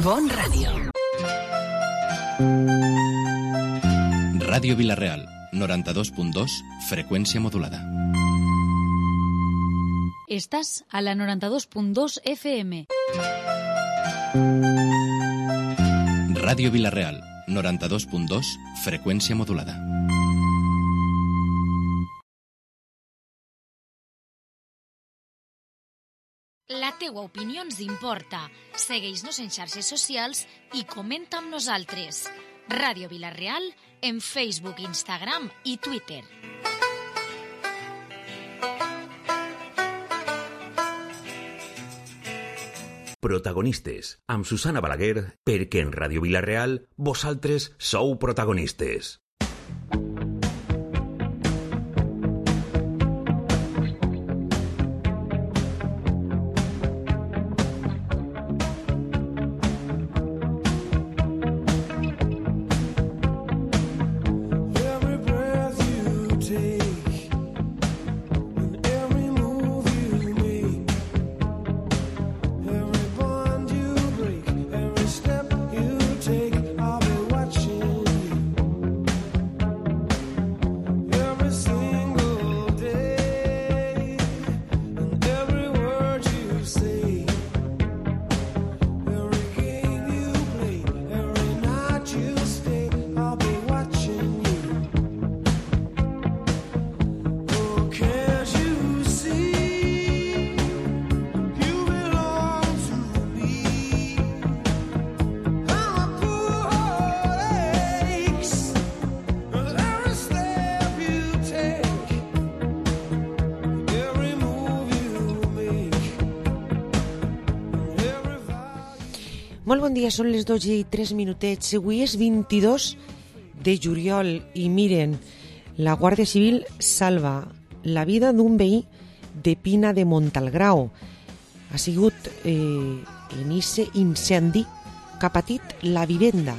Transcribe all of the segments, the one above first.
Bon Ràdio. Ràdio Vila-real, 92.2, freqüència modulada. Estàs a la 92.2 FM. Ràdio Vila-real, 92.2, freqüència modulada. La teua opinió ens importa. Segueix-nos en xarxes socials i comenta amb nosaltres. Ràdio Vila-real en Facebook, Instagram i Twitter. Protagonistes, amb Susana Balaguer, perquè en Ràdio Vila-real vosaltres sou protagonistes. Molt bon dia, són les 12:03. Avui és 22 de juliol i miren, la Guàrdia Civil salva la vida d'un veí de Pina de Montalgrao. Ha sigut en aquest incendi que ha patit la vivenda.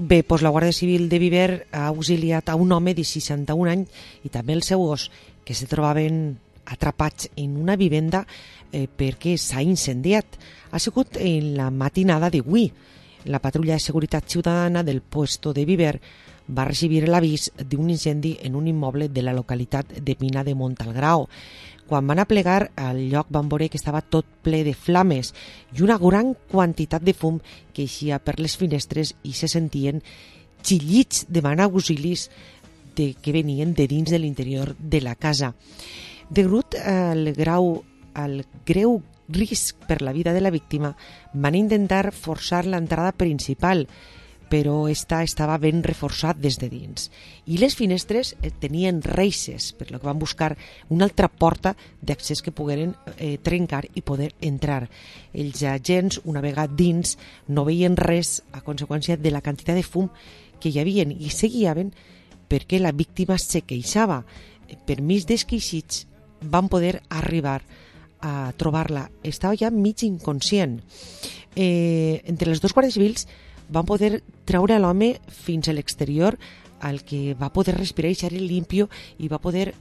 Bé, doncs la Guàrdia Civil de Viver ha auxiliat a un home de 61 anys i també el seu gos, que se trobaven atrapats en una vivenda perquè s'ha incendiat. Ha sigut en la matinada d'avui. La patrulla de seguretat ciutadana del puesto de Viver va recibir l'avís d'un incendi en un immoble de la localitat de Pina de Montalgrao. Quan van aplegar al lloc van veure que estava tot ple de flames i una gran quantitat de fum que eixia per les finestres i se sentien xillits demanant auxilis que venien de dins de l'interior de la casa. Degut al greu risc per la vida de la víctima, van intentar forçar l'entrada principal, però estava ben reforçat des de dins. I les finestres tenien reixes, per lo que van buscar una altra porta d'accés que pogueren trencar i poder entrar. Els agents, una vegada dins, no veien res a conseqüència de la quantitat de fum que hi havia i seguiaven perquè la víctima se queixava. Per mig d'esqueixits van poder arribar a trobar-la. Estava ja mig inconscient. Entre les dos guàrdies civils van poder treure l'home fins a l'exterior, al que va poder respirar i ser limpio i va poder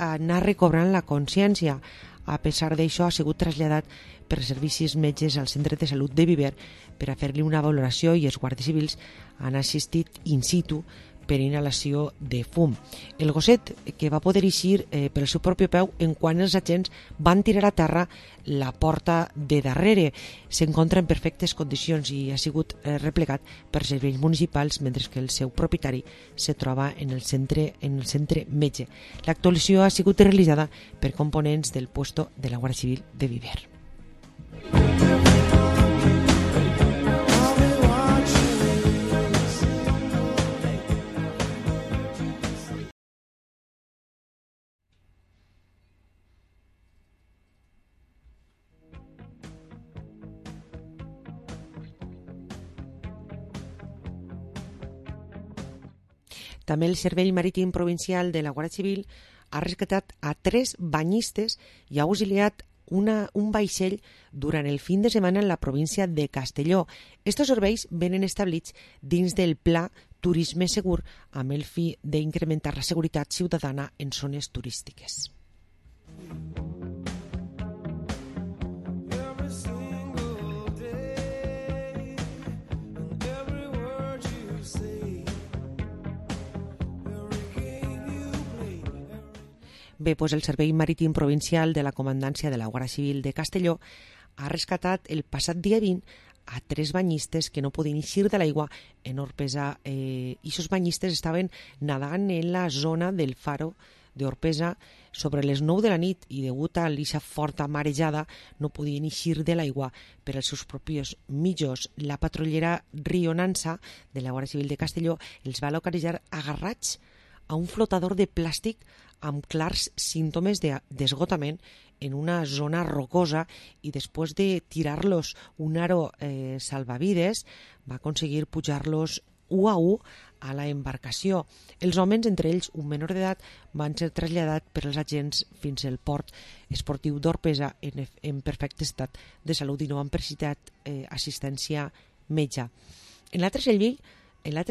anar recobrant la consciència. A pesar d'això, ha sigut traslladat per servicis metges al centre de salut de Viver per a fer-li una valoració i els guàrdies civils han assistit in situ per inhalació de fum. El gosset, que va poder eixir pel seu propi peu en quan els agents van tirar a terra la porta de darrere. S'encontra en perfectes condicions i ha sigut replegat per serveis municipals, mentre que el seu propietari se troba en el centre metge. L'actuació ha sigut realitzada per components del puesto de la Guàrdia Civil de Viver. També el Servei Marítim Provincial de la Guàrdia Civil ha rescatat a 3 banyistes i ha auxiliat un vaixell durant el fin de setmana en la província de Castelló. Estos serveis venen establits dins del Pla Turisme Segur amb el fi d'incrementar la seguretat ciutadana en zones turístiques. Bé, doncs el Servei Marítim Provincial de la Comandància de la Guàrdia Civil de Castelló ha rescatat el passat dia 20 a 3 banyistes que no podien eixir de l'aigua en Orpesa. I aquests banyistes estaven nadant en la zona del faro d'Orpesa sobre les 9 de la nit i degut a l'eixa forta marejada no podien eixir de l'aigua per als seus propis mitjos. La patrullera Rio Nansa de la Guàrdia Civil de Castelló els va localitzar agarrats a un flotador de plàstic amb clars símptomes d'esgotament en una zona rocosa i després de tirar-los un aro salvavides va aconseguir pujar-los u a u a la embarcació. Els homes, entre ells un menor d'edat, van ser traslladats per als agents fins al port esportiu d'Orpesa en perfecte estat de salut i no han precisat assistència metge. En l'altre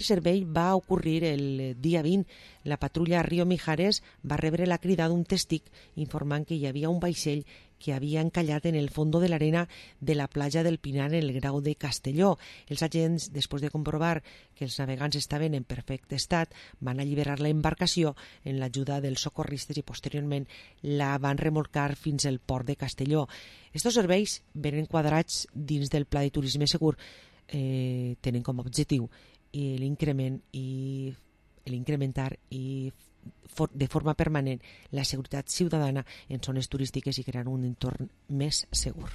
servei va ocórrer el dia 20. La patrulla Río Mijares va rebre la crida d'un tèstic informant que hi havia un vaixell que havia encallat en el fons de l'arena de la platja del Pinar en el Grau de Castelló. Els agents, després de comprovar que els navegants estaven en perfecte estat, van alliberar la embarcació en l'ajuda dels socorristes i posteriorment la van remolcar fins al port de Castelló. Estos serveis venen quadrats dins del Pla de Turisme Segur, tenen com a objectiu l'incrementar i de forma permanent la seguretat ciutadana en zones turístiques i crear un entorn més segur.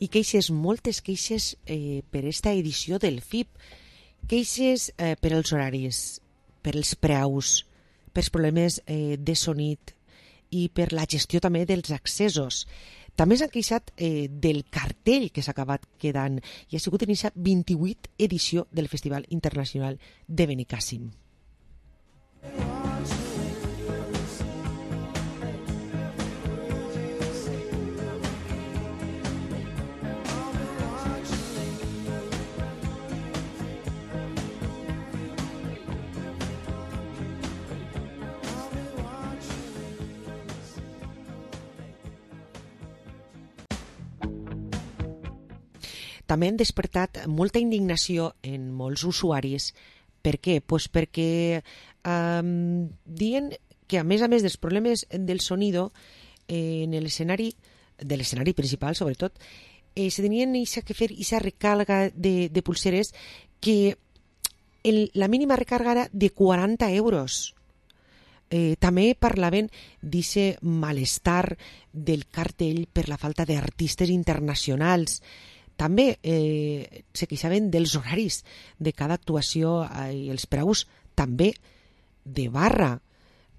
I queixes, moltes queixes per esta edició del FIP. Queixes per als horaris, per als preus, pels problemes de sonit i per la gestió també dels accessos. També s'han queixat del cartell que s'ha acabat quedant i ha sigut en aquesta 28 edició del Festival Internacional de Benicàssim. També han despertat molta indignació en molts usuaris. Per què? Pues perquè diuen que a més dels problemes del sonido en l'escenari, de l'escenari principal sobretot, se tenien que fer aquesta recàrrega de pulseres que la mínima recàrrega era de 40 euros. També parlaven d'aquest malestar del cartell per la falta d'artistes internacionals. També se queixaven dels horaris de cada actuació i els preus també de barra.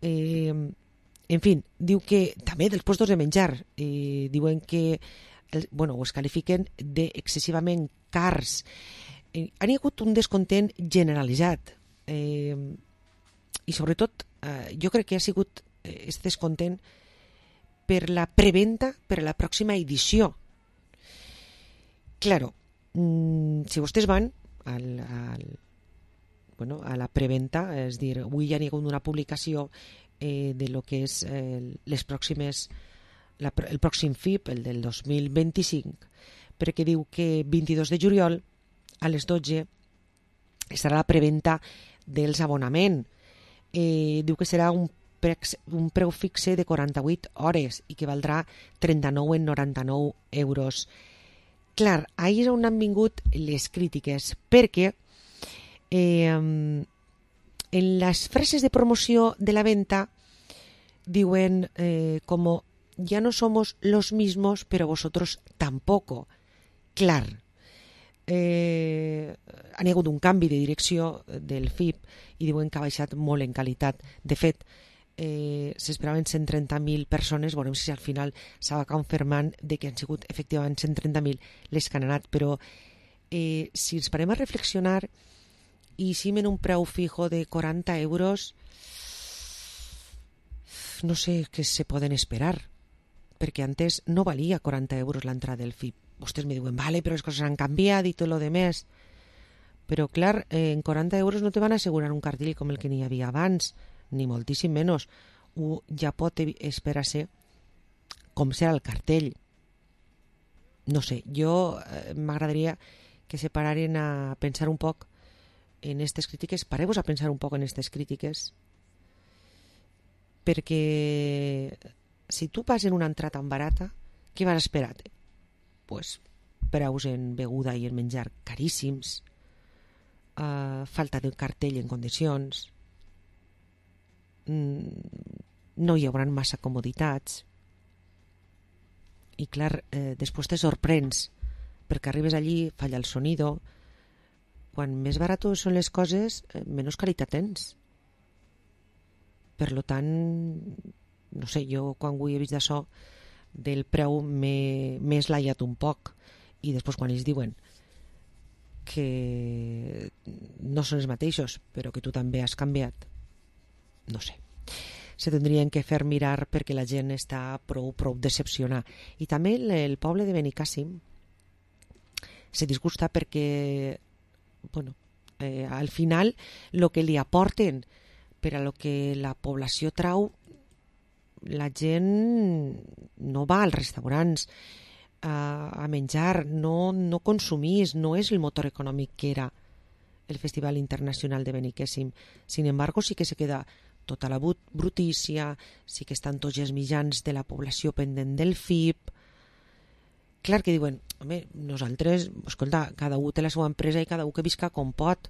En fi, diu que també dels puestos de menjar. Diuen que es qualifiquen d'excessivament cars. Han hagut un descontent generalitzat. I sobretot jo crec que ha sigut aquest descontent per la preventa per a la pròxima edició. Claro, si vostès van a la preventa, és dir, avui ja n'hi ha hagut una publicació de lo que és el pròxim FIP, el del 2025, perquè diu que 22 de juliol a les 12 estarà la preventa dels abonaments. Diu que serà un preu fixe de 48 hores i que valdrà 39,99 euros. Clar, ahir és on han vingut les crítiques, perquè en les frases de promoció de la venta diuen como ya no somos los mismos, pero vosotros tampoco. Clar, han hagut un canvi de direcció del FIP i diuen que ha baixat molt en qualitat. De fet, s'esperaven 130.000 persones, veurem si al final s'ha confirmant de que han sigut efectivament 130.000 les que han anat, però si ens parem a reflexionar i si en un preu fijo de 40 euros, no sé què se poden esperar, perquè antes no valia 40 euros l'entrada del FIP. Vostès me diuen, vale, però les coses han canviat i tot lo demés. Però clar, en 40 euros no te van assegurar un cartell com el que n'hi havia abans, ni moltíssim menys. Ja pot esperar-se com serà el cartell. No sé, jo m'agradaria que se pararen a pensar un poc en aquestes crítiques, pareu-vos a pensar un poc en aquestes crítiques, perquè si tu vas en una entrada tan barata, què vas esperar? Pues preus en beguda i en menjar caríssims, falta de cartell en condicions, no hi haurà massa comoditats i clar, després te sorprens perquè arribes allí, falla el sonido. Quan més baratos són les coses, menys qualitat tens. Per lo tant, no sé, jo quan avui he vist d'això del preu m'he eslaiat un poc i després quan ells diuen que no són els mateixos però que tu també has canviat, no sé, se tindrien que fer mirar perquè la gent està prou decepcionada. I també el poble de Benicàssim se disgusta perquè bueno, al final el que li aporten per a lo que la població trau, la gent no va als restaurants a menjar, no consumís, no és el motor econòmic que era el Festival Internacional de Benicàssim. Sin embargo, sí que se queda tota la brutícia, sí que estan tots els mitjans de la població pendent del FIP. Clar que diuen, home, nosaltres, escolta, cada un té la seva empresa i cada un que visca com pot.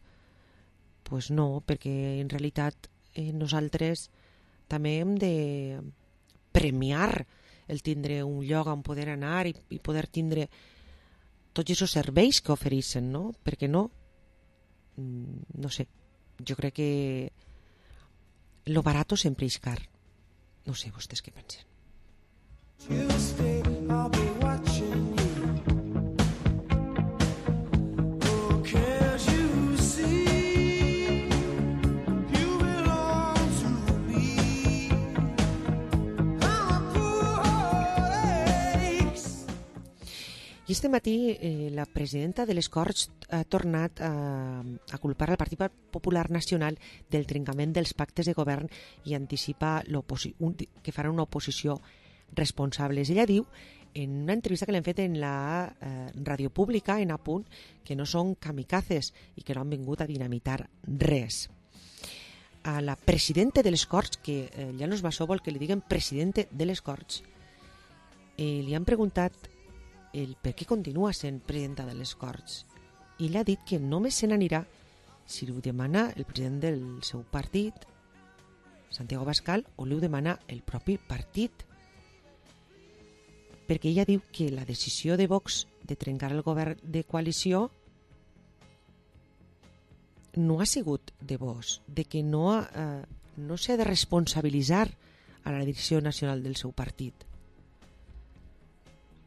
Pues no, perquè en realitat nosaltres també hem de premiar el tindre un lloc on poder anar i poder tindre tots aquests serveis que ofereixen, no? Perquè no? No sé, jo crec que lo barato sempre és car. No sé, vostès què pensen? I este matí la presidenta de les Corts ha tornat a culpar al Partit Popular Nacional del trencament dels pactes de govern i anticipa que farà una oposició responsable. Ella diu, en una entrevista que l'hem fet en la ràdio pública, en Apunt, que no són kamikazes i que no han vingut a dinamitar res. A la presidenta de les Corts, que ja no es va vol que li diguen presidente de les Corts, li han preguntat el per què continua sent presidenta de les Corts i ell ha dit que només se n'anirà si ho demana el president del seu partit, Santiago Abascal, o li ho demana el propi partit, perquè ella diu que la decisió de Vox de trencar el govern de coalició no ha sigut de Vox, de que no s'ha de responsabilitzar a la direcció nacional del seu partit.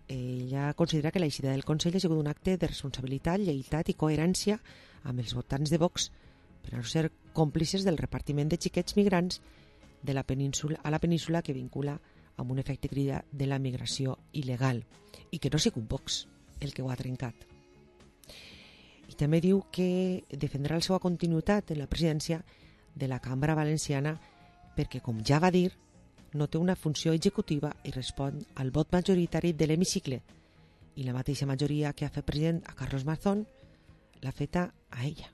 Ella considera que l'eixida del Consell ha sigut un acte de responsabilitat, lleialtat i coherència amb els votants de Vox per a no ser còmplices del repartiment de xiquets migrants de la península a la península que vincula amb un efecte crida de la migració il·legal i que no ha sigut Vox el que ho ha trencat. I també diu que defendrà la seva continuïtat en la presidència de la Cambra Valenciana perquè, com ja va dir, no té una funció executiva i respon al vot majoritari de l'hemicicle i la mateixa majoria que ha fet president a Carlos Mazón l'ha feta a ella.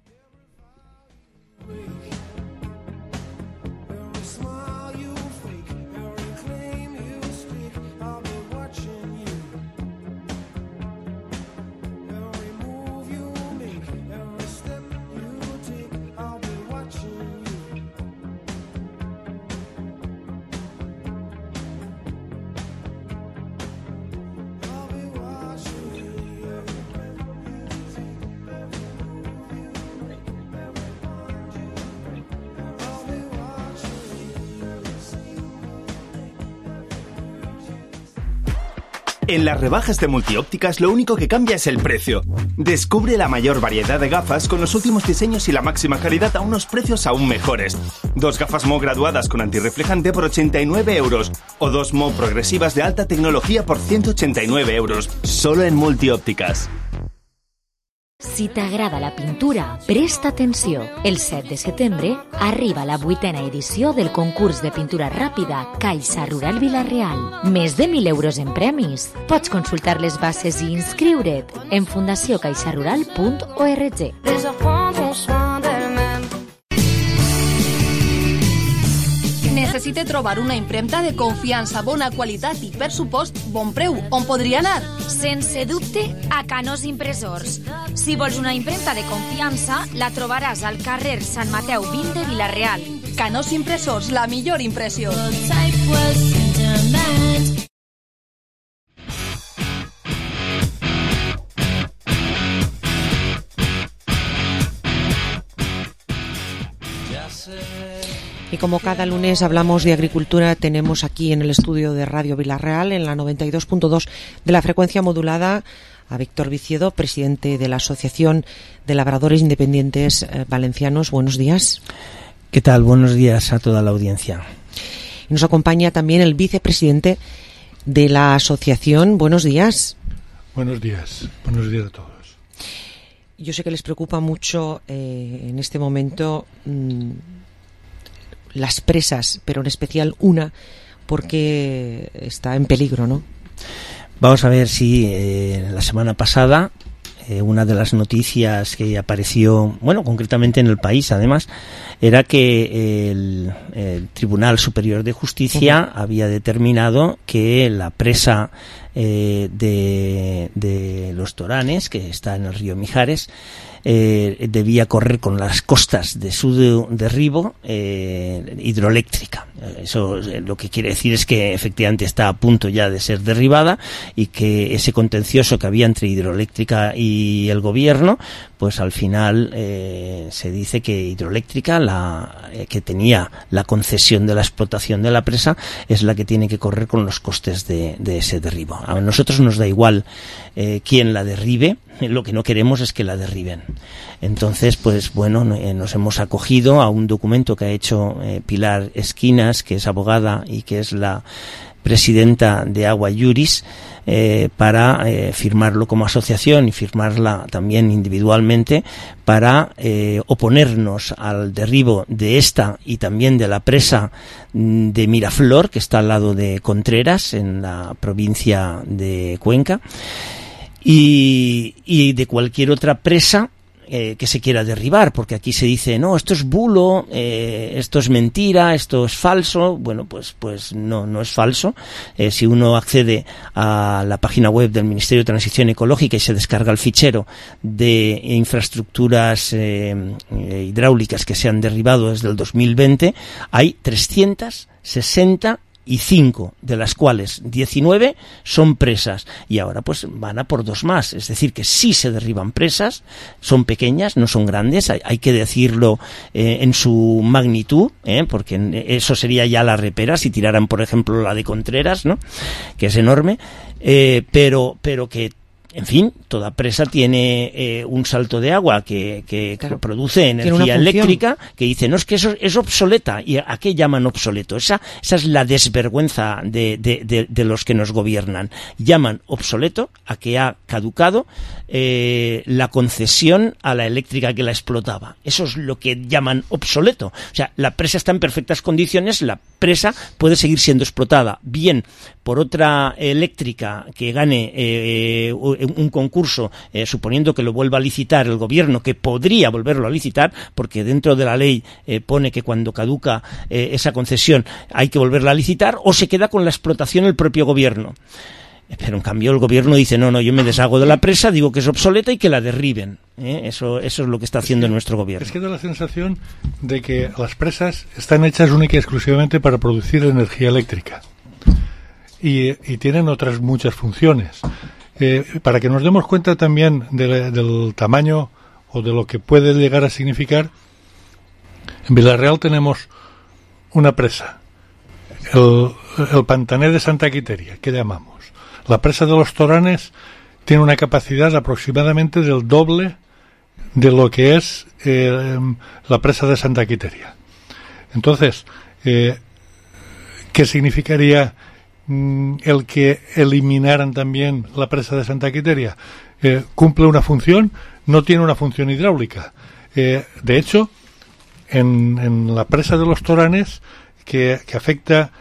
En las rebajas de Multiópticas lo único que cambia es el precio. Descubre la mayor variedad de gafas con los últimos diseños y la máxima calidad a unos precios aún mejores. 2 gafas Mo graduadas con antirreflejante por 89 euros o 2 Mo progresivas de alta tecnología por 189 euros. Solo en Multiópticas. Si t'agrada la pintura, presta atenció. El 7 de setembre arriba la 8a edició del concurs de pintura ràpida Caixa Rural Vila-real. Més de 1.000 euros en premis. Pots consultar les bases i inscriure't en fundaciocaixarural.org. Necessite trobar una impremta de confiança, bona qualitat i, per supost, bon preu. On podria anar? Sense dubte, a Canós Impressors. Si vols una impremta de confiança, la trobaràs al carrer Sant Mateu 20 de Vila-real. Canós Impressors, la millor impressió. Y como cada lunes hablamos de agricultura, tenemos aquí en el estudio de Radio Vila-real, en la 92.2 de la frecuencia modulada, a Víctor Viciedo, presidente de la Asociación de Labradores Independientes Valencianos. Buenos días. ¿Qué tal? Buenos días a toda la audiencia. Y nos acompaña también el vicepresidente de la asociación. Buenos días. Buenos días a todos. Yo sé que les preocupa mucho en este momento las presas, pero en especial una, porque está en peligro, ¿no? Vamos a ver si la semana pasada una de las noticias que apareció, bueno, concretamente en El País, además, era que el Tribunal Superior de Justicia había determinado que la presa de Los Toranes, que está en el río Mijares, debía correr con las costas de su derribo hidroeléctrica. Eso lo que quiere decir es que efectivamente está a punto ya de ser derribada y que ese contencioso que había entre hidroeléctrica y el gobierno, pues al final se dice que hidroeléctrica, que tenía la concesión de la explotación de la presa, es la que tiene que correr con los costes de ese derribo. A nosotros nos da igual quién la derribe, lo que no queremos es que la derriben. Entonces, pues bueno, nos hemos acogido a un documento que ha hecho Pilar Esquinas, que es abogada y que es la presidenta de Agua Iuris, para firmarlo como asociación y firmarla también individualmente para oponernos al derribo de esta y también de la presa de Miraflor, que está al lado de Contreras, en la provincia de Cuenca, y de cualquier otra presa que se quiera derribar, porque aquí se dice, no, esto es bulo, esto es mentira, esto es falso. Bueno, pues no es falso. Si uno accede a la página web del Ministerio de Transición Ecológica y se descarga el fichero de infraestructuras hidráulicas que se han derribado desde el 2020, hay 365, de las cuales 19 son presas, y ahora pues van a por 2 más. Es decir, que sí se derriban presas, son pequeñas, no son grandes, hay que decirlo en su magnitud, porque eso sería ya la repera si tiraran, por ejemplo, la de Contreras, ¿no?, que es enorme, pero que, en fin, toda presa tiene un salto de agua que claro, produce energía eléctrica, que dice, no, es que eso es obsoleta. ¿Y a qué llaman obsoleto? Esa es la desvergüenza de los que nos gobiernan. Llaman obsoleto a que ha caducado la concesión a la eléctrica que la explotaba. Eso es lo que llaman obsoleto. O sea, la presa está en perfectas condiciones, la presa puede seguir siendo explotada bien por otra eléctrica que gane un concurso, suponiendo que lo vuelva a licitar el gobierno, que podría volverlo a licitar, porque dentro de la ley pone que cuando caduca esa concesión hay que volverla a licitar, o se queda con la explotación el propio gobierno. Pero en cambio el gobierno dice, no, yo me deshago de la presa, digo que es obsoleta y que la derriben. Eso es lo que está haciendo nuestro gobierno. Es que da la sensación de que las presas están hechas única y exclusivamente para producir energía eléctrica. Y tienen otras muchas funciones. Para que nos demos cuenta también del tamaño o de lo que puede llegar a significar, en Vila-real tenemos una presa, el Pantaner de Santa Quiteria, que llamamos. La presa de los Toranes tiene una capacidad aproximadamente del doble de lo que es la presa de Santa Quiteria. Entonces, ¿qué significaría el que eliminaran también la presa de Santa Quiteria? Cumple una función, no tiene una función hidráulica. De hecho, en la presa de los Toranes, que afecta,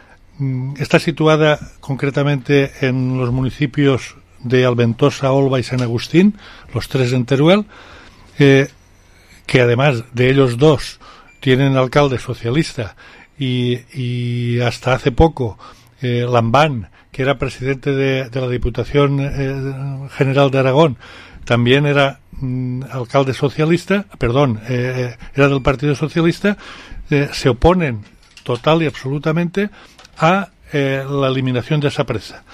está situada concretamente en los municipios de Alventosa, Olva y San Agustín, los tres en Teruel, que además de ellos dos tienen alcalde socialista y hasta hace poco Lambán, que era presidente de la Diputación General de Aragón, también era alcalde socialista, era del Partido Socialista, se oponen total y absolutamente a la eliminación de esa presa.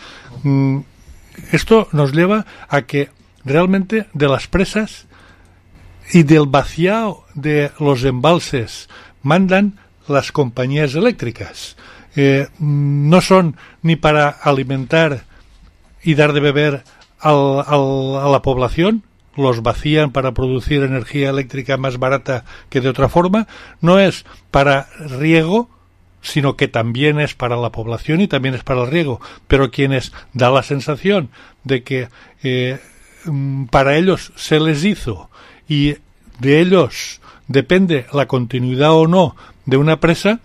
Esto nos lleva a que realmente de las presas y del vaciado de los embalses mandan las compañías eléctricas. No son ni para alimentar y dar de beber a la población, los vacían para producir energía eléctrica más barata que de otra forma, no es para riego, sino que también es para la población y también es para el riego, pero quienes da la sensación de que para ellos se les hizo y de ellos depende la continuidad o no de una presa,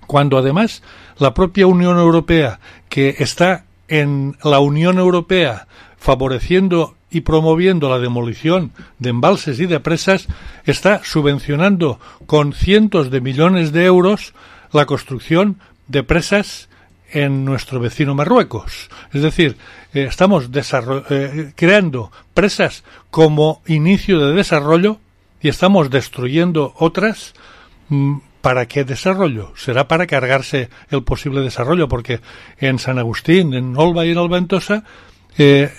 cuando además la propia Unión Europea, que está en la Unión Europea favoreciendo y promoviendo la demolición de embalses y de presas, está subvencionando con cientos de millones de euros la construcción de presas en nuestro vecino Marruecos. Es decir, estamos creando presas como inicio de desarrollo y estamos destruyendo otras. ¿Para qué desarrollo? Será para cargarse el posible desarrollo, porque en San Agustín, en Olva y en Alventosa,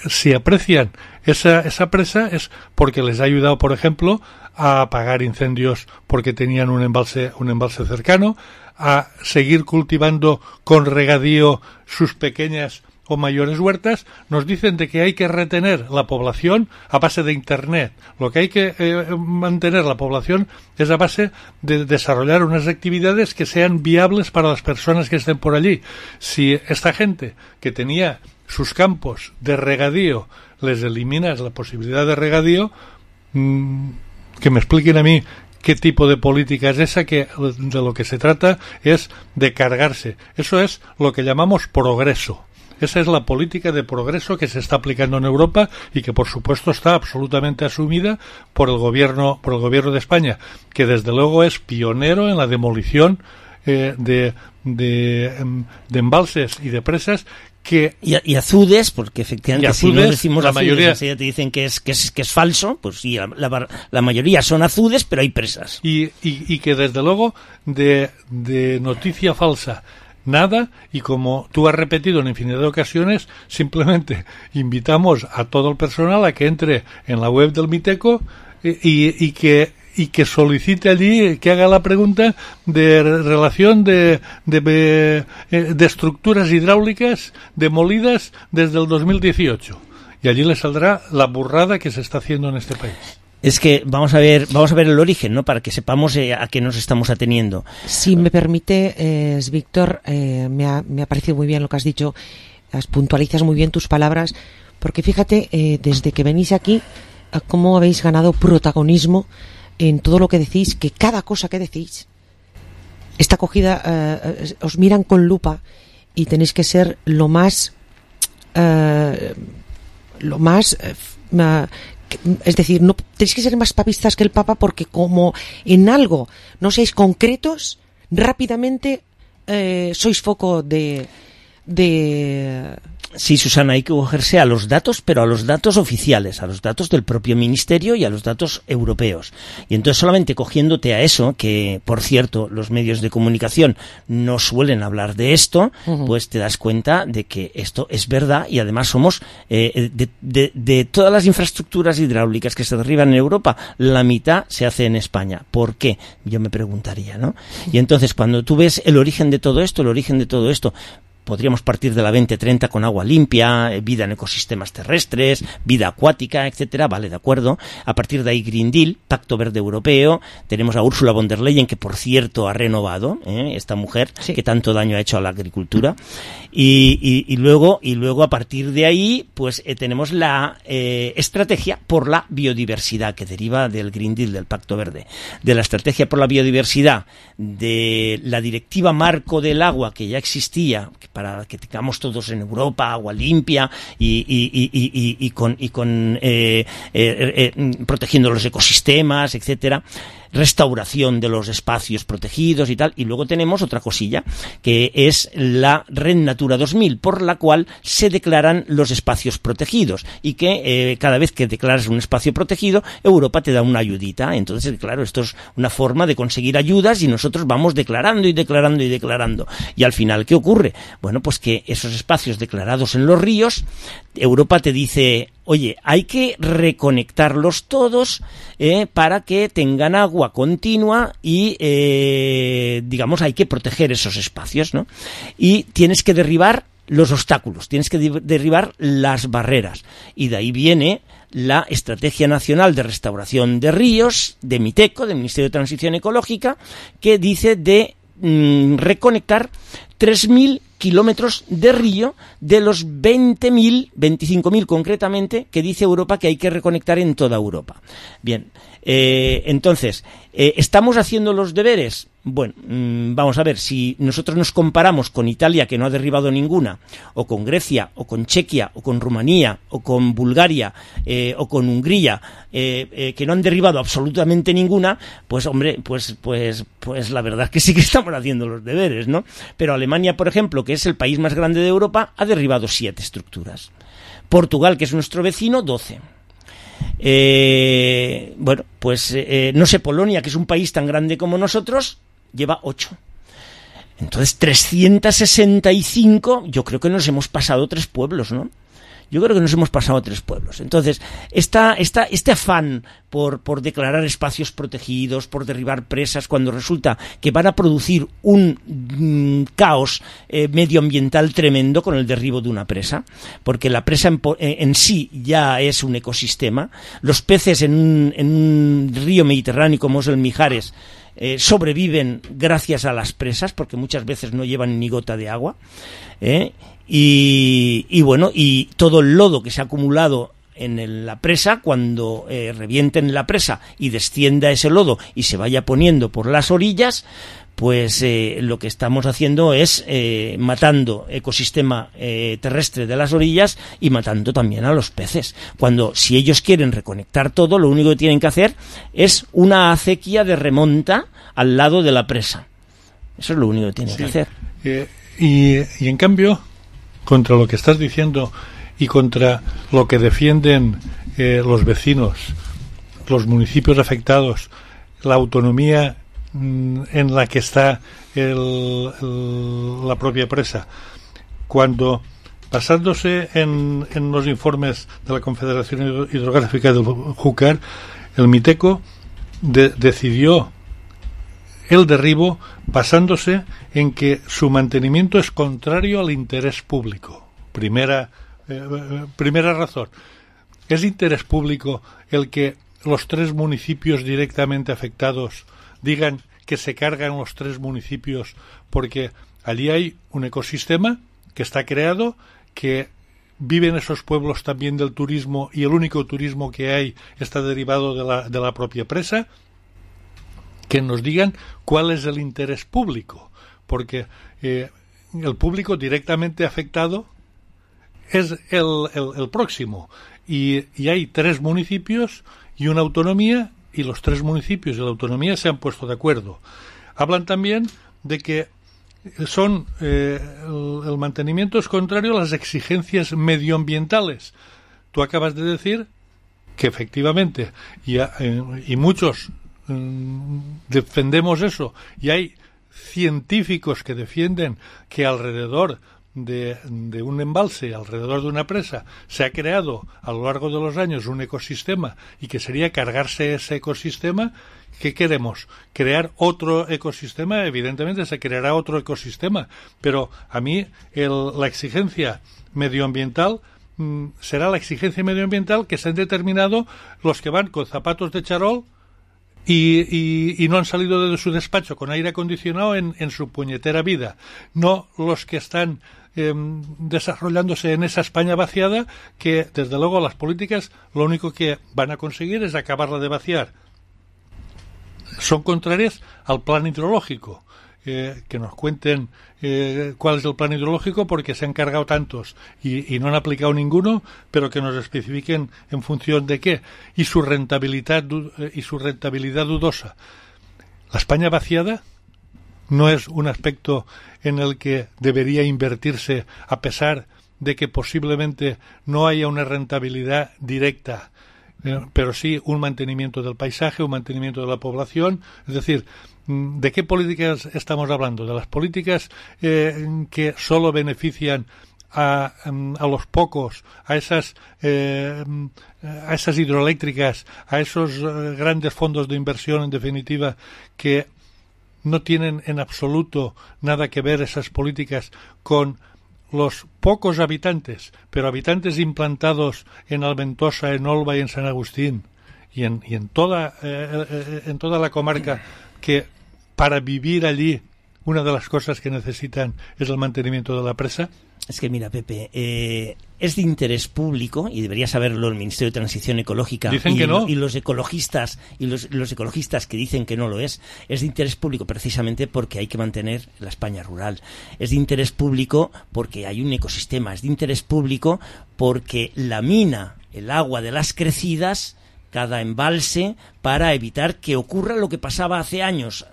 si aprecian esa presa es porque les ha ayudado, por ejemplo, a apagar incendios porque tenían un embalse cercano, a seguir cultivando con regadío sus pequeñas o mayores huertas. Nos dicen de que hay que retener la población a base de Internet. Lo que hay que mantener la población es a base de desarrollar unas actividades que sean viables para las personas que estén por allí. Si esta gente que tenía sus campos de regadío les eliminas la posibilidad de regadío, que me expliquen a mí qué tipo de política es esa, que de lo que se trata es de cargarse. Eso es lo que llamamos progreso. Esa es la política de progreso que se está aplicando en Europa y que, por supuesto, está absolutamente asumida por el gobierno de España, que desde luego es pionero en la demolición de embalses y de presas. Y azudes, porque efectivamente azudes, si no decimos la azudes, mayoría, enseguida te dicen que es falso, pues sí, la mayoría son azudes, pero hay presas. Y que desde luego de noticia falsa nada, y como tú has repetido en infinidad de ocasiones, simplemente invitamos a todo el personal a que entre en la web del Miteco y que solicite allí, que haga la pregunta de relación de estructuras hidráulicas demolidas desde el 2018. Y allí le saldrá la burrada que se está haciendo en este país. Es que vamos a ver el origen, ¿no? Para que sepamos a qué nos estamos ateniendo. Si me permite, Víctor, me ha parecido muy bien lo que has dicho. Puntualizas muy bien tus palabras, porque fíjate, desde que venís aquí, cómo habéis ganado protagonismo en todo lo que decís, que cada cosa que decís está cogida, os miran con lupa y tenéis que ser lo más es decir, no tenéis que ser más papistas que el Papa, porque como en algo no seáis concretos, rápidamente sois foco de... Sí, Susana, hay que cogerse a los datos, pero a los datos oficiales, a los datos del propio ministerio y a los datos europeos. Y entonces solamente cogiéndote a eso, que por cierto los medios de comunicación no suelen hablar de esto, pues te das cuenta de que esto es verdad, y además somos de todas las infraestructuras hidráulicas que se derriban en Europa, la mitad se hace en España. ¿Por qué? Yo me preguntaría, ¿no? Y entonces cuando tú ves el origen de todo esto, podríamos partir de la 2030 con agua limpia, vida en ecosistemas terrestres, vida acuática, etcétera, vale, de acuerdo. A partir de ahí Green Deal, Pacto Verde Europeo, tenemos a Ursula von der Leyen, que por cierto ha renovado, esta mujer, sí, que tanto daño ha hecho a la agricultura, y luego a partir de ahí pues tenemos la estrategia por la biodiversidad, que deriva del Green Deal, del Pacto Verde, de la estrategia por la biodiversidad, de la directiva marco del agua que ya existía, para que tengamos todos en Europa agua limpia y protegiendo los ecosistemas, etcétera, restauración de los espacios protegidos y tal. Y luego tenemos otra cosilla, que es la Red Natura 2000, por la cual se declaran los espacios protegidos, y que cada vez que declaras un espacio protegido, Europa te da una ayudita. Entonces, claro, esto es una forma de conseguir ayudas, y nosotros vamos declarando y declarando y declarando. Y al final, ¿qué ocurre? Bueno, pues que esos espacios declarados en los ríos, Europa te dice: oye, hay que reconectarlos todos para que tengan agua continua y, digamos, hay que proteger esos espacios, ¿no? Y tienes que derribar los obstáculos, tienes que derribar las barreras. Y de ahí viene la Estrategia Nacional de Restauración de Ríos, de MITECO, del Ministerio de Transición Ecológica, que dice de reconectar 3.000 kilómetros de río de los 20.000, 25.000 concretamente, que dice Europa que hay que reconectar en toda Europa. Bien, entonces, ¿estamos haciendo los deberes? Bueno, vamos a ver, si nosotros nos comparamos con Italia, que no ha derribado ninguna, o con Grecia, o con Chequia, o con Rumanía, o con Bulgaria, o con Hungría, que no han derribado absolutamente ninguna, pues hombre, pues la verdad es que sí que estamos haciendo los deberes, ¿no? Pero Alemania, por ejemplo, que es el país más grande de Europa, ha derribado 7 estructuras. Portugal, que es nuestro vecino, 12. Bueno, pues no sé, Polonia, que es un país tan grande como nosotros, lleva 8. Entonces, 365, yo creo que nos hemos pasado 3 pueblos, ¿no? Yo creo que nos hemos pasado 3 pueblos. Entonces, este afán por declarar espacios protegidos, por derribar presas, cuando resulta que van a producir un caos medioambiental tremendo con el derribo de una presa, porque la presa en sí ya es un ecosistema. Los peces en un río Mediterráneo como es el Mijares sobreviven gracias a las presas, porque muchas veces no llevan ni gota de agua, y bueno, y todo el lodo que se ha acumulado en la presa, cuando revienten la presa y descienda ese lodo y se vaya poniendo por las orillas, pues lo que estamos haciendo es matando ecosistema terrestre de las orillas y matando también a los peces. Cuando, si ellos quieren reconectar todo, lo único que tienen que hacer es una acequia de remonta al lado de la presa. Eso es lo único que tienen que hacer. Y en cambio, contra lo que estás diciendo y contra lo que defienden los vecinos, los municipios afectados, la autonomía en la que está la propia presa, cuando, basándose en los informes de la Confederación Hidrográfica del Júcar, el MITECO decidió el derribo basándose en que su mantenimiento es contrario al interés público. Primera razón. ¿Es interés público el que los 3 municipios directamente afectados digan que se cargan los 3 municipios porque allí hay un ecosistema que está creado, que viven esos pueblos también del turismo, y el único turismo que hay está derivado de la propia presa? Que nos digan cuál es el interés público, porque el público directamente afectado es el próximo, y hay 3 municipios y una autonomía, y los 3 municipios y la autonomía se han puesto de acuerdo. Hablan también de que el mantenimiento es contrario a las exigencias medioambientales. Tú acabas de decir que efectivamente, y muchos defendemos eso, y hay científicos que defienden que alrededor de un embalse, alrededor de una presa, se ha creado a lo largo de los años un ecosistema, y que sería cargarse ese ecosistema, ¿qué queremos? ¿Crear otro ecosistema? Evidentemente se creará otro ecosistema, pero a mí la exigencia medioambiental será la exigencia medioambiental que se han determinado los que van con zapatos de charol y no han salido de su despacho con aire acondicionado en su puñetera vida, no los que están desarrollándose en esa España vaciada, que desde luego las políticas lo único que van a conseguir es acabarla de vaciar. Son contrarias al plan hidrológico. Que nos cuenten cuál es el plan hidrológico, porque se han cargado tantos y no han aplicado ninguno, pero que nos especifiquen en función de qué, y su rentabilidad dudosa. La España vaciada no es un aspecto en el que debería invertirse, a pesar de que posiblemente no haya una rentabilidad directa, pero sí un mantenimiento del paisaje, un mantenimiento de la población. Es decir, ¿de qué políticas estamos hablando? ¿De las políticas que solo benefician a los pocos, a esas hidroeléctricas, a esos grandes fondos de inversión, en definitiva, que no tienen en absoluto nada que ver esas políticas con los pocos habitantes, pero habitantes implantados en Alventosa, en Olva y en San Agustín y en toda la comarca, que para vivir allí una de las cosas que necesitan es el mantenimiento de la presa? Es que mira, Pepe, es de interés público, y debería saberlo el Ministerio de Transición Ecológica. Dicen que no. Y los ecologistas que dicen que no lo es de interés público precisamente porque hay que mantener la España rural. Es de interés público porque hay un ecosistema. Es de interés público porque lamina el agua de las crecidas, cada embalse, para evitar que ocurra lo que pasaba hace años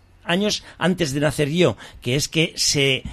antes de nacer yo, que es que se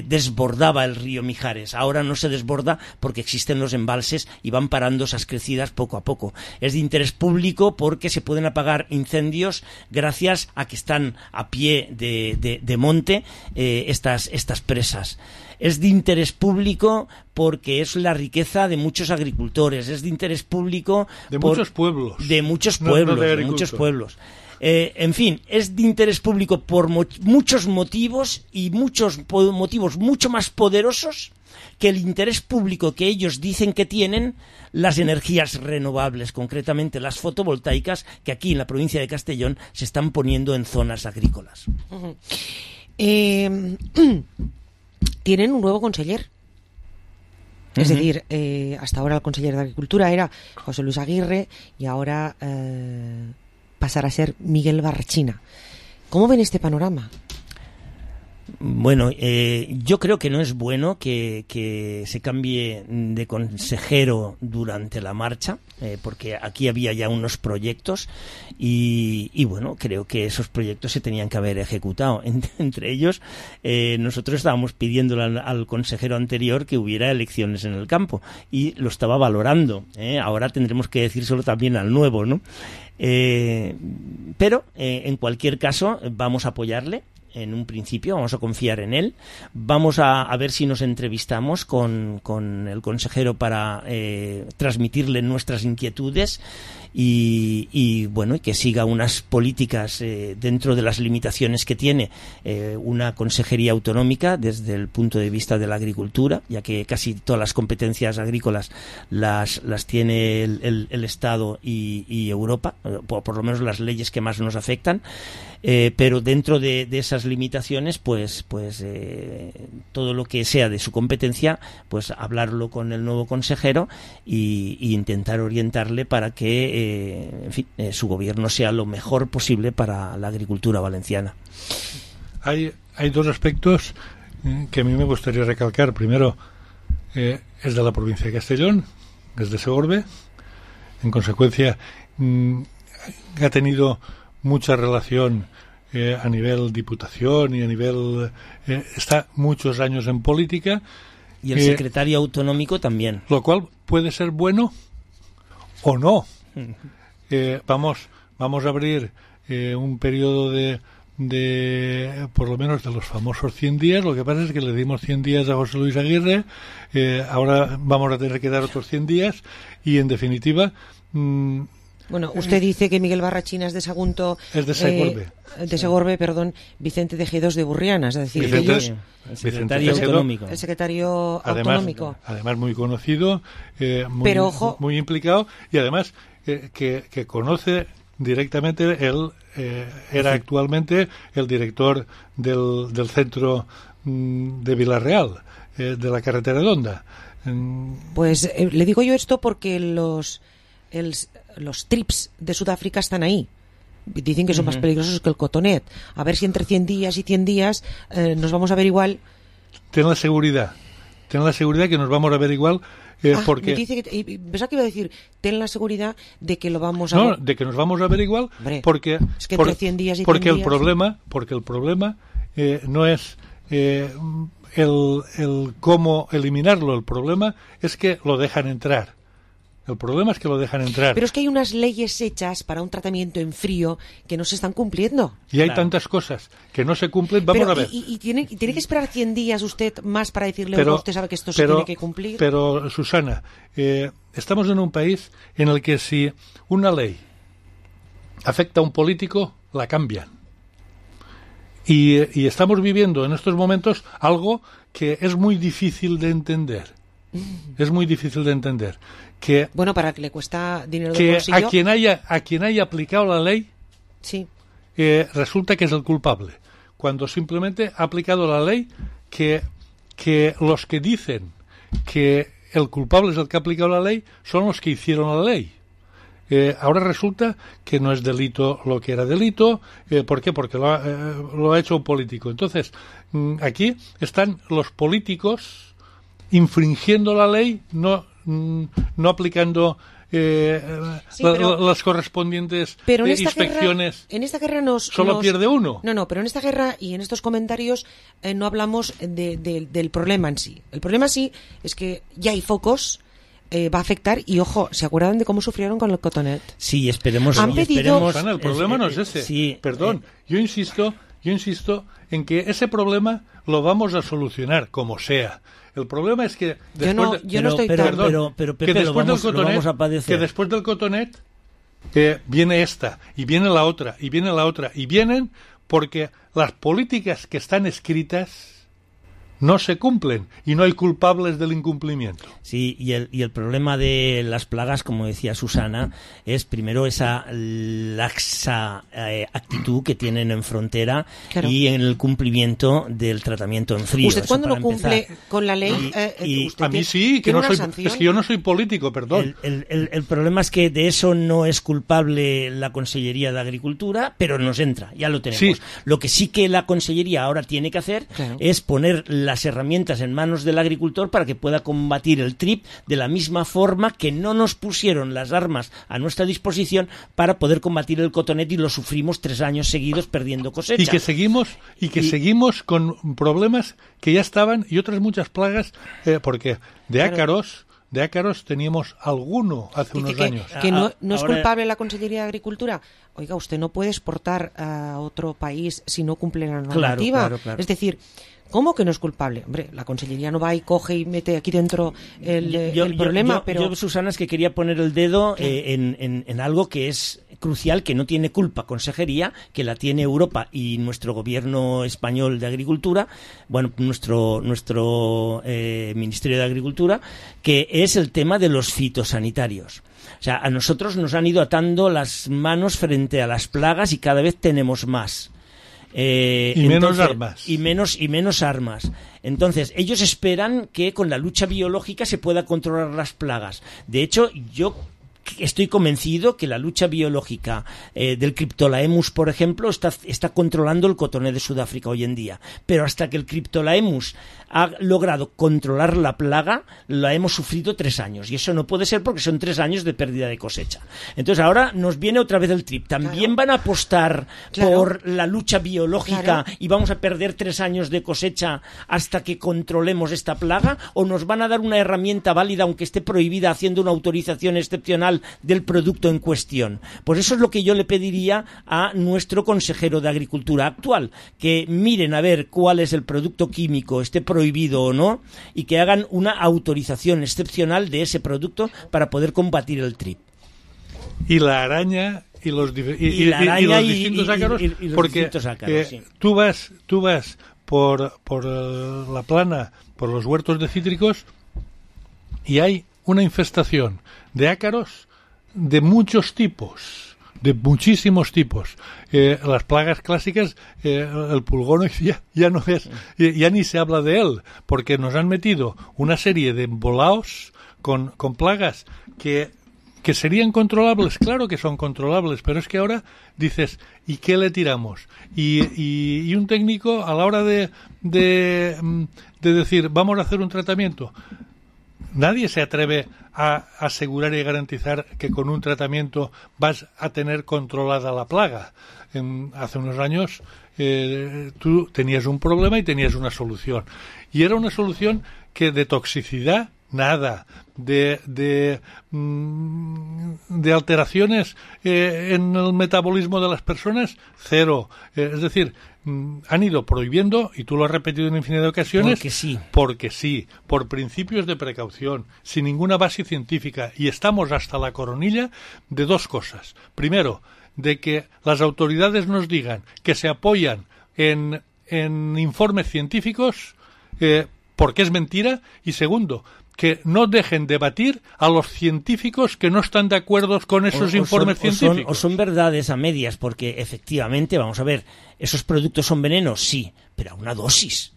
desbordaba el río Mijares. Ahora no se desborda porque existen los embalses y van parando esas crecidas poco a poco. Es de interés público porque se pueden apagar incendios gracias a que están a pie de monte estas presas. Es de interés público porque es la riqueza de muchos agricultores. Es de interés público muchos pueblos. De muchos pueblos. En fin, es de interés público por muchos motivos, y muchos motivos mucho más poderosos que el interés público que ellos dicen que tienen las energías renovables, concretamente las fotovoltaicas, que aquí en la provincia de Castellón se están poniendo en zonas agrícolas. Tienen un nuevo conseller. Es decir, hasta ahora el conseller de Agricultura era José Luis Aguirre y ahora pasará a ser Miguel Barrachina. ¿Cómo ven este panorama? Bueno, yo creo que no es bueno que se cambie de consejero durante la marcha, porque aquí había ya unos proyectos y bueno, creo que esos proyectos se tenían que haber ejecutado. Entre ellos, nosotros estábamos pidiéndole al consejero anterior que hubiera elecciones en el campo y lo estaba valorando. Ahora tendremos que decírselo también al nuevo, ¿no? Pero en cualquier caso vamos a apoyarle. En un principio vamos a confiar en él, vamos a ver si nos entrevistamos con el consejero para transmitirle nuestras inquietudes y bueno, y que siga unas políticas dentro de las limitaciones que tiene una consejería autonómica desde el punto de vista de la agricultura, ya que casi todas las competencias agrícolas las tiene el Estado y Europa, por lo menos las leyes que más nos afectan. Pero dentro de esas limitaciones, pues todo lo que sea de su competencia, pues hablarlo con el nuevo consejero y intentar orientarle para que, en fin, su gobierno sea lo mejor posible para la agricultura valenciana. Hay dos aspectos que a mí me gustaría recalcar. Primero, es de la provincia de Castellón, es de Segorbe. En consecuencia, ha tenido mucha relación a nivel diputación y a nivel está muchos años en política, y el secretario autonómico también, lo cual puede ser bueno o no. Vamos a abrir un periodo de por lo menos de los famosos 100 días. Lo que pasa es que le dimos 100 días a José Luis Aguirre, ahora vamos a tener que dar otros 100 días y en definitiva Bueno, usted dice que Miguel Barrachina es de Sagunto. Es de Segorbe. De Segorbe, perdón, Vicente Tejedos de Burriana, es decir, Vicente, ellos... El secretario autonómico. El secretario autonómico. Además muy conocido, Pero, ojo, muy implicado, y además que conoce directamente, él era actualmente el director del centro de Vila-real, de la carretera de Onda. Pues le digo yo esto porque los trips de Sudáfrica están ahí. Dicen que son más peligrosos que el cotonet. A ver si entre 100 días y 100 días nos vamos a ver igual. Ten la seguridad que nos vamos a ver igual. Porque me dice pensaba que iba a decir, ten la seguridad de que lo vamos a ver. De que nos vamos a ver igual. Hombre, porque es que entre 100 días y 100 porque días... el problema no es el cómo eliminarlo. El problema es que lo dejan entrar. Pero es que hay unas leyes hechas para un tratamiento en frío que no se están cumpliendo. Y hay tantas cosas que no se cumplen. Vamos a ver. Y tiene que esperar 100 días usted más para decirle, usted sabe que esto se tiene que cumplir. Pero, Susana, estamos en un país en el que si una ley afecta a un político, la cambian. Y estamos viviendo en estos momentos algo que es muy difícil de entender. Que, bueno, para que le cuesta dinero de bolsillo. A quien haya aplicado la ley, sí. Resulta que es el culpable. Cuando simplemente ha aplicado la ley que los que dicen que el culpable es el que ha aplicado la ley son los que hicieron la ley. Ahora resulta que no es delito lo que era delito. ¿Por qué? Porque lo ha hecho un político. Entonces, aquí están los políticos infringiendo la ley, no aplicando las correspondientes inspecciones. En esta guerra pierde uno. No, pero en esta guerra y en estos comentarios no hablamos del problema en sí. El problema sí es que ya hay focos. Va a afectar y ojo, ¿se acuerdan de cómo sufrieron con el cotonet? Sí, esperemos. Susana, el problema no es ese. Sí, perdón, yo insisto en que ese problema lo vamos a solucionar como sea. El problema es que después después del cotonet viene esta y viene la otra y viene la otra y vienen porque las políticas que están escritas no se cumplen y no hay culpables del incumplimiento. Sí, y el problema de las plagas, como decía Susana, es primero esa laxa actitud que tienen en frontera, claro, y en el cumplimiento del tratamiento en frío. ¿Usted cuando no cumple con la ley? A mí sí, que no soy, es que yo no soy político, perdón. El problema es que de eso no es culpable la Consellería de Agricultura, pero nos entra, ya lo tenemos. Sí. Lo que sí que la Consellería ahora tiene que hacer, claro, es poner las herramientas en manos del agricultor para que pueda combatir el TRIP de la misma forma que no nos pusieron las armas a nuestra disposición para poder combatir el cotonet y lo sufrimos 3 años seguidos perdiendo cosecha. Y que seguimos con problemas que ya estaban y otras muchas plagas, porque de ácaros teníamos alguno hace unos años. Que no es culpable la Consellería de Agricultura. Oiga, usted no puede exportar a otro país si no cumple la normativa. Claro. Es decir, ¿cómo que no es culpable? Hombre, la Consellería no va y coge y mete aquí dentro el problema, pero... Yo, Susana, es que quería poner el dedo en algo que es crucial, que no tiene culpa Consejería, que la tiene Europa y nuestro gobierno español de Agricultura, bueno, nuestro Ministerio de Agricultura, que es el tema de los fitosanitarios. O sea, a nosotros nos han ido atando las manos frente a las plagas y cada vez tenemos más. Menos armas. Y menos armas. Entonces, ellos esperan que con la lucha biológica se pueda controlar las plagas. De hecho, yo estoy convencido que la lucha biológica del Cryptolaemus, por ejemplo, está controlando el cotonet de Sudáfrica hoy en día. Pero hasta que el Cryptolaemus ha logrado controlar la plaga, la hemos sufrido 3 años. Y eso no puede ser porque son 3 años de pérdida de cosecha. Entonces ahora nos viene otra vez el TRIP. ¿También van a apostar por la lucha biológica y vamos a perder 3 años de cosecha hasta que controlemos esta plaga? ¿O nos van a dar una herramienta válida, aunque esté prohibida, haciendo una autorización excepcional del producto en cuestión? Pues eso es lo que yo le pediría a nuestro consejero de Agricultura actual, que miren a ver cuál es el producto químico, esté prohibido o no, y que hagan una autorización excepcional de ese producto para poder combatir el TRIP. y la araña y los distintos ácaros, porque sí. Tú vas por la plana, por los huertos de cítricos, y hay una infestación de ácaros de muchos tipos, de muchísimos tipos. Las plagas clásicas, el pulgón ya no es, ya ni se habla de él, porque nos han metido una serie de embolaos con plagas que serían controlables. Claro que son controlables, pero es que ahora dices, ¿y qué le tiramos? Y un técnico, a la hora de decir, vamos a hacer un tratamiento, nadie se atreve a asegurar y garantizar que con un tratamiento vas a tener controlada la plaga. Hace unos años tú tenías un problema y tenías una solución. Y era una solución que de toxicidad, nada. De alteraciones en el metabolismo de las personas, cero. Es decir, han ido prohibiendo, y tú lo has repetido en infinidad de ocasiones, porque sí, por principios de precaución, sin ninguna base científica, y estamos hasta la coronilla de dos cosas. Primero, de que las autoridades nos digan que se apoyan en informes científicos, porque es mentira, y segundo, que no dejen debatir a los científicos que no están de acuerdo con esos informes científicos. O son verdades a medias, porque efectivamente, vamos a ver, ¿esos productos son venenos? Sí, pero a una dosis.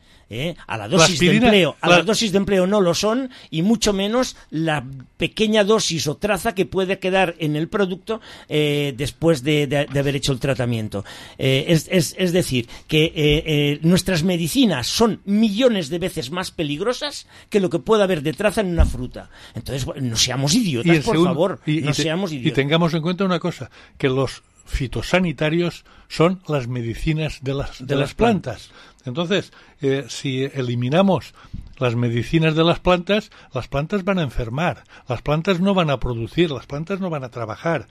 A la dosis de empleo, las dosis de empleo no lo son, y mucho menos la pequeña dosis o traza que puede quedar en el producto después de haber hecho el tratamiento. Es decir, que nuestras medicinas son millones de veces más peligrosas que lo que pueda haber de traza en una fruta. Entonces, no seamos idiotas, por favor, no seamos idiotas. Y tengamos en cuenta una cosa, que los fitosanitarios son las medicinas de las plantas. Entonces, si eliminamos las medicinas de las plantas van a enfermar, las plantas no van a producir, las plantas no van a trabajar.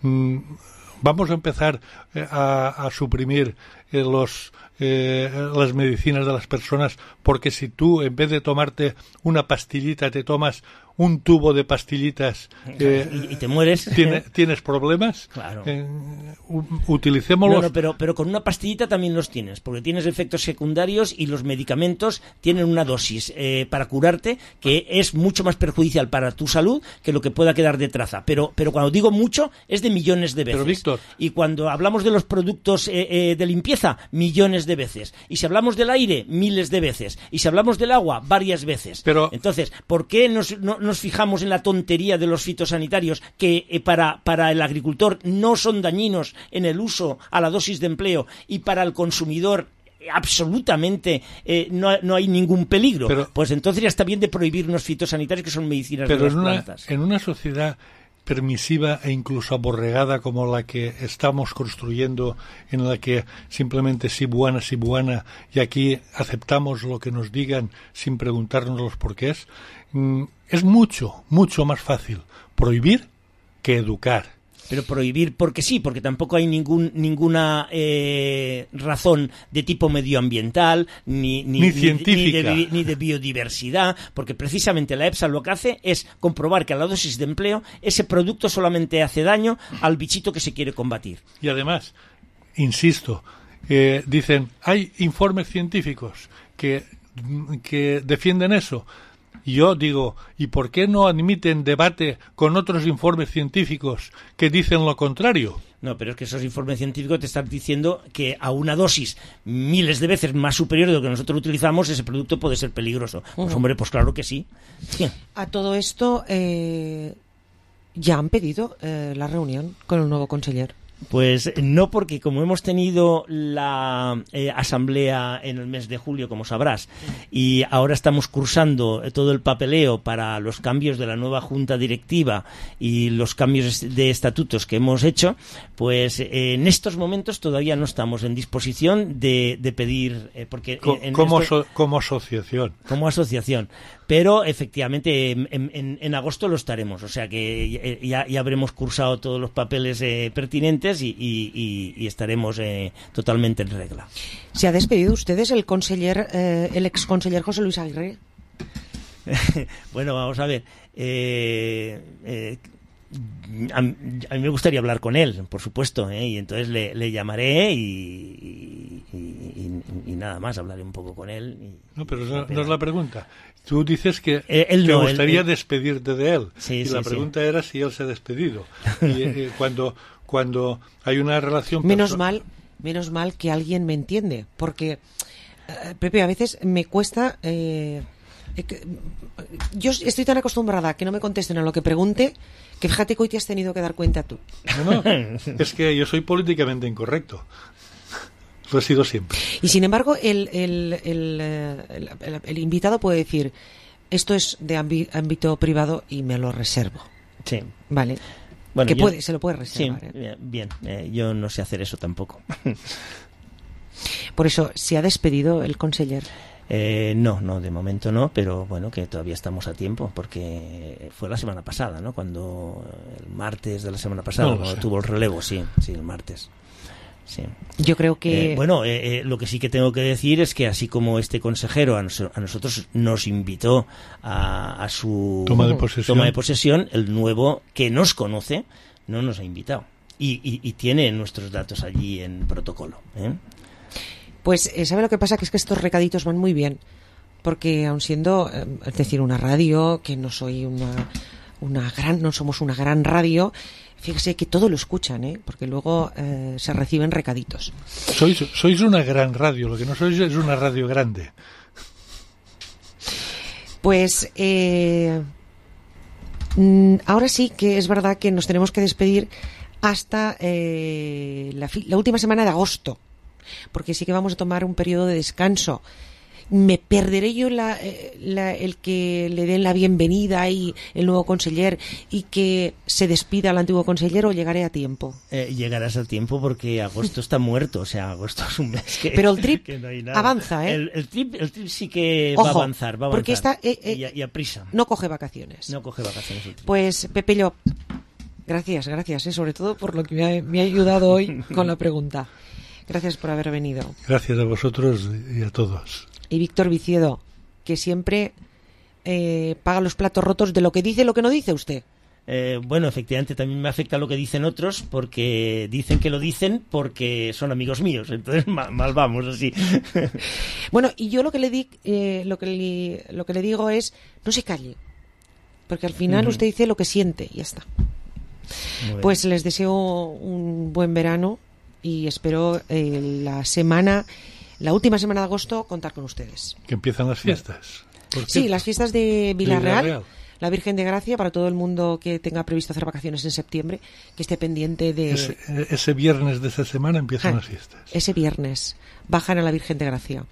Vamos a empezar a suprimir las medicinas de las personas, porque si tú, en vez de tomarte una pastillita, te tomas un tubo de pastillitas y te mueres, ¿tienes problemas? Claro. Utilicémoslos. No, pero con una pastillita también los tienes, porque tienes efectos secundarios, y los medicamentos tienen una dosis para curarte que es mucho más perjudicial para tu salud que lo que pueda quedar de traza. Pero cuando digo mucho, es de millones de veces. Pero, Víctor, y cuando hablamos de los productos de limpieza, millones de veces. Y si hablamos del aire, miles de veces. Y si hablamos del agua, varias veces. Entonces, ¿por qué nos fijamos en la tontería de los fitosanitarios que para el agricultor no son dañinos en el uso a la dosis de empleo, y para el consumidor absolutamente no hay ningún peligro? Pues entonces ya está bien de prohibir unos fitosanitarios que son medicinas de las plantas. En una sociedad permisiva e incluso aborregada como la que estamos construyendo, en la que simplemente sí buena, y aquí aceptamos lo que nos digan sin preguntarnos los porqués, es mucho más fácil prohibir que educar. Pero prohibir porque sí, porque tampoco hay ninguna razón de tipo medioambiental ni científica ni de biodiversidad, porque precisamente la EFSA lo que hace es comprobar que a la dosis de empleo ese producto solamente hace daño al bichito que se quiere combatir. Y además, insisto, dicen, hay informes científicos que defienden eso. Y yo digo, ¿y por qué no admiten debate con otros informes científicos que dicen lo contrario? No, pero es que esos informes científicos te están diciendo que a una dosis miles de veces más superior de lo que nosotros utilizamos, ese producto puede ser peligroso. Pues hombre, pues claro que sí. A todo esto, ¿ya han pedido la reunión con el nuevo conseller? Pues no, porque como hemos tenido la asamblea en el mes de julio, como sabrás, y ahora estamos cursando todo el papeleo para los cambios de la nueva junta directiva y los cambios de estatutos que hemos hecho, pues en estos momentos todavía no estamos en disposición de pedir, porque como asociación. Como asociación. Pero efectivamente en agosto lo estaremos, o sea que ya habremos cursado todos los papeles pertinentes y estaremos totalmente en regla. ¿Se ha despedido ustedes el ex conseller José Luis Aguirre? Bueno, vamos a ver. A mí me gustaría hablar con él, por supuesto, y entonces le llamaré y nada más, hablaré un poco con él. No, pero no es la pregunta. Tú dices que te gustaría despedirte de él. Sí, y la pregunta era si él se ha despedido. Y cuando hay una relación... Menos mal que alguien me entiende, porque, Pepe, a veces me cuesta... yo estoy tan acostumbrada a que no me contesten a lo que pregunte, que fíjate que hoy te has tenido que dar cuenta tú. No, es que yo soy políticamente incorrecto. Lo he sido siempre. Y sin embargo, el invitado puede decir, esto es de ámbito privado y me lo reservo. Sí. Vale. Bueno, se lo puede reservar. Sí, bien. Yo no sé hacer eso tampoco. Por eso, ¿se ha despedido el conseller? No, de momento no, pero bueno, que todavía estamos a tiempo, porque fue la semana pasada, ¿no? Cuando el martes de la semana pasada, cuando tuvo el relevo, sí, el martes. Sí. Yo creo que... lo que sí que tengo que decir es que así como este consejero a nosotros nos invitó a su toma de posesión, el nuevo, que nos conoce, no nos ha invitado. Y tiene nuestros datos allí en protocolo, Pues, ¿sabe lo que pasa? Que es que estos recaditos van muy bien, porque aun siendo, es decir, una radio, que no soy no somos una gran radio, fíjese que todo lo escuchan, porque luego se reciben recaditos. Sois una gran radio, lo que no sois es una radio grande. Pues, ahora sí que es verdad que nos tenemos que despedir hasta la última semana de agosto, porque sí que vamos a tomar un periodo de descanso. Me perderé yo el que le den la bienvenida y el nuevo conseller y que se despida el antiguo conseller, o llegaré a tiempo. Llegarás a tiempo porque agosto está muerto, o sea, agosto es un mes que... Pero el trip no hay nada. avanza, ¿eh? El trip sí que Ojo, va a avanzar. Porque está... y a prisa. No coge vacaciones. No coge vacaciones el trip. Pues, Pepe Llop, gracias, sobre todo por lo que me ha ayudado hoy con la pregunta. Gracias por haber venido. Gracias a vosotros y a todos. Y Víctor Viciedo, que siempre paga los platos rotos de lo que dice y lo que no dice usted. Bueno, efectivamente también me afecta lo que dicen otros, porque dicen que lo dicen porque son amigos míos, entonces mal vamos así. Bueno, y yo lo que le digo es, no se calle, porque al final usted dice lo que siente y ya está. Pues les deseo un buen verano y espero la última semana de agosto contar con ustedes. Que empiezan las fiestas. Sí, las fiestas de Villarreal, la Virgen de Gracia, para todo el mundo que tenga previsto hacer vacaciones en septiembre, que esté pendiente de... Ese viernes de esa semana empiezan las fiestas. Ese viernes bajan a la Virgen de Gracia.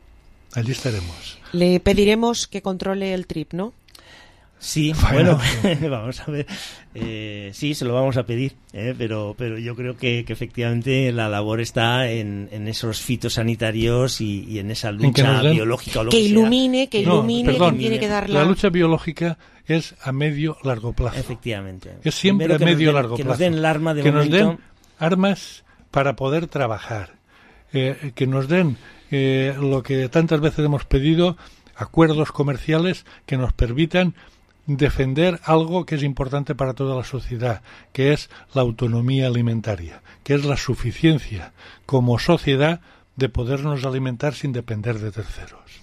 Allí estaremos. Le pediremos que controle el trip, ¿no? Sí, bueno, vamos a ver. Sí, se lo vamos a pedir, pero yo creo que efectivamente la labor está en esos fitosanitarios y en esa lucha biológica o lo que ilumine, que tiene que dar la lucha biológica es a medio largo plazo. Efectivamente. Es siempre a medio largo plazo. Que nos den el arma de que momento. Nos den armas para poder trabajar. Que nos den lo que tantas veces hemos pedido, acuerdos comerciales que nos permitan defender algo que es importante para toda la sociedad, que es la autonomía alimentaria, que es la suficiencia como sociedad de podernos alimentar sin depender de terceros.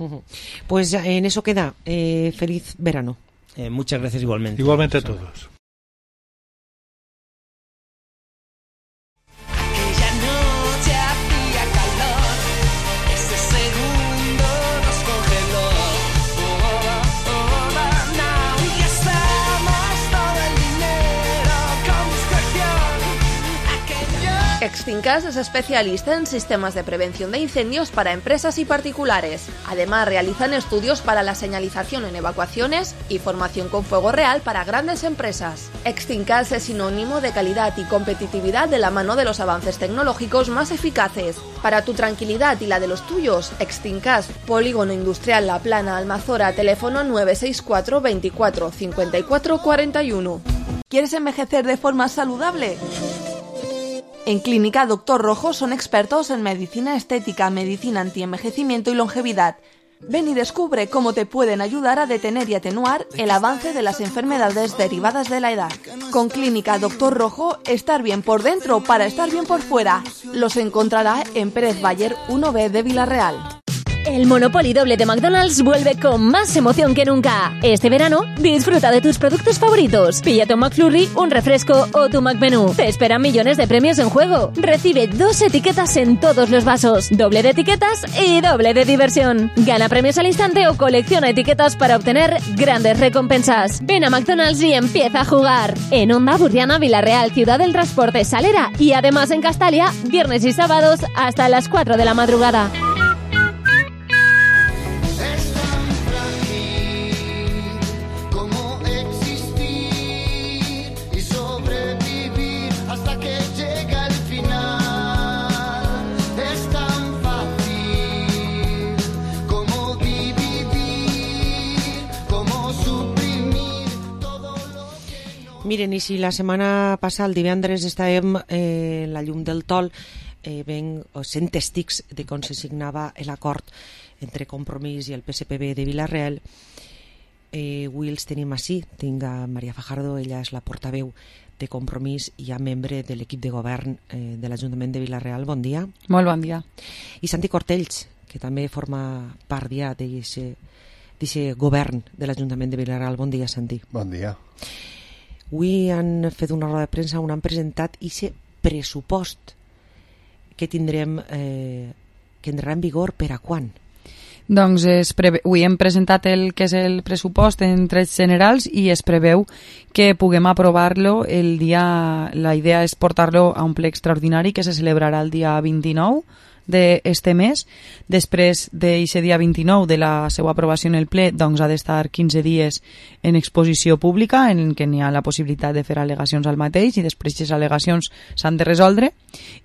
Pues en eso queda. Feliz verano. Muchas gracias igualmente. Igualmente a todos. Extincas es especialista en sistemas de prevención de incendios para empresas y particulares. Además, realizan estudios para la señalización en evacuaciones y formación con fuego real para grandes empresas. Extincas es sinónimo de calidad y competitividad de la mano de los avances tecnológicos más eficaces. Para tu tranquilidad y la de los tuyos, Extincas, Polígono Industrial La Plana, Almazora, teléfono 964 24 54 41. ¿Quieres envejecer de forma saludable? En Clínica Dr. Rojo son expertos en medicina estética, medicina antienvejecimiento y longevidad. Ven y descubre cómo te pueden ayudar a detener y atenuar el avance de las enfermedades derivadas de la edad. Con Clínica Doctor Rojo, estar bien por dentro para estar bien por fuera. Los encontrará en Pérez Bayer 1B de Villarreal. El Monopoly Doble de McDonald's vuelve con más emoción que nunca. Este verano, disfruta de tus productos favoritos. Píllate un McFlurry, un refresco o tu McMenú. Te esperan millones de premios en juego. Recibe 2 etiquetas en todos los vasos. Doble de etiquetas y doble de diversión. Gana premios al instante o colecciona etiquetas para obtener grandes recompensas. Ven a McDonald's y empieza a jugar. En Onda, Burriana, Villarreal, Ciudad del Transporte, Salera y además en Castalia, viernes y sábados hasta las 4 de la madrugada. Miren, i si la setmana passada, el divendres, estàvem la llum del Tol, sent tèstics de com se signava l'acord entre Compromís i el PSPB de Villarreal, avui els tenim així. Tinc a Maria Fajardo, ella és la portaveu de Compromís i ja membre de l'equip de govern de l'Ajuntament de Villarreal. Bon dia. Molt bon dia. I Santi Cortells, que també forma part ja d'aquest govern de l'Ajuntament de Villarreal. Bon dia, Santi. Bon dia. Avui han fet una roda de premsa on han presentat aquest pressupost que tindrem, que entrarà en vigor per a quan? Doncs avui hem presentat el que és el pressupost en trets generals i es preveu que puguem aprovar-lo el dia... La idea és portar-lo a un ple extraordinari que se celebrarà el dia 29 d'este mes. Després d'aquest dia 29 de la seva aprovació en el ple, doncs ha d'estar 15 dies en exposició pública en què n'hi ha la possibilitat de fer al·legacions al mateix i després aquestes al·legacions s'han de resoldre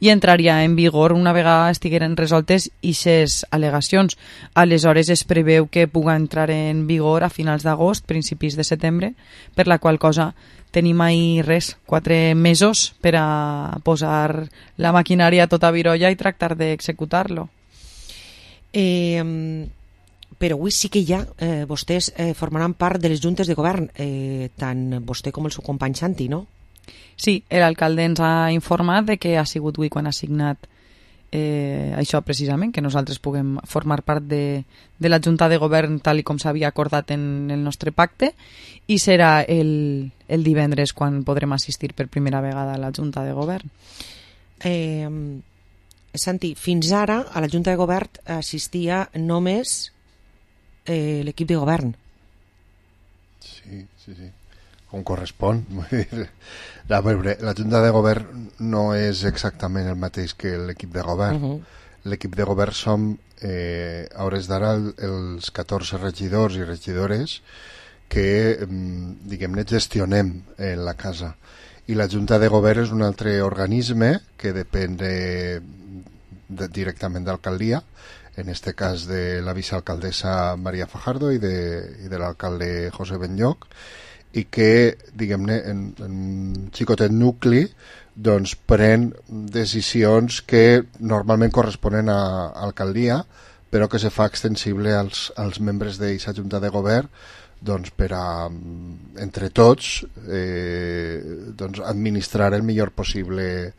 i entraria en vigor una vegada estigueren resoltes aquestes al·legacions. Aleshores es preveu que puga entrar en vigor a finals d'agost, principis de setembre, per la qual cosa tenim ahí 4 mesos per a posar la maquinària a tota virolla i tractar d'executar-lo. Però avui sí que ja vostès formaran part de les juntes de govern, tant vostè com el seu company Santi, no? Sí, l'alcalde ens ha informat de que ha sigut avui quan ha signat això precisament, que nosaltres puguem formar part de la Junta de Govern tal com s'havia acordat en el nostre pacte i serà el divendres quan podrem assistir per primera vegada a la Junta de Govern. Santi, fins ara a la Junta de Govern assistia només l'equip de govern. Sí. Com correspon. La Junta de Govern no és exactament el mateix que l'equip de govern. L'equip de govern som, a hores d'ara, els 14 regidors i regidores que, diguem-ne, gestionem la casa. I la Junta de Govern és un altre organisme que depèn directament d'alcaldia, en este cas de la vicealcaldessa Maria Fajardo i de l'alcalde José Benlloch, i que, diguem-ne, en un xicotet nucli doncs pren decisions que normalment corresponen a alcaldia, però que se fa extensible als membres d'aquesta Junta de Govern doncs per a, entre tots, doncs administrar el millor possible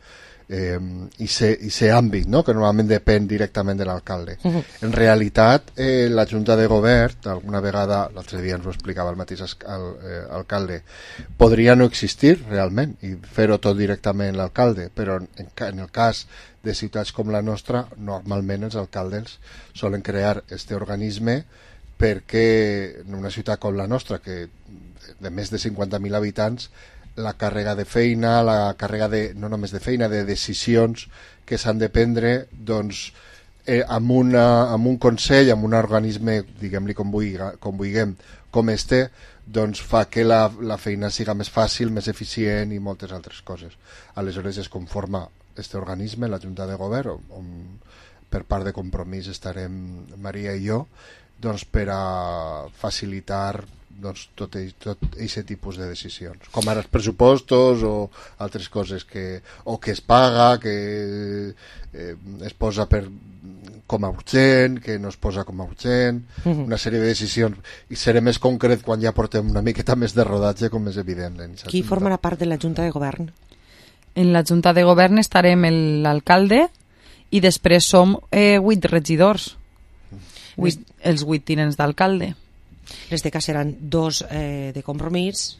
i ser àmbit, no? Que normalment depèn directament de l'alcalde. En realitat, la Junta de Govern, alguna vegada, l'altre dia ens ho explicava el mateix alcalde, podria no existir realment i fer-ho tot directament l'alcalde, però en el cas de ciutats com la nostra, normalment els alcaldes solen crear este organisme perquè en una ciutat com la nostra, que de més de 50.000 habitants, la càrrega de feina, la càrrega no només de feina, de decisions que s'han de prendre, doncs, amb un consell, amb un organisme, diguem-li com vulguem, com este, doncs fa que la feina siga més fàcil, més eficient i moltes altres coses. Aleshores es conforma este organisme, la Junta de Govern, on per part de Compromís estarem Maria i jo, doncs per a facilitar doncs, tot aquest tipus de decisions, com ara els pressupostos o altres coses que es paga, que es posa per com a urgent, que no es posa com a urgent, una sèrie de decisions, i seré més concret quan ja portem una miqueta més de rodatge, com és evident. Qui formarà part de la Junta de Govern? En la Junta de Govern estarem l'alcalde i després som 8 regidors, els 8 tinents d'alcalde. Les de cas seran 2 de Compromís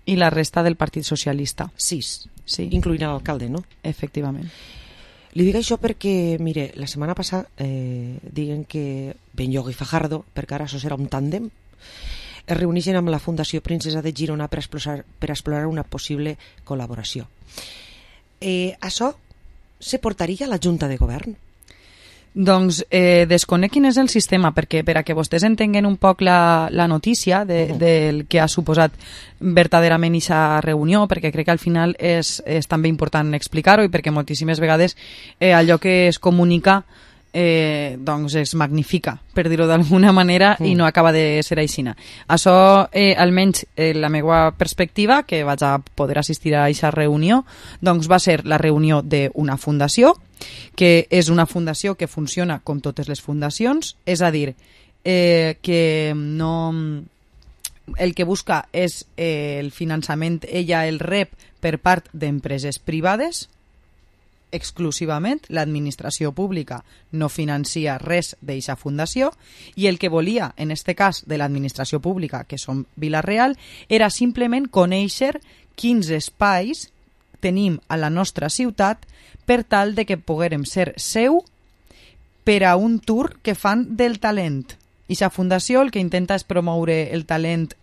i la resta del Partit Socialista. 6, sí. Incloent l'alcalde, no? Efectivament. Li dic això perquè, mire, la setmana passada diguen que Benlloc i Fajardo, perquè ara això serà un tàndem, es reuneixen amb la Fundació Princesa de Girona per explorar una possible col·laboració. Això se portaria a la Junta de Govern? Doncs desconec quin és el sistema, perquè per a que vostès entenguen un poc la notícia del que ha suposat verdaderament aquesta reunió, perquè crec que al final és també important explicar-ho i perquè moltíssimes vegades allò que es comunica doncs es magnifica, per dir-ho d'alguna manera, i no acaba de ser aixina. Això, almenys la meva perspectiva, que vaig a poder assistir a aquesta reunió, doncs va ser la reunió d'una fundació, que és una fundació que funciona com totes les fundacions, és a dir, que no... el que busca és el finançament, ella el rep per part d'empreses privades, exclusivament, l'administració pública no financia res d'eixa fundació, i el que volia, en este cas de l'administració pública, que som Vila-real, era simplement conèixer quins espais tenim a la nostra ciutat per tal de que poguérem ser seu per a un tour que fan del talent. Eixa fundació el que intenta és promoure el talent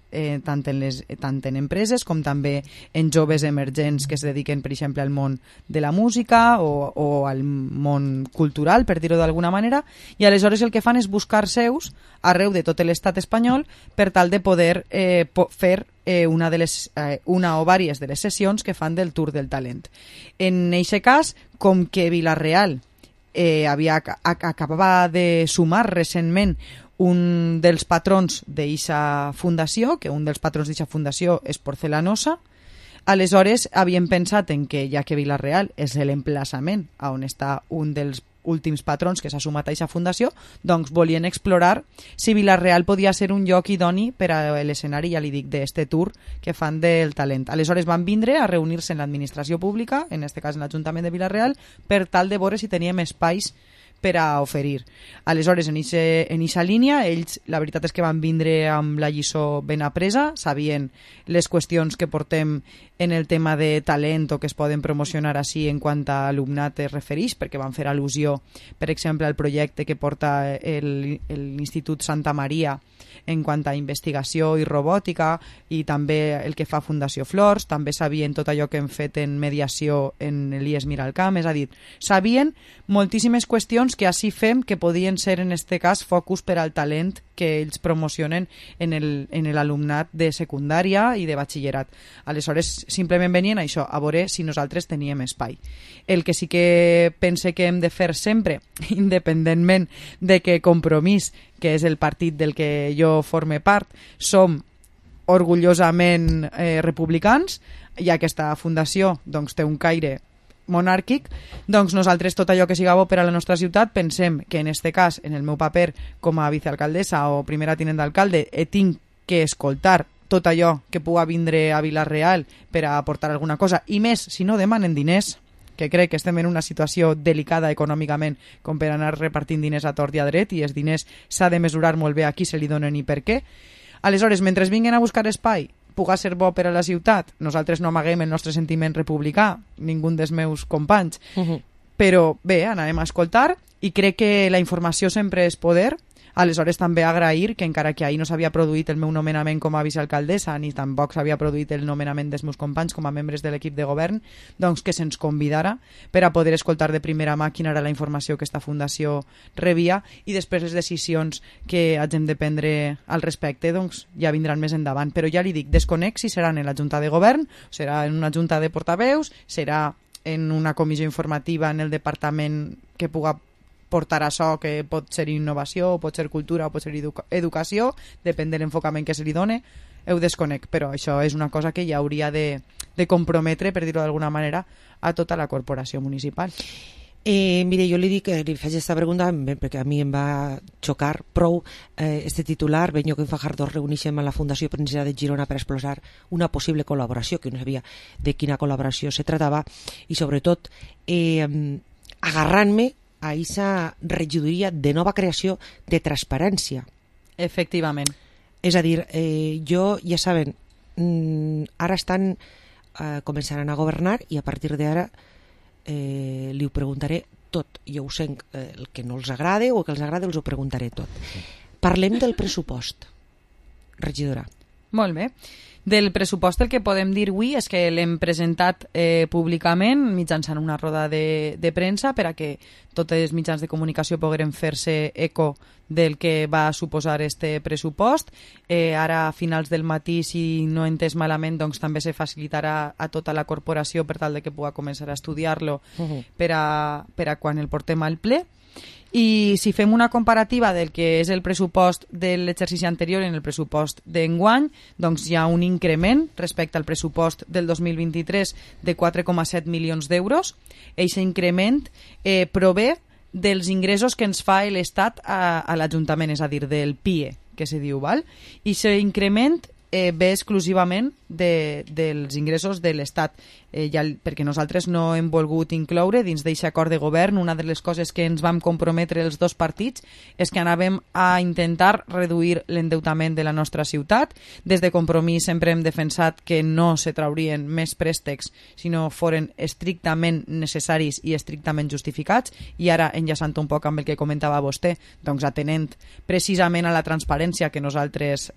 tant en empreses com també en joves emergents que es dediquen, per exemple, al món de la música o al món cultural, per dir-ho d'alguna manera, i aleshores el que fan és buscar seus arreu de tot l'estat espanyol per tal de poder fer una o diverses de les sessions que fan del Tour del Talent. En aquest cas, com que Vila-real acabava de sumar recentment un dels patrons d'eixa fundació, que un dels patrons d'eixa fundació és Porcelanosa, aleshores havien pensat en que, ja que Vila-real és l'emplaçament on està un dels últims patrons que s'ha sumat a eixa fundació, doncs volien explorar si Vila-real podia ser un lloc idoni per a l'escenari, ja li dic, d'este tour que fan del talent. Aleshores van vindre a reunir-se en l'administració pública, en este cas en l'Ajuntament de Vila-real, per tal de veure si teníem espais per a oferir. Aleshores, en eixa línia, ells, la veritat és que van vindre amb la lliçó ben apresa, sabien les qüestions que portem en el tema de talent o que es poden promocionar així en quant a alumnat es refereix, perquè van fer al·lusió, per exemple, al projecte que porta l'Institut Santa Maria en quant a investigació i robòtica, i també el que fa Fundació Flors, també sabien tot allò que hem fet en mediació en l'IES Miralcamp, és a dir, sabien moltíssimes qüestions que així fem que podien ser en este cas focus per al talent que ells promocionen en l'alumnat de secundària i de batxillerat. Aleshores, simplement venien a això, a veure si nosaltres teníem espai. El que sí que pense que hem de fer sempre, independentment de que Compromís, que és el partit del que jo forme part, som orgullosament republicans, i aquesta fundació doncs, té un caire monàrquic, doncs nosaltres tot allò que siga bo per a la nostra ciutat pensem que en este cas, en el meu paper com a vicealcaldessa o primera tinent d'alcalde, tinc que escoltar tot allò que puga vindre a Vila-real per a aportar alguna cosa, i més si no demanen diners, que crec que estem en una situació delicada econòmicament com per anar repartint diners a tort i a dret, i els diners s'ha de mesurar molt bé a qui se li donen i per què. Aleshores, mentre vinguen a buscar espai, puga ser bo per a la ciutat, nosaltres no amaguem el nostre sentiment republicà, ningú dels meus companys, però bé, anarem a escoltar, i crec que la informació sempre és poder. Aleshores també agrair que encara que ahir no s'havia produït el meu nomenament com a vicealcaldessa ni tampoc s'havia produït el nomenament dels meus companys com a membres de l'equip de govern, doncs que se'ns convidara per a poder escoltar de primera mà quina era la informació que esta fundació rebia, i després les decisions que hagin de prendre al respecte doncs ja vindran més endavant. Però ja li dic, desconec si seran en la Junta de Govern, serà en una Junta de Portaveus, serà en una comissió informativa en el departament que puga portar això, que pot ser innovació, pot ser cultura, pot ser educació, depèn de l'enfocament que se li done, ho desconec, però això és una cosa que ja hauria de comprometre, per dir-ho d'alguna manera, a tota la corporació municipal. Mire, jo li dic, li faig aquesta pregunta perquè a mi em va xocar prou este titular. Benyoc i Fajardo es reuneixen a la Fundació Princesa de Girona per explorar una possible col·laboració, que no sabia de quina col·laboració se tratava, i sobretot agarrant-me a aquesta regidoria de nova creació de transparència. Efectivament. És a dir, jo, ja saben, ara estan començaran a governar i a partir d'ara li ho preguntaré tot. Jo ho sé, el que no els agrada o el que els agrada els ho preguntaré tot. Parlem del pressupost, regidora. Molt bé. Del pressupost el que podem dir avui és que l'hem presentat públicament mitjançant una roda de premsa per a que tots els mitjans de comunicació pogueren fer-se eco del que va suposar este pressupost. Ara a finals del matí, si no he entès malament, doncs també se facilitarà a tota la corporació per tal de que pugui començar a estudiar-lo per a quan el portem al ple. I si fem una comparativa del que és el pressupost de l'exercici anterior en el pressupost d'enguany, doncs hi ha un increment respecte al pressupost del 2023 de 4,7 milions d'euros. Aquest increment prové dels ingressos que ens fa l'Estat a l'Ajuntament, és a dir, del PIE, que se diu, val? I aquest increment ve exclusivament dels ingressos de l'Estat, perquè nosaltres no hem volgut incloure dins d'aquest acord de govern. Una de les coses que ens vam comprometre els dos partits és que anàvem a intentar reduir l'endeutament de la nostra ciutat. Des de Compromís sempre hem defensat que no se traurien més préstecs si no foren estrictament necessaris i estrictament justificats, i ara, enllaçant un poc amb el que comentava vostè, doncs atenent precisament a la transparència que nosaltres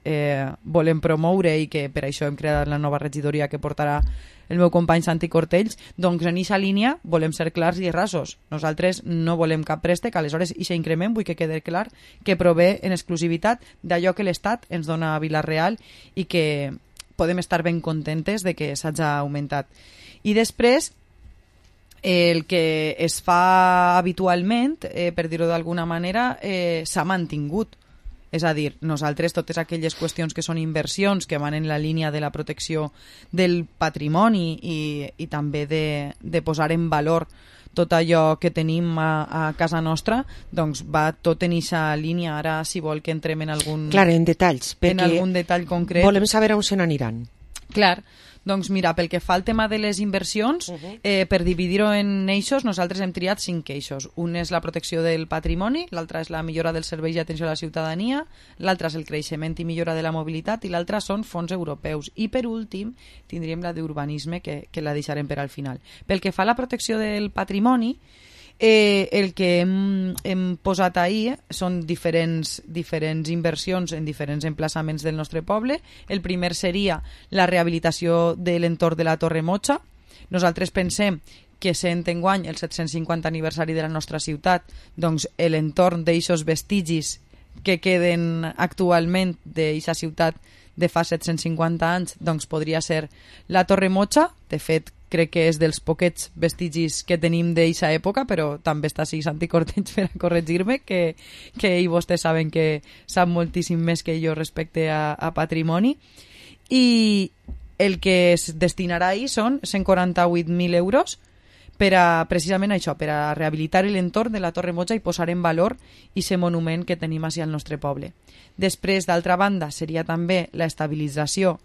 volem promoure i que per això hem creat la nova regidoria que portarà el meu company Santi Cortells, doncs en aquesta línia volem ser clars i rasos. Nosaltres no volem cap préstec, aleshores aquest increment vull que quede clar que prové en exclusivitat d'allò que l'Estat ens dona a Vila-real i que podem estar ben contentes de que s'hagi augmentat. I després, el que es fa habitualment, per dir-ho d'alguna manera, s'ha mantingut. És a dir, nosaltres totes aquelles qüestions que són inversions, que van en la línia de la protecció del patrimoni i també de posar en valor tot allò que tenim a casa nostra, doncs va tot en aquesta línia. Ara, si vol que entrem en algun... Clar, en detalls, perquè en algun detall concret... volem saber on se n'aniran. Clar. Doncs mira, pel que fa al tema de les inversions, per dividir-ho en eixos, nosaltres hem triat 5 eixos. Un és la protecció del patrimoni, l'altre és la millora dels serveis d'atenció a la ciutadania, l'altre és el creixement i millora de la mobilitat i l'altre són fons europeus. I per últim tindríem la d'urbanisme, que la deixarem per al final. Pel que fa a la protecció del patrimoni, el que hem posat ahir són diferents inversions en diferents emplaçaments del nostre poble. El primer seria la rehabilitació de l'entorn de la Torre Motxa. Nosaltres pensem que sent enguany el 750 aniversari de la nostra ciutat, doncs l'entorn d'eixos vestigis que queden actualment d'aquesta ciutat de fa 750 anys, doncs podria ser la Torre Motxa. De fet, crec que és dels poquets vestigis que tenim d'aquesta època, però també està així Santi Cortells per a corregir-me, que ell vostès saben que sap moltíssim més que jo respecte a patrimoni. I el que es destinarà ahir són 148.000 euros per a, precisament això, per a rehabilitar l'entorn de la Torre Motxa i posar en valor aquest monument que tenim així al nostre poble. Després, d'altra banda, seria també la estabilització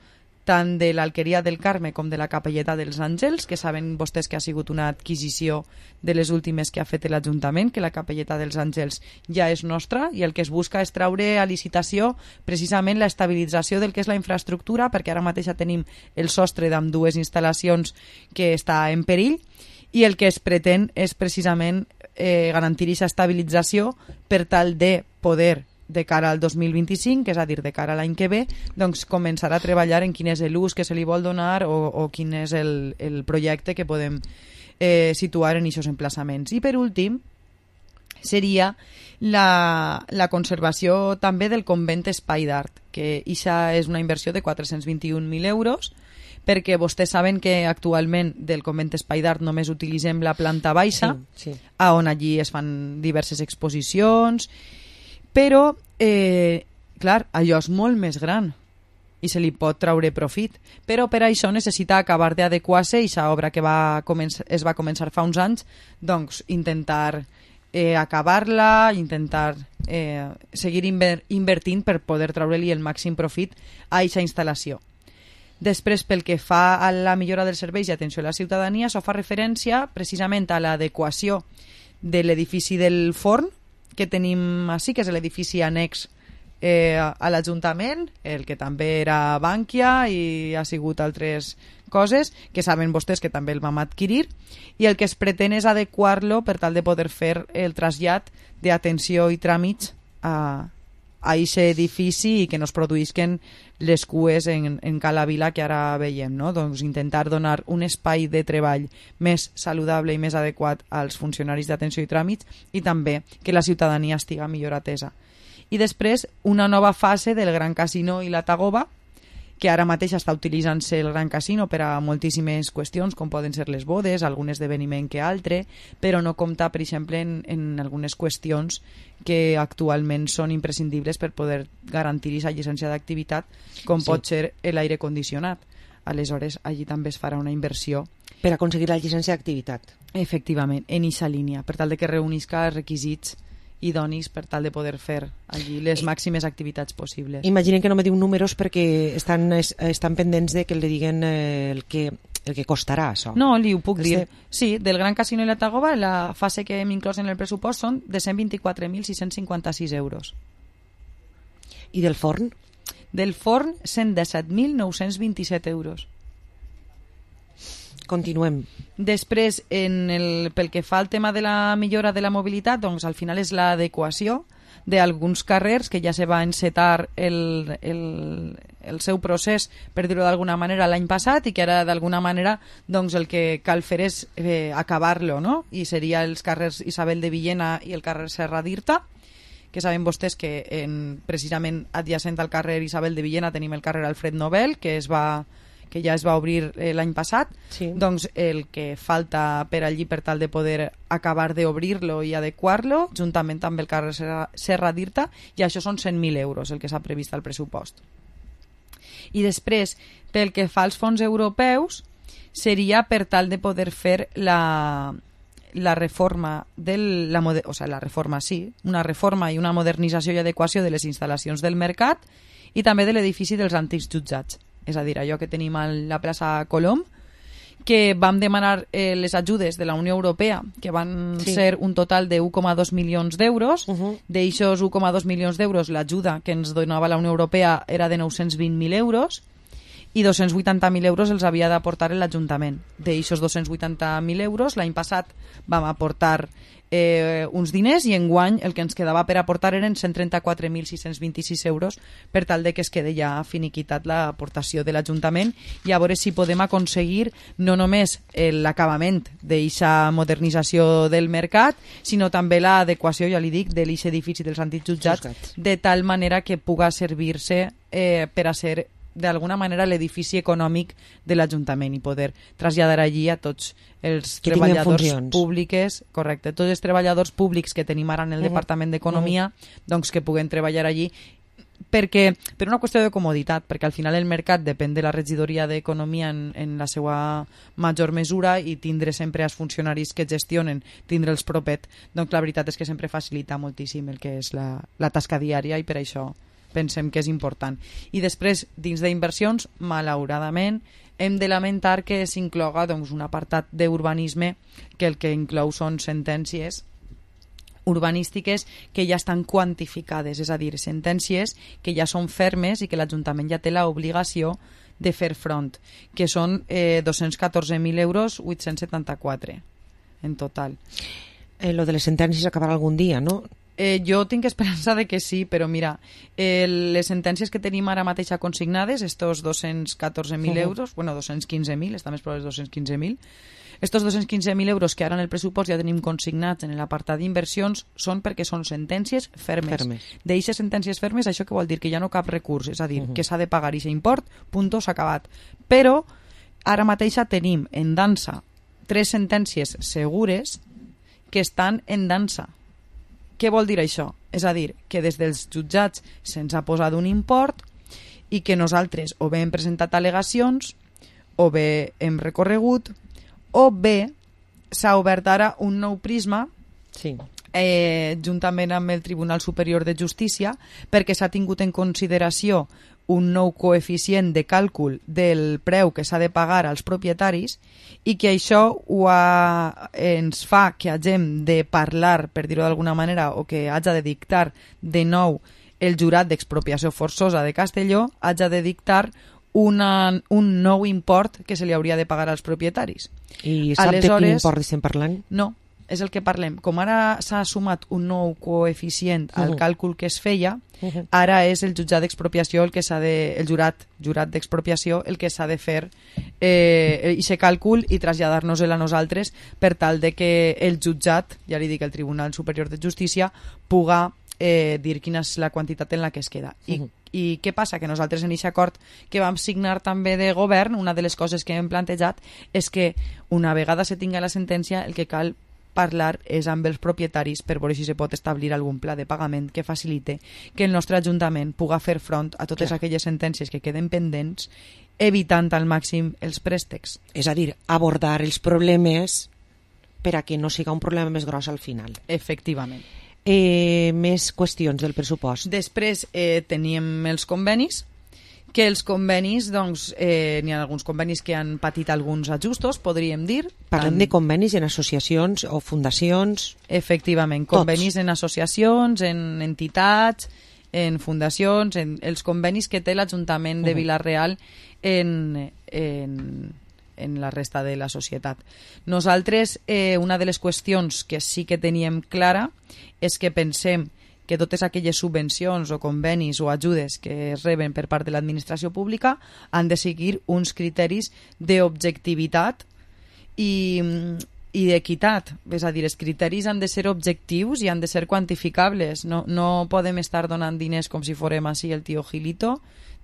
tant de l'Alqueria del Carme com de la Capelleta dels Àngels, que saben vostès que ha sigut una adquisició de les últimes que ha fet l'Ajuntament, que la Capelleta dels Àngels ja és nostra, i el que es busca és treure a licitació precisament la estabilització del que és la infraestructura, perquè ara mateix ja tenim el sostre d'ambdues instal·lacions que està en perill, i el que es pretén és precisament garantir aquesta estabilització per tal de poder, de cara al 2025, és a dir, de cara a l'any que ve, doncs començar a treballar en quin és l'ús que se li vol donar o quin és el projecte que podem situar en aquests emplaçaments. I per últim, seria la conservació també del convent Espai d'Art, que això és una inversió de 421.000 euros, perquè vostès saben que actualment del convent Espai d'Art només utilitzem la planta baixa, sí. on allí es fan diverses exposicions, però, clar, allò és molt més gran. i se li pot treure profit, però per això necessita acabar d'adequar-se i aquesta obra que es va començar fa uns anys, doncs intentar acabar-la, intentar seguir invertint per poder treure-li el màxim profit a aquesta instal·lació. Després, pel que fa a la millora dels serveis i atenció a la ciutadania, això fa referència precisament a l'adequació de l'edifici del forn que tenim així, que és l'edifici annex a l'Ajuntament, el que també era Bankia i ha sigut altres coses que saben vostès que també el vam adquirir, i el que es pretén és adequar-lo per tal de poder fer el trasllat d'atenció i tràmits a aquest edifici i que no es produïsquen les cues en Cala Vila que ara veiem, no? Doncs intentar donar un espai de treball més saludable i més adequat als funcionaris d'atenció i tràmits i també que la ciutadania estiga millor atesa. I després una nova fase del Gran Casino i la Tagoba, que ara mateix està utilitzant-se el Gran Casino per a moltíssimes qüestions, com poden ser les bodes, algun esdeveniment que altre, però no compta, per exemple, en algunes qüestions que actualment són imprescindibles per poder garantir aquesta llicència d'activitat, com pot ser l'aire condicionat. Aleshores, allí també es farà una inversió. Per aconseguir la llicència d'activitat. Efectivament, en aquesta línia, per tal de que reunisca els requisits idonis per tal de poder fer allí les màximes activitats possibles. Imaginen que no me diu números perquè estan pendents de que li diguen el que costarà això. No, li ho puc dir. Sí, del Gran Casino i la Tagoba, la fase que hem inclòs en el pressupost són de 124.656 euros. I del forn? Del forn, 117.927 euros. Continuem. Després, pel que fa al tema de la millora de la mobilitat, doncs al final és l'adequació d'alguns carrers que ja se va encetar el seu procés, per dir-ho d'alguna manera, l'any passat i que ara d'alguna manera doncs, el que cal fer és acabar-lo, no? I seria els carrers Isabel de Villena i el carrer Serra d'Irta, que saben vostès que precisament adjacent al carrer Isabel de Villena tenim el carrer Alfred Nobel, que ja es va obrir l'any passat, doncs el que falta per allí per tal de poder acabar d'obrir-lo i adequar-lo, juntament amb el carrer Serra d'Irta, i això són 100.000 euros el que s'ha previst al pressupost. I després, pel que fa als fons europeus, seria per tal de poder fer la reforma una reforma i una modernització i adequació de les instal·lacions del mercat i també de l'edifici dels antics jutjats. És a dir, allò que tenim a la plaça Colom, que vam demanar les ajudes de la Unió Europea, que van ser un total de 1,2 milions d'euros. D'aixòs 1,2 milions d'euros, l'ajuda que ens donava la Unió Europea era de 920.000 euros i 280.000 euros els havia d'aportar l'Ajuntament. D'aixòs 280.000 euros, l'any passat vam aportar uns diners i enguany el que ens quedava per aportar eren 134.626 euros per tal de que es quede ja finiquitat l'aportació de l'Ajuntament i a veure si podem aconseguir no només l'acabament d'aquesta modernització del mercat, sinó també l'adequació, ja li dic, de l'eix edifici dels antics jutjats, de tal manera que puga servir-se per a ser d'alguna manera l'edifici econòmic de l'Ajuntament i poder traslladar allí a tots els treballadors públics, correcte, tots els treballadors públics que tenim ara en el Departament d'Economia, doncs que puguen treballar allí perquè, per una qüestió de comoditat, perquè al final el mercat depèn de la regidoria d'Economia en la seva major mesura i tindre sempre els funcionaris que gestionen, tindre'ls propet, doncs la veritat és que sempre facilita moltíssim el que és la tasca diària i per això pensem que és important. I després, dins d'inversions, malauradament, hem de lamentar que s'incloga doncs, un apartat d'urbanisme que el que inclou són sentències urbanístiques que ja estan quantificades, és a dir, sentències que ja són fermes i que l'Ajuntament ja té l'obligació de fer front, que són 214.000 euros 874 en total. Lo de les sentències acabarà algun dia, no? Jo tinc esperança de que sí, però mira, les sentències que tenim ara mateix consignades, estos 214.000 euros, bueno, 215.000, està més prou dels 215.000, estos 215.000 euros que ara en el pressupost ja tenim consignats en l'apartat d'inversions són perquè són sentències fermes. D'eixes sentències fermes, això què vol dir? Que ja no cap recurs, és a dir, que s'ha de pagar aquest import, punto, s'ha acabat. Però ara mateix tenim en dansa 3 sentències segures que estan en dansa. Què vol dir això? És a dir, que des dels jutjats se'ns ha posat un import i que nosaltres o bé hem presentat al·legacions, o bé hem recorregut, o bé s'ha obert ara un nou prisma juntament amb el Tribunal Superior de Justícia, perquè s'ha tingut en consideració un nou coeficient de càlcul del preu que s'ha de pagar als propietaris i que això ens fa que hagem de parlar, per dir-ho d'alguna manera, o que hagi de dictar de nou el jurat d'expropiació forçosa de Castelló, hagi de dictar un nou import que se li hauria de pagar als propietaris. I sap de quin import estem parlant? No, és el que parlem. Com ara s'ha sumat un nou coeficient al càlcul que es feia, ara és el jutjat d'expropiació el jurat d'expropiació el que s'ha de fer aquest càlcul i traslladar-nos-el a nosaltres per tal de que el jutjat, ja li dic, el Tribunal Superior de Justícia, puga dir quina és la quantitat en la que es queda. I què passa? Que nosaltres en aquest acord que vam signar també de govern, una de les coses que hem plantejat és que una vegada se tinga la sentència el que cal parlar és amb els propietaris per veure si se pot establir algun pla de pagament que facilite que el nostre Ajuntament puga fer front a totes aquelles sentències que queden pendents, evitant al màxim els préstecs. És a dir, abordar els problemes per a que no siga un problema més gros al final. Efectivament. Més qüestions del pressupost. Després teníem els convenis, que els convenis, doncs, n'hi ha alguns convenis que han patit alguns ajustos, podríem dir. Parlem de convenis en associacions o fundacions? Efectivament, convenis en associacions, en entitats, en fundacions, en els convenis que té l'Ajuntament de Vila-real en la resta de la societat. Nosaltres, una de les qüestions que sí que teníem clara és que pensem que totes aquelles subvencions o convenis o ajudes que es reben per part de l'administració pública han de seguir uns criteris d'objectivitat i d'equitat. És a dir, els criteris han de ser objectius i han de ser quantificables. No podem estar donant diners com si fórem així el tio Gilito,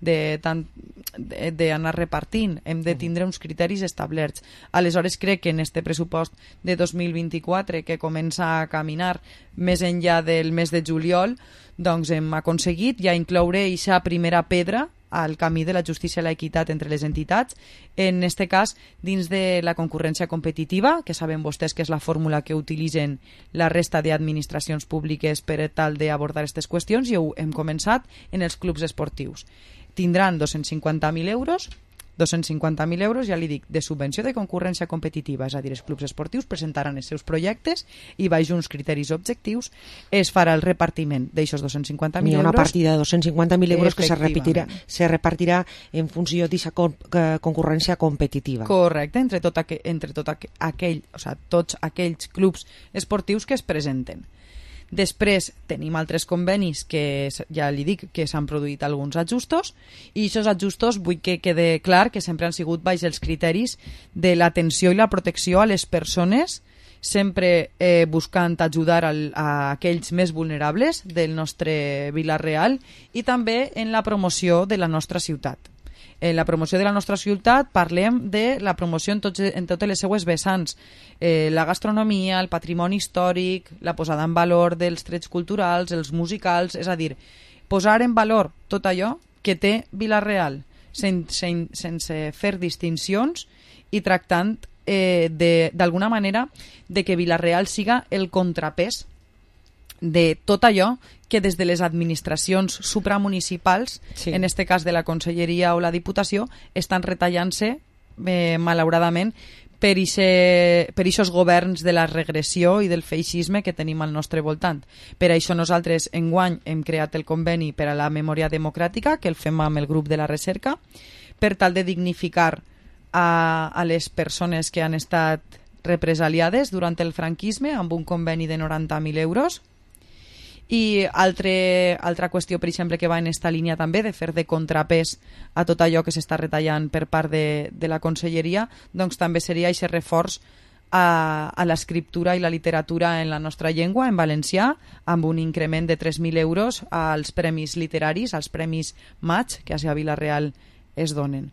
d'anar repartint. Hem de tindre uns criteris establerts. Aleshores crec que en este pressupost de 2024 que comença a caminar més enllà del mes de juliol, doncs hem aconseguit ja incloure aquesta primera pedra al camí de la justícia i l'equitat entre les entitats, en este cas dins de la concurrència competitiva, que saben vostès que és la fórmula que utilitzen la resta d'administracions públiques per tal d'abordar aquestes qüestions, i ho hem començat en els clubs esportius. Tindran 250.000 euros, ja li dic, de subvenció de concurrència competitiva, és a dir, els clubs esportius presentaran els seus projectes i baix uns criteris objectius es farà el repartiment d'aixos 250.000 euros. Hi ha una partida de 250.000 euros que se repartirà en funció d'aquesta concurrència competitiva. Correcte, entre tots aquells clubs esportius que es presenten. Després tenim altres convenis que ja li dic que s'han produït alguns ajustos, i aquests ajustos vull que quede clar que sempre han sigut baix els criteris de l'atenció i la protecció a les persones, sempre buscant ajudar a aquells més vulnerables del nostre Vila-real, i també en la promoció de la nostra ciutat. En la promoció de la nostra ciutat parlem de la promoció en totes les seues vessants, la gastronomia, el patrimoni històric, la posada en valor dels trets culturals, els musicals, és a dir, posar en valor tot allò que té Vila-real sense fer distincions i tractant d'alguna manera de que Vila-real siga el contrapès de tot allò que des de les administracions supramunicipals, en este cas de la Conselleria o la Diputació, estan retallant-se, malauradament, per aquests governs de la regressió i del feixisme que tenim al nostre voltant. Per això nosaltres enguany hem creat el conveni per a la memòria democràtica, que el fem amb el grup de la recerca, per tal de dignificar a les persones que han estat represaliades durant el franquisme amb un conveni de 90.000 euros. I altra qüestió, per exemple, que va en esta línia també de fer de contrapès a tot allò que s'està retallant per part de la Conselleria, doncs també seria aquest reforç a l'escriptura i la literatura en la nostra llengua, en valencià, amb un increment de 3.000 euros als premis literaris, als premis Maig, que a Vila-real es donen.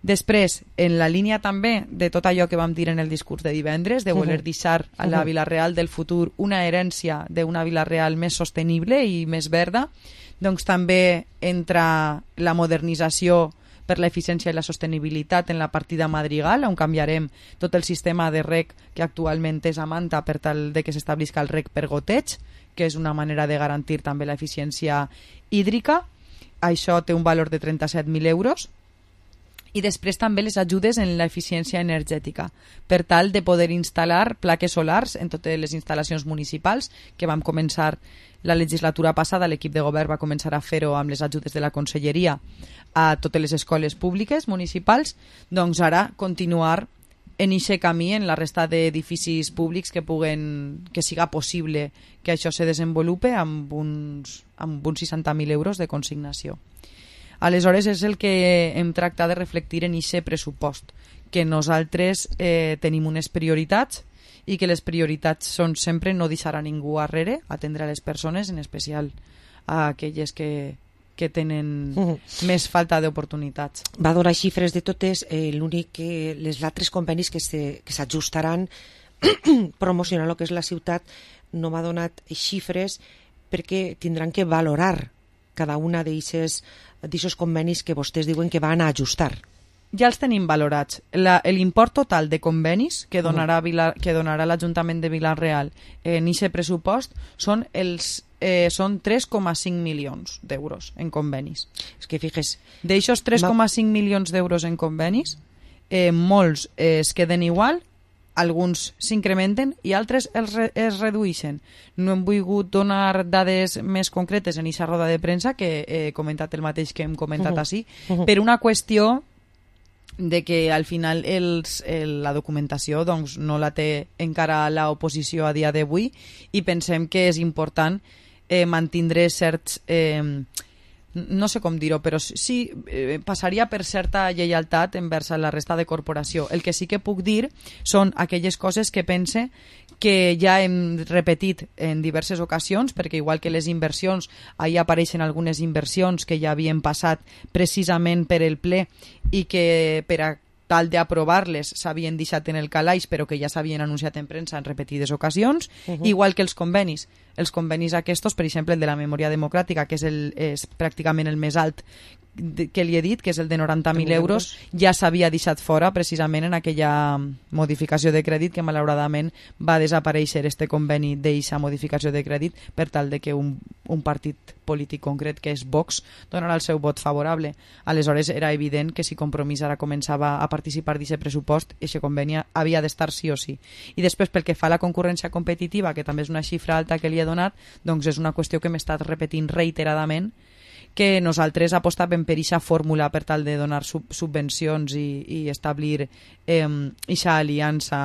Després, en la línia també de tot allò que vam dir en el discurs de divendres, de voler deixar a la Vila-real del futur una herència d'una Vila-real més sostenible i més verda, doncs també entra la modernització per l'eficiència i la sostenibilitat en la partida madrigal, on canviarem tot el sistema de reg que actualment és a Manta per tal de que s'establisca el reg per goteig, que és una manera de garantir també l'eficiència hídrica. Això té un valor de 37.000 euros. I després també les ajudes en l'eficiència energètica, per tal de poder instal·lar plaques solars en totes les instal·lacions municipals, que vam començar la legislatura passada, l'equip de govern va començar a fer-ho amb les ajudes de la conselleria a totes les escoles públiques municipals, doncs ara continuar en aquest camí en la resta d'edificis públics que siga possible que això se desenvolupe amb uns 60.000 euros de consignació. Aleshores és el que hem tractat de reflectir en aquest pressupost, que nosaltres tenim unes prioritats i que les prioritats són sempre no deixar a ningú arrere, atendre a les persones, en especial a aquelles que tenen més falta d'oportunitats. Va donar xifres de totes, l'únic que les altres convenis que s'ajustaran promocionar el que és la ciutat no m'ha donat xifres perquè tindran que valorar cada una d'aquests convenis que vostès diuen que van a ajustar. Ja els tenim valorats. L'import total de convenis que donarà l'Ajuntament de Vila-real en aquest pressupost són 3,5 milions d'euros en convenis. És que fixes... D'aixòs 3,5 milions d'euros en convenis, molts es queden igual, alguns s'incrementen i altres es redueixen. No hem volgut donar dades més concretes en aquesta roda de premsa, que he comentat el mateix que hem comentat ací, per una qüestió de que al final la documentació doncs, no la té encara l'oposició a dia d'avui i pensem que és important mantindre certs... no sé com dir-ho, però sí passaria per certa lleialtat envers la resta de corporació. El que sí que puc dir són aquelles coses que pense que ja hem repetit en diverses ocasions, perquè igual que les inversions, ahí apareixen algunes inversions que ja havien passat precisament per el ple i que per a tal d'aprovar-les s'havien deixat en el calaix però que ja s'havien anunciat en premsa en repetides ocasions, igual que els convenis. Els convenis aquests, per exemple, el de la memòria democràtica, que és pràcticament el més alt que li he dit, que és el de 90.000 euros, ja s'havia deixat fora precisament en aquella modificació de crèdit que malauradament va desaparèixer este conveni d'eixa modificació de crèdit per tal de que un partit polític concret, que és Vox, donarà el seu vot favorable. Aleshores era evident que si Compromís ara començava a participar d'aquest pressupost, aquest conveni havia d'estar sí o sí. I després, pel que fa a la concurrència competitiva, que també és una xifra alta que li he donat, doncs és una qüestió que m'he estat repetint reiteradament, que nosaltres apostàvem per aquesta fórmula per tal de donar subvencions i establir aquesta aliança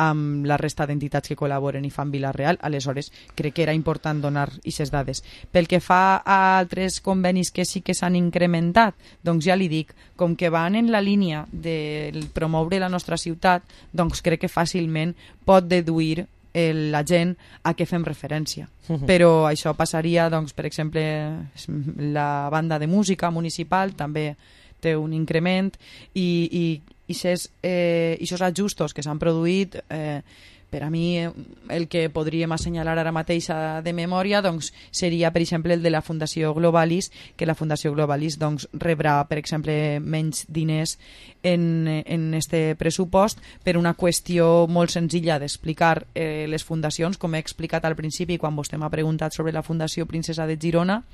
amb la resta d'entitats que col·laboren i fan Vila-real. Aleshores crec que era important donar aquestes dades. Pel que fa a altres convenis que sí que s'han incrementat, doncs ja li dic, com que van en la línia de promoure la nostra ciutat, doncs crec que fàcilment pot deduir la gent a què fem referència. Però això passaria, doncs, per exemple, la banda de música municipal també té un increment i aquests ajustos que s'han produït, per a mi el que podríem assenyalar ara mateix de memòria doncs, seria, per exemple, el de la Fundació Globalis, que la Fundació Globalis doncs, rebrà, per exemple, menys diners en este pressupost per una qüestió molt senzilla d'explicar les fundacions, com he explicat al principi quan vostè m'ha preguntat sobre la Fundació Princesa de Girona.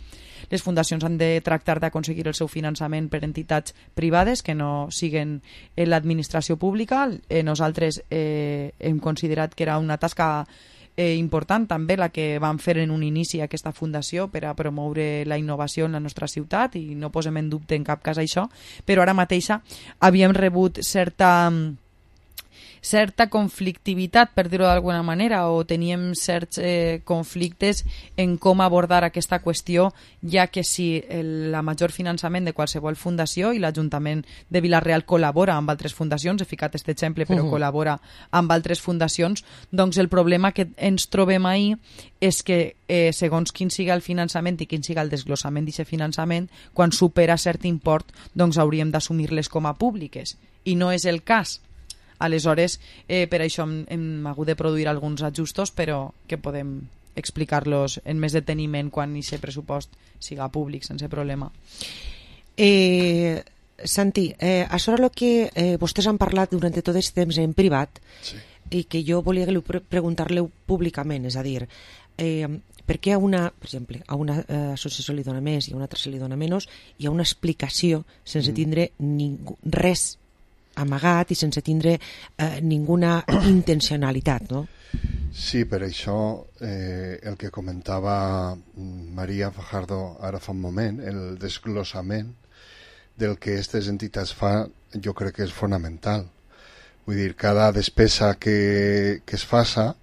Les fundacions han de tractar d'aconseguir el seu finançament per entitats privades que no siguen l'administració pública. Nosaltres hem considerat que era una tasca important també la que vam fer en un inici aquesta fundació per a promoure la innovació en la nostra ciutat i no posem en dubte en cap cas això, però ara mateixa havíem rebut certa conflictivitat, per dir-ho d'alguna manera, o teníem certs conflictes en com abordar aquesta qüestió, ja que si el major finançament de qualsevol fundació, i l'Ajuntament de Vila-real col·labora amb altres fundacions, he ficat aquest exemple, però col·labora amb altres fundacions, doncs el problema que ens trobem ahir és que segons quin siga el finançament i quin siga el desglossament d'aquest finançament, quan supera cert import, doncs hauríem d'assumir-les com a públiques, i no és el cas. Aleshores, per això hem hagut de produir alguns ajustos, però que podem explicar-los en més deteniment quan aquest pressupost siga públic sense problema. Santi, això era el que vostès han parlat durant tot aquest temps en privat, sí, i que jo volia preguntar-li públicament, és a dir, per què per exemple, a una associació li dona més i a una altra se li dona menys, hi ha una explicació sense tindre res amagat i sense tindre ninguna intencionalitat, no? Sí, per això el que comentava Maria Fajardo ara fa un moment, el desglossament del que aquestes entitats fan, jo crec que és fonamental. Vull dir, cada despesa que es faça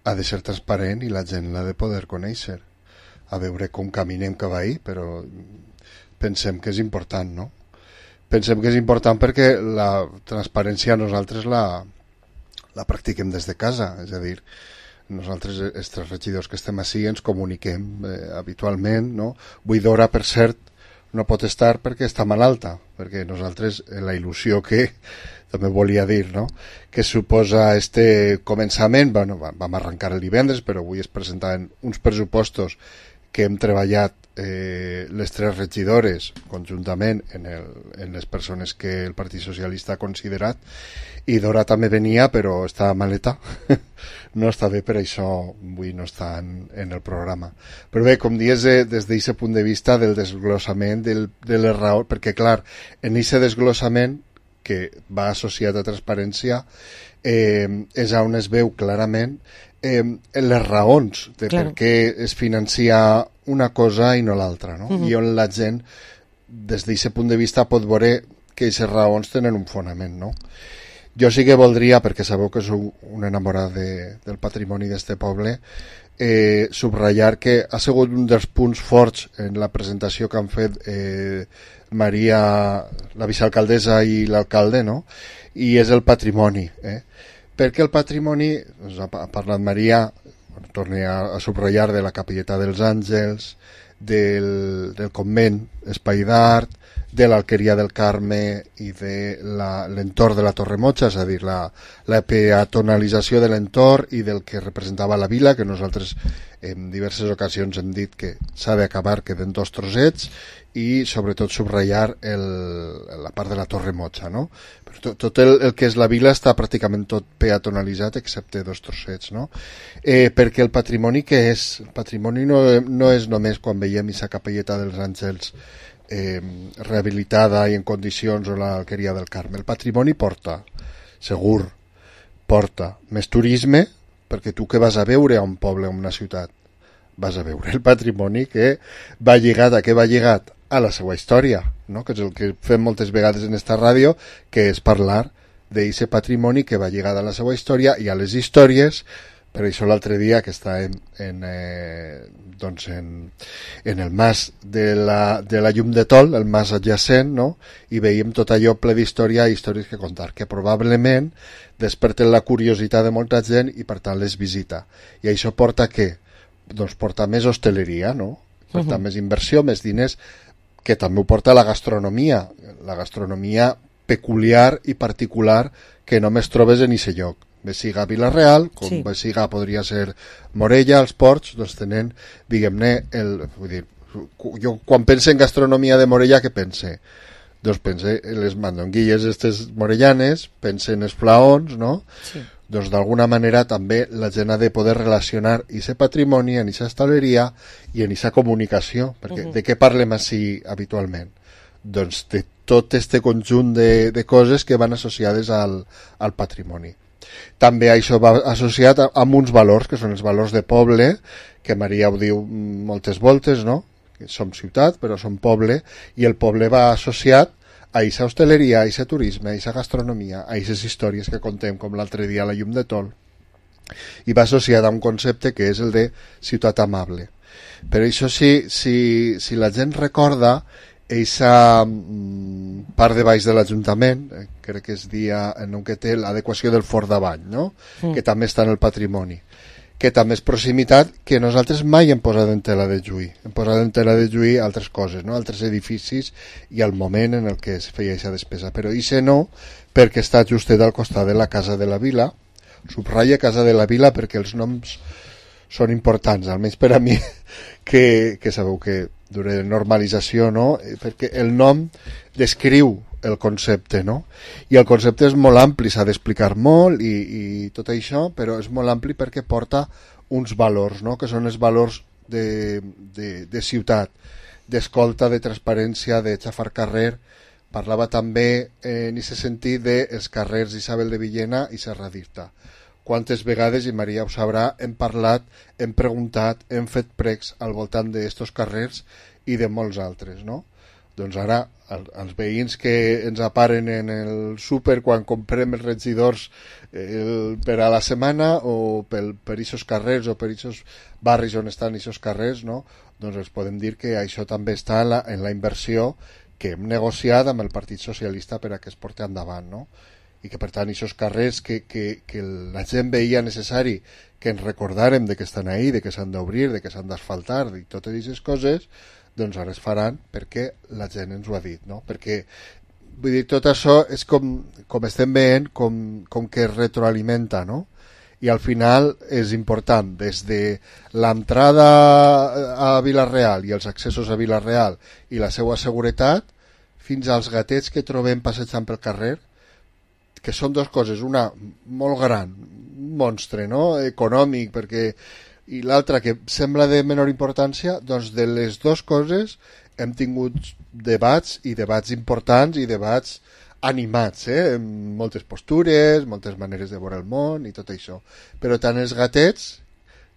ha de ser transparent i la gent l'ha de poder conèixer. A veure com caminem cap ahí, però pensem que és important, no? Pensem que és important perquè la transparència nosaltres la practiquem des de casa, és a dir, nosaltres, els tres regidors que estem així, ens comuniquem habitualment, no? Buidora, per cert, no pot estar perquè està malalta, perquè nosaltres, la il·lusió que també volia dir, no?, que suposa este començament, bueno, vam arrencar el divendres, però avui es presentaven uns pressupostos que hem treballat les tres regidores conjuntament en les persones que el Partit Socialista ha considerat, i Dora també venia però està maleta no està bé, per això avui no està en el programa. Però bé, com dius, des d'aquest punt de vista del desglossament de les raons, perquè clar, en aquest desglossament que va associat a transparència és on es veu clarament les raons de per què es financia una cosa i no l'altra, no? I on la gent des d'aquest punt de vista pot veure que aquestes raons tenen un fonament, no? Jo sí que voldria, perquè sabeu que sou un enamorat del patrimoni d'este poble, subratllar que ha sigut un dels punts forts en la presentació que han fet Maria, la vicealcaldessa i l'alcalde, no? I és el patrimoni, perquè el patrimoni, doncs ha parlat Maria, torni a subratllar, de la Capelleta dels Àngels, del convent Espai d'Art, de l'Alqueria del Carme i de l'entorn de la Torre Motxa, és a dir, la peatonalització de l'entorn i del que representava la vila, que nosaltres en diverses ocasions hem dit que s'ha d'acabar, queden 2 trossets, i sobretot subratllar la part de la Torre Motxa, no? Però tot el que és la vila està pràcticament tot peatonalitzat excepte 2 trossets, no? Perquè el patrimoni què és? El patrimoni no és només quan veiem aquesta Capelleta dels Àngels rehabilitada i en condicions, o l'Alqueria del Carme. El patrimoni porta, segur, porta més turisme, perquè tu què vas a veure a un poble o a una ciutat? Vas a veure el patrimoni que va lligat a la seva història, no? Que és el que fem moltes vegades en esta ràdio, que és parlar d'aquest patrimoni que va lligat a la seva història i a les històries. Per això l'altre dia que estàvem en el mas de la Llum de Tol, el mas adjacent, no? I veiem tot allò ple d'història i històries que contar, que probablement desperten la curiositat de molta gent i per tant les visita. I això porta què? Doncs porta més hostaleria, no? Porta més inversió, més diners, que també ho porta la gastronomia peculiar i particular que només trobes en aquest lloc. Bé siga Vila-real, com bé siga podria ser Morella, els Ports, doncs tenen, diguem-ne, vull dir, jo quan pense en gastronomia de Morella, què pense? Doncs pense en les mandonguilles estes morellanes, pense en els flaons, no? Sí. Doncs d'alguna manera també la gent ha de poder relacionar aquest patrimoni en aquesta hostaleria i en aquesta comunicació, perquè de què parlem així habitualment? Doncs de tot este conjunt de coses que van associades al patrimoni. També això va associat amb uns valors, que són els valors de poble, que Maria ho diu moltes voltes, no? Que som ciutat, però som poble, i el poble va associat a aquesta hostaleria, a aquest turisme, a aquesta gastronomia, a aquestes històries que contem, com l'altre dia a la Llum de Tol. I va associat a un concepte que és el de ciutat amable. Per això, si la gent recorda aquesta part de baix de l'Ajuntament, crec que es dia en un que té l'adequació del Fort d'Avall, no? Que també està en el patrimoni, que també és proximitat, que nosaltres mai hem posat en tela de juí. Hem posat en tela de juí altres coses, no? Altres edificis i el moment en el que es feia aquesta despesa. Però això no, perquè està justet al costat de la Casa de la Vila. Subratlla Casa de la Vila perquè els noms són importants, almenys per a mi, que sabeu que durant normalització, no? Perquè el nom descriu el concepte, no? I el concepte és molt ampli, s'ha d'explicar molt i tot això, però és molt ampli perquè porta uns valors, no? Que són els valors de ciutat, d'escolta, de transparència, de xafar carrer. Parlava també en aquest sentit dels carrers d'Isabel de Villena i Serra d'Irta. Quantes vegades, i Maria ho sabrà, hem parlat, hem preguntat, hem fet pregs al voltant d'estos carrers i de molts altres, no? Doncs ara, els veïns que ens aparen en el súper quan comprem els regidors per a la setmana o per aquests carrers o per aquests barris on estan aquests carrers, no? Doncs els podem dir que això també està en la inversió que hem negociat amb el Partit Socialista per a que es porti endavant, no? I que per tant aquests carrers que la gent veia necessari que ens recordàrem de que estan ahí, de que s'han d'obrir, de que s'han d'asfaltar i totes aquestes coses, doncs ara es faran perquè la gent ens ho ha dit, no? Perquè vull dir, tot això és com estem veient com que es retroalimenta, no? I al final és important des de l'entrada a Vila-real i els accessos a Vila-real i la seva seguretat fins als gatets que trobem passejant pel carrer, que són dues coses, una molt gran, un monstre, no? Econòmic, perquè i l'altra que sembla de menor importància, doncs de les dues coses hem tingut debats i debats importants i debats animats, amb moltes postures, moltes maneres de veure el món i tot això. Però tant els gatets,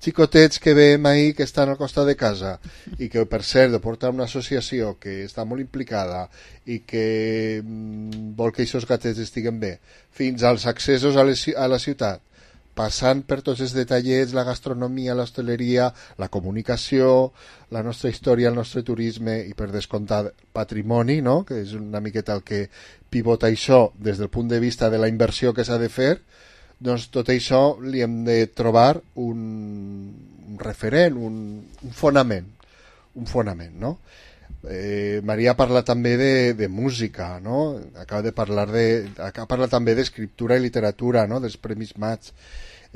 xicotets que veiem ahir que estan al costat de casa i que per cert porta una associació que està molt implicada i que vol que aquests gatets estiguen bé, fins als accessos a la ciutat, passant per tots els detallets, la gastronomia, l'hostaleria, la comunicació, la nostra història, el nostre turisme i per descomptar patrimoni, no? Que és una miqueta el que pivota això des del punt de vista de la inversió que s'ha de fer, doncs tot això li hem de trobar un referent, un fonament, no? Maria parla també de música, no? Acaba parlar també d'escriptura i literatura, no? Dels Premis Maig.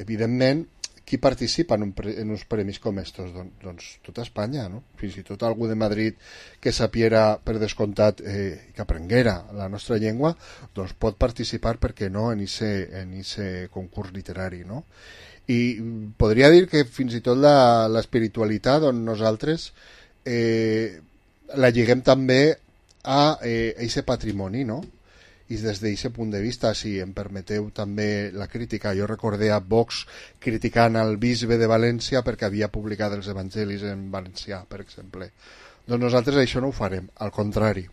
Evidentment, qui participa en uns premis com estos? Doncs tota Espanya, no? Fins i tot algú de Madrid que sapiera per descomptat que aprenguera la nostra llengua, doncs pot participar, per què no, en ese concurs literari, no? I podria dir que fins i tot l'espiritualitat on nosaltres la lliguem també a aquest patrimoni, no? I des d'aquest punt de vista, si em permeteu també la crítica, jo recordé a Vox criticant el bisbe de València perquè havia publicat els evangelis en valencià, per exemple. Doncs nosaltres això no ho farem, al contrari.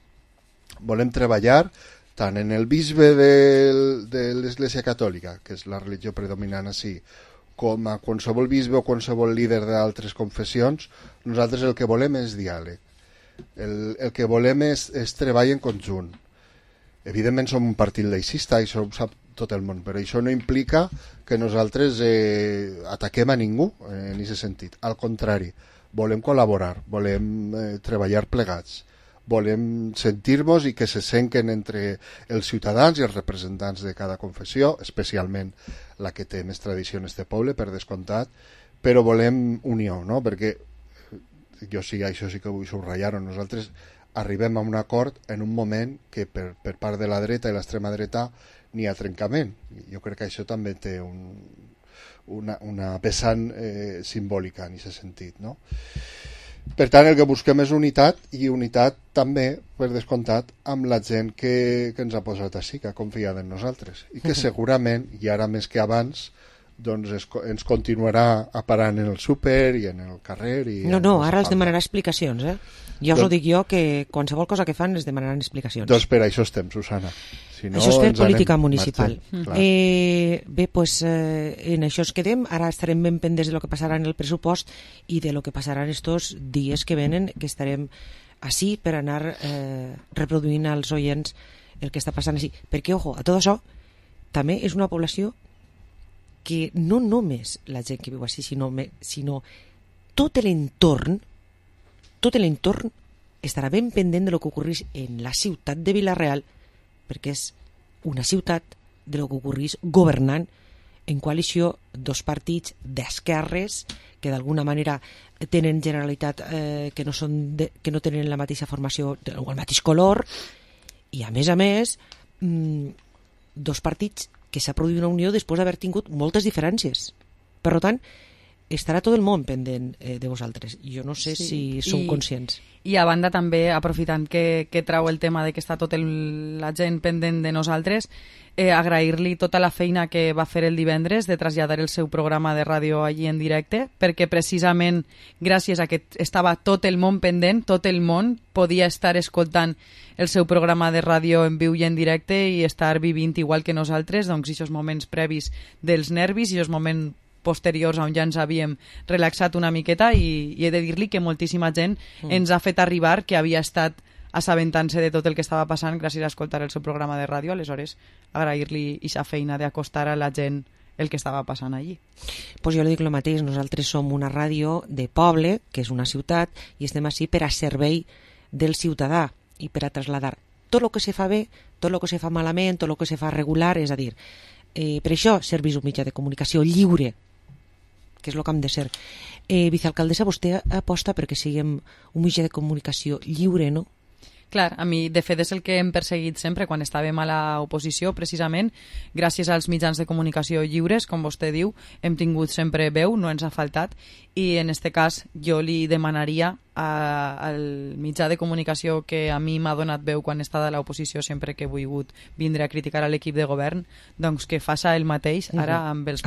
Volem treballar tant en el bisbe de l'Església Catòlica, que és la religió predominant així, com a qualsevol bisbe o qualsevol líder d'altres confessions. Nosaltres el que volem és diàleg. El que volem és treball en conjunt. Evidentment som un partit laicista, això ho sap tot el món, però això no implica que nosaltres ataquem a ningú en aquest sentit. Al contrari, volem col·laborar, volem treballar plegats, volem sentir-nos i que se senten entre els ciutadans i els representants de cada confessió, especialment la que té més tradició en este poble, per descomptat, però volem unió, no? Perquè jo sí, això sí que vull subratllar-ho, nosaltres arribem a un acord en un moment que per part de la dreta i l'extrema dreta n'hi ha trencament. Jo crec que això també té una vessant simbòlica en aquest sentit, no? Per tant, el que busquem és unitat, i unitat també, per descomptat, amb la gent que ens ha posat així, que ha confiat en nosaltres, i que segurament, i ara més que abans, doncs ens continuarà aparant en el súper i en el carrer. No, ara els demanarà explicacions, Ja us ho dic jo, que qualsevol cosa que fan es demanaran explicacions. Doncs per això estem, Susana. Si no, això és fer política municipal. Bé, doncs en això ens quedem. Ara estarem ben pendents de lo que passarà en el pressupost i de lo que passarà en estos dies que venen, que estarem així per anar reproduint als oients el que està passant així. Perquè, ojo, a tot això també és una població que no només la gent que viu així, sinó tot l'entorn estarà ben pendent de lo que ocorrís en la ciutat de Vila-real, perquè és una ciutat de lo que ocorrís governant en coalició dos partits d'esquerres que d'alguna manera tenen generalitat que no tenen la mateixa formació o el mateix color, i a més dos partits que s'ha produït una unió després d'haver tingut moltes diferències. Per tant, estarà tot el món pendent de vosaltres. Jo no sé si sou conscients. I a banda també, aprofitant que trau el tema de que està tota la gent pendent de nosaltres, agrair-li tota la feina que va fer el divendres de traslladar el seu programa de ràdio allí en directe, perquè precisament gràcies a que estava tot el món pendent, tot el món podia estar escoltant el seu programa de ràdio en viu i en directe i estar vivint igual que nosaltres, doncs aquests moments previs dels nervis i aquests moments posteriors on ja ens havíem relaxat una miqueta, i he de dir-li que moltíssima gent ens ha fet arribar que havia estat assabentant-se de tot el que estava passant gràcies a escoltar el seu programa de ràdio. Aleshores, agrair-li aquesta feina d'acostar a la gent el que estava passant allí. Pues jo li dic el mateix, nosaltres som una ràdio de poble, que és una ciutat, i estem així per a servei del ciutadà i per a traslladar tot el que se fa bé, tot el que se fa malament, tot el que se fa regular, és a dir, per això serveix un mitjà de comunicació lliure, que és el que hem de ser. Vicealcaldessa, vostè aposta perquè siguem un mitjà de comunicació lliure, no? Clar, a mi de fet és el que hem perseguit sempre quan estàvem a l'oposició, precisament gràcies als mitjans de comunicació lliures, com vostè diu, hem tingut sempre veu, no ens ha faltat, i en aquest cas jo li demanaria al mitjà de comunicació que a mi m'ha donat veu quan he estat a l'oposició sempre que he volgut vindre a criticar a l'equip de govern, doncs que faça el mateix ara amb els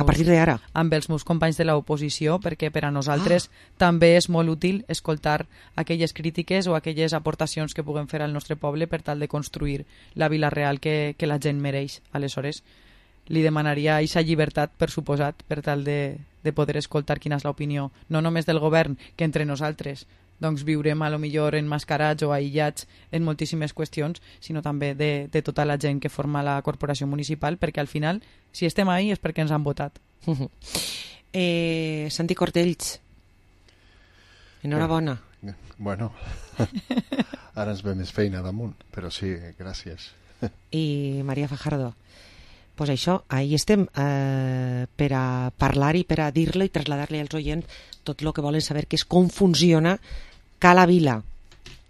meus companys de l'oposició, perquè per a nosaltres també és molt útil escoltar aquelles crítiques o aquelles aportacions que puguem fer al nostre poble per tal de construir la vila real que la gent mereix. Aleshores, li demanaria aquesta llibertat, per suposat, per tal de poder escoltar quina és l'opinió, no només del govern, que entre nosaltres doncs viurem a lo millor emmascarats o aïllats en moltíssimes qüestions, sinó també de tota la gent que forma la corporació municipal, perquè al final, si estem ahí és perquè ens han votat. Santi Cortells, enhorabona. Bueno, ara ens ve més feina damunt, però sí, gràcies. I Maria Fajardo, pues això, ahí estem per a parlar i per a dir-lo i traslladar-li als oients tot el que volen saber, que és com funciona Cala Vila,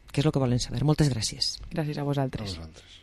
que és el que volen saber. Moltes gràcies. Gràcies a vosaltres. A vosaltres.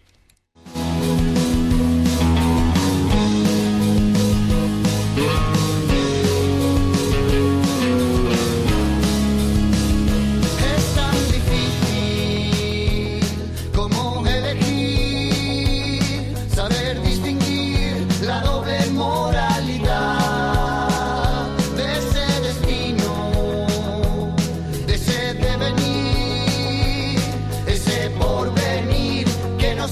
Que no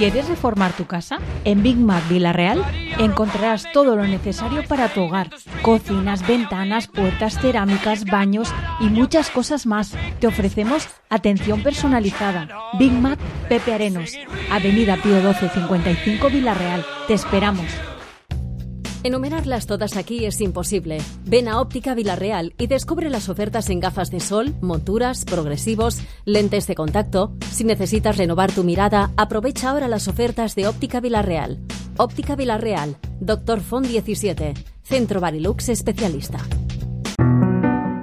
¿Quieres reformar tu casa? En Big Mac Villarreal encontrarás todo lo necesario para tu hogar. Cocinas, ventanas, puertas, cerámicas, baños y muchas cosas más. Te ofrecemos atención personalizada. Big Mac Pepe Arenos, Avenida Pío 12 55 Villarreal. Te esperamos. Enumerarlas todas aquí es imposible. Ven a Óptica Villarreal y descubre las ofertas en gafas de sol, monturas, progresivos, lentes de contacto. Si necesitas renovar tu mirada, aprovecha ahora las ofertas de Óptica Villarreal. Óptica Villarreal, Dr. Font 17, Centro Barilux especialista.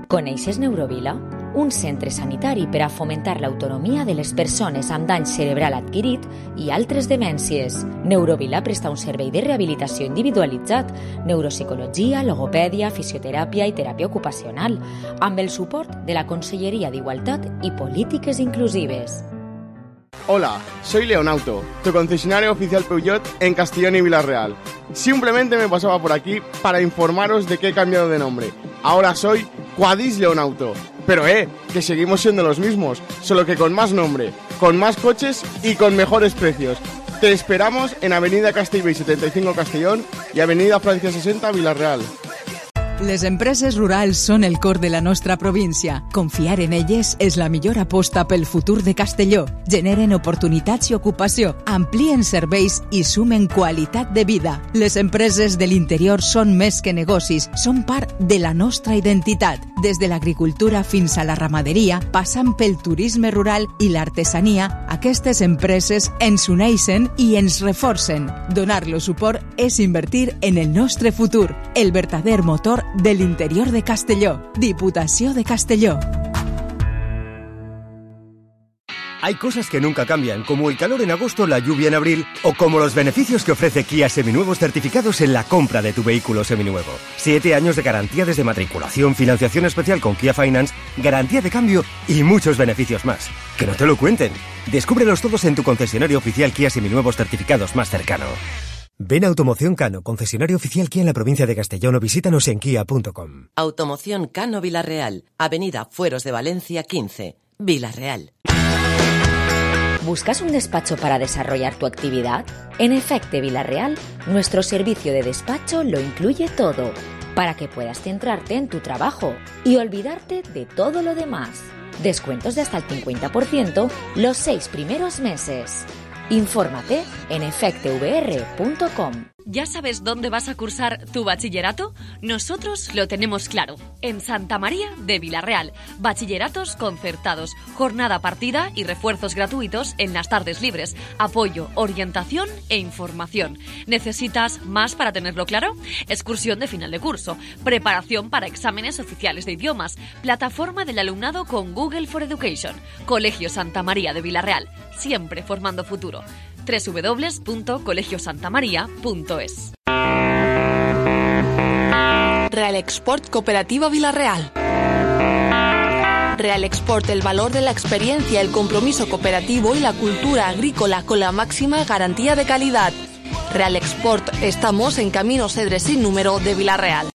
Coneixes Neurovila? Un centre sanitari per a fomentar l'autonomia de les persones amb dany cerebral adquirit i altres demències. Neurovila presta un servei de rehabilitació individualitzat, neuropsicologia, logopèdia, fisioteràpia i teràpia ocupacional, amb el suport de la Conselleria d'Igualtat i Polítiques Inclusives. Hola, soy Leonauto, tu concesionario oficial Peugeot en Castellón y Villarreal. Simplemente me pasaba por aquí para informaros de que he cambiado de nombre. Ahora soy Quadis Leonauto. Pero que seguimos siendo los mismos, solo que con más nombre, con más coches y con mejores precios. Te esperamos en Avenida Castellbell 75 Castellón y Avenida Francia 60 Villarreal. Les empreses rurals són el cor de la nostra província. Confiar en elles és la millor aposta pel futur de Castelló. Generen oportunitats i ocupació, amplien serveis i sumen qualitat de vida. Les empreses de l'interior són més que negocis, són part de la nostra identitat. Des de l'agricultura fins a la ramaderia, passant pel turisme rural i l'artesania, aquestes empreses ens uneixen i ens reforcen. Donar-los suport és invertir en el nostre futur, el verdader motor del interior de Castelló. Diputació de Castelló. Hay cosas que nunca cambian, como el calor en agosto, la lluvia en abril, o como los beneficios que ofrece Kia Seminuevos certificados en la compra de tu vehículo seminuevo. 7 años de garantía desde matriculación, financiación especial con Kia Finance, garantía de cambio y muchos beneficios más. Que no te lo cuenten. Descúbrelos todos en tu concesionario oficial Kia Seminuevos certificados más cercano. Ven a Automoción Cano, concesionario oficial Kia en la provincia de Castellón, o visítanos en kia.com. Automoción Cano Villarreal, Avenida Fueros de Valencia 15, Villarreal. ¿Buscas un despacho para desarrollar tu actividad? En Efecte Villarreal, nuestro servicio de despacho lo incluye todo, para que puedas centrarte en tu trabajo y olvidarte de todo lo demás. Descuentos de hasta el 50% los 6 primeros meses. Infórmate en efectevr.com. ¿Ya sabes dónde vas a cursar tu bachillerato? Nosotros lo tenemos claro. En Santa María de Villarreal. Bachilleratos concertados, jornada partida y refuerzos gratuitos en las tardes libres. Apoyo, orientación e información. ¿Necesitas más para tenerlo claro? Excursión de final de curso, preparación para exámenes oficiales de idiomas, plataforma del alumnado con Google for Education. Colegio Santa María de Villarreal. Siempre formando futuro. www.colegiosantamaria.es. Real Export Cooperativa Villarreal. Real Export, el valor de la experiencia, el compromiso cooperativo y la cultura agrícola con la máxima garantía de calidad. Real Export, estamos en Camino Cedre sin número de Villarreal.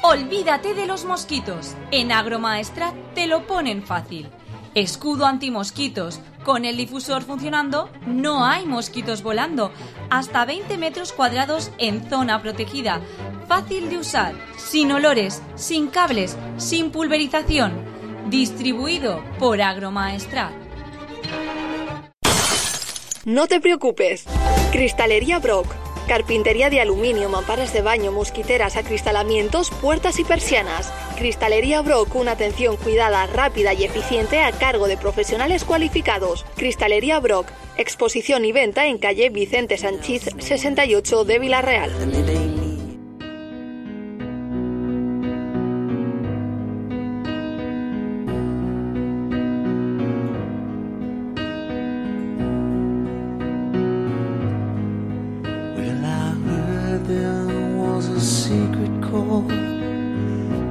Olvídate de los mosquitos. En Agromaestrat te lo ponen fácil. Escudo antimosquitos. Con el difusor funcionando, no hay mosquitos volando. Hasta 20 metros cuadrados en zona protegida. Fácil de usar, sin olores, sin cables, sin pulverización. Distribuido por Agromaestrat. No te preocupes. Cristalería Brock. Carpintería de aluminio, mamparas de baño, mosquiteras, acristalamientos, puertas y persianas. Cristalería Brock, una atención cuidada, rápida y eficiente a cargo de profesionales cualificados. Cristalería Brock, exposición y venta en calle Vicente Sanchiz 68 de Villarreal.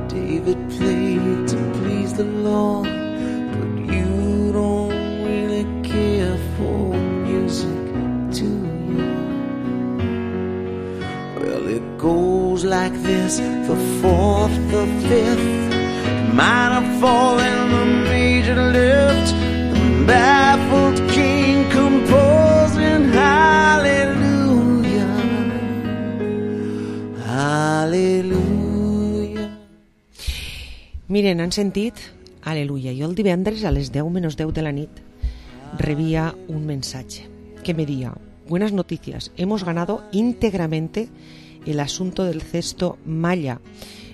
David played to please the Lord, but you don't really care for music, do you? Well, it goes like this, the fourth, the fifth, minor fall and the major lift, the baffled king composed Miren, han sentit, aleluia, jo el divendres a les 10 menys 10 de la nit rebía un mensaje que me decía: buenas noticias, hemos ganado íntegramente el asunto del cesto Malla.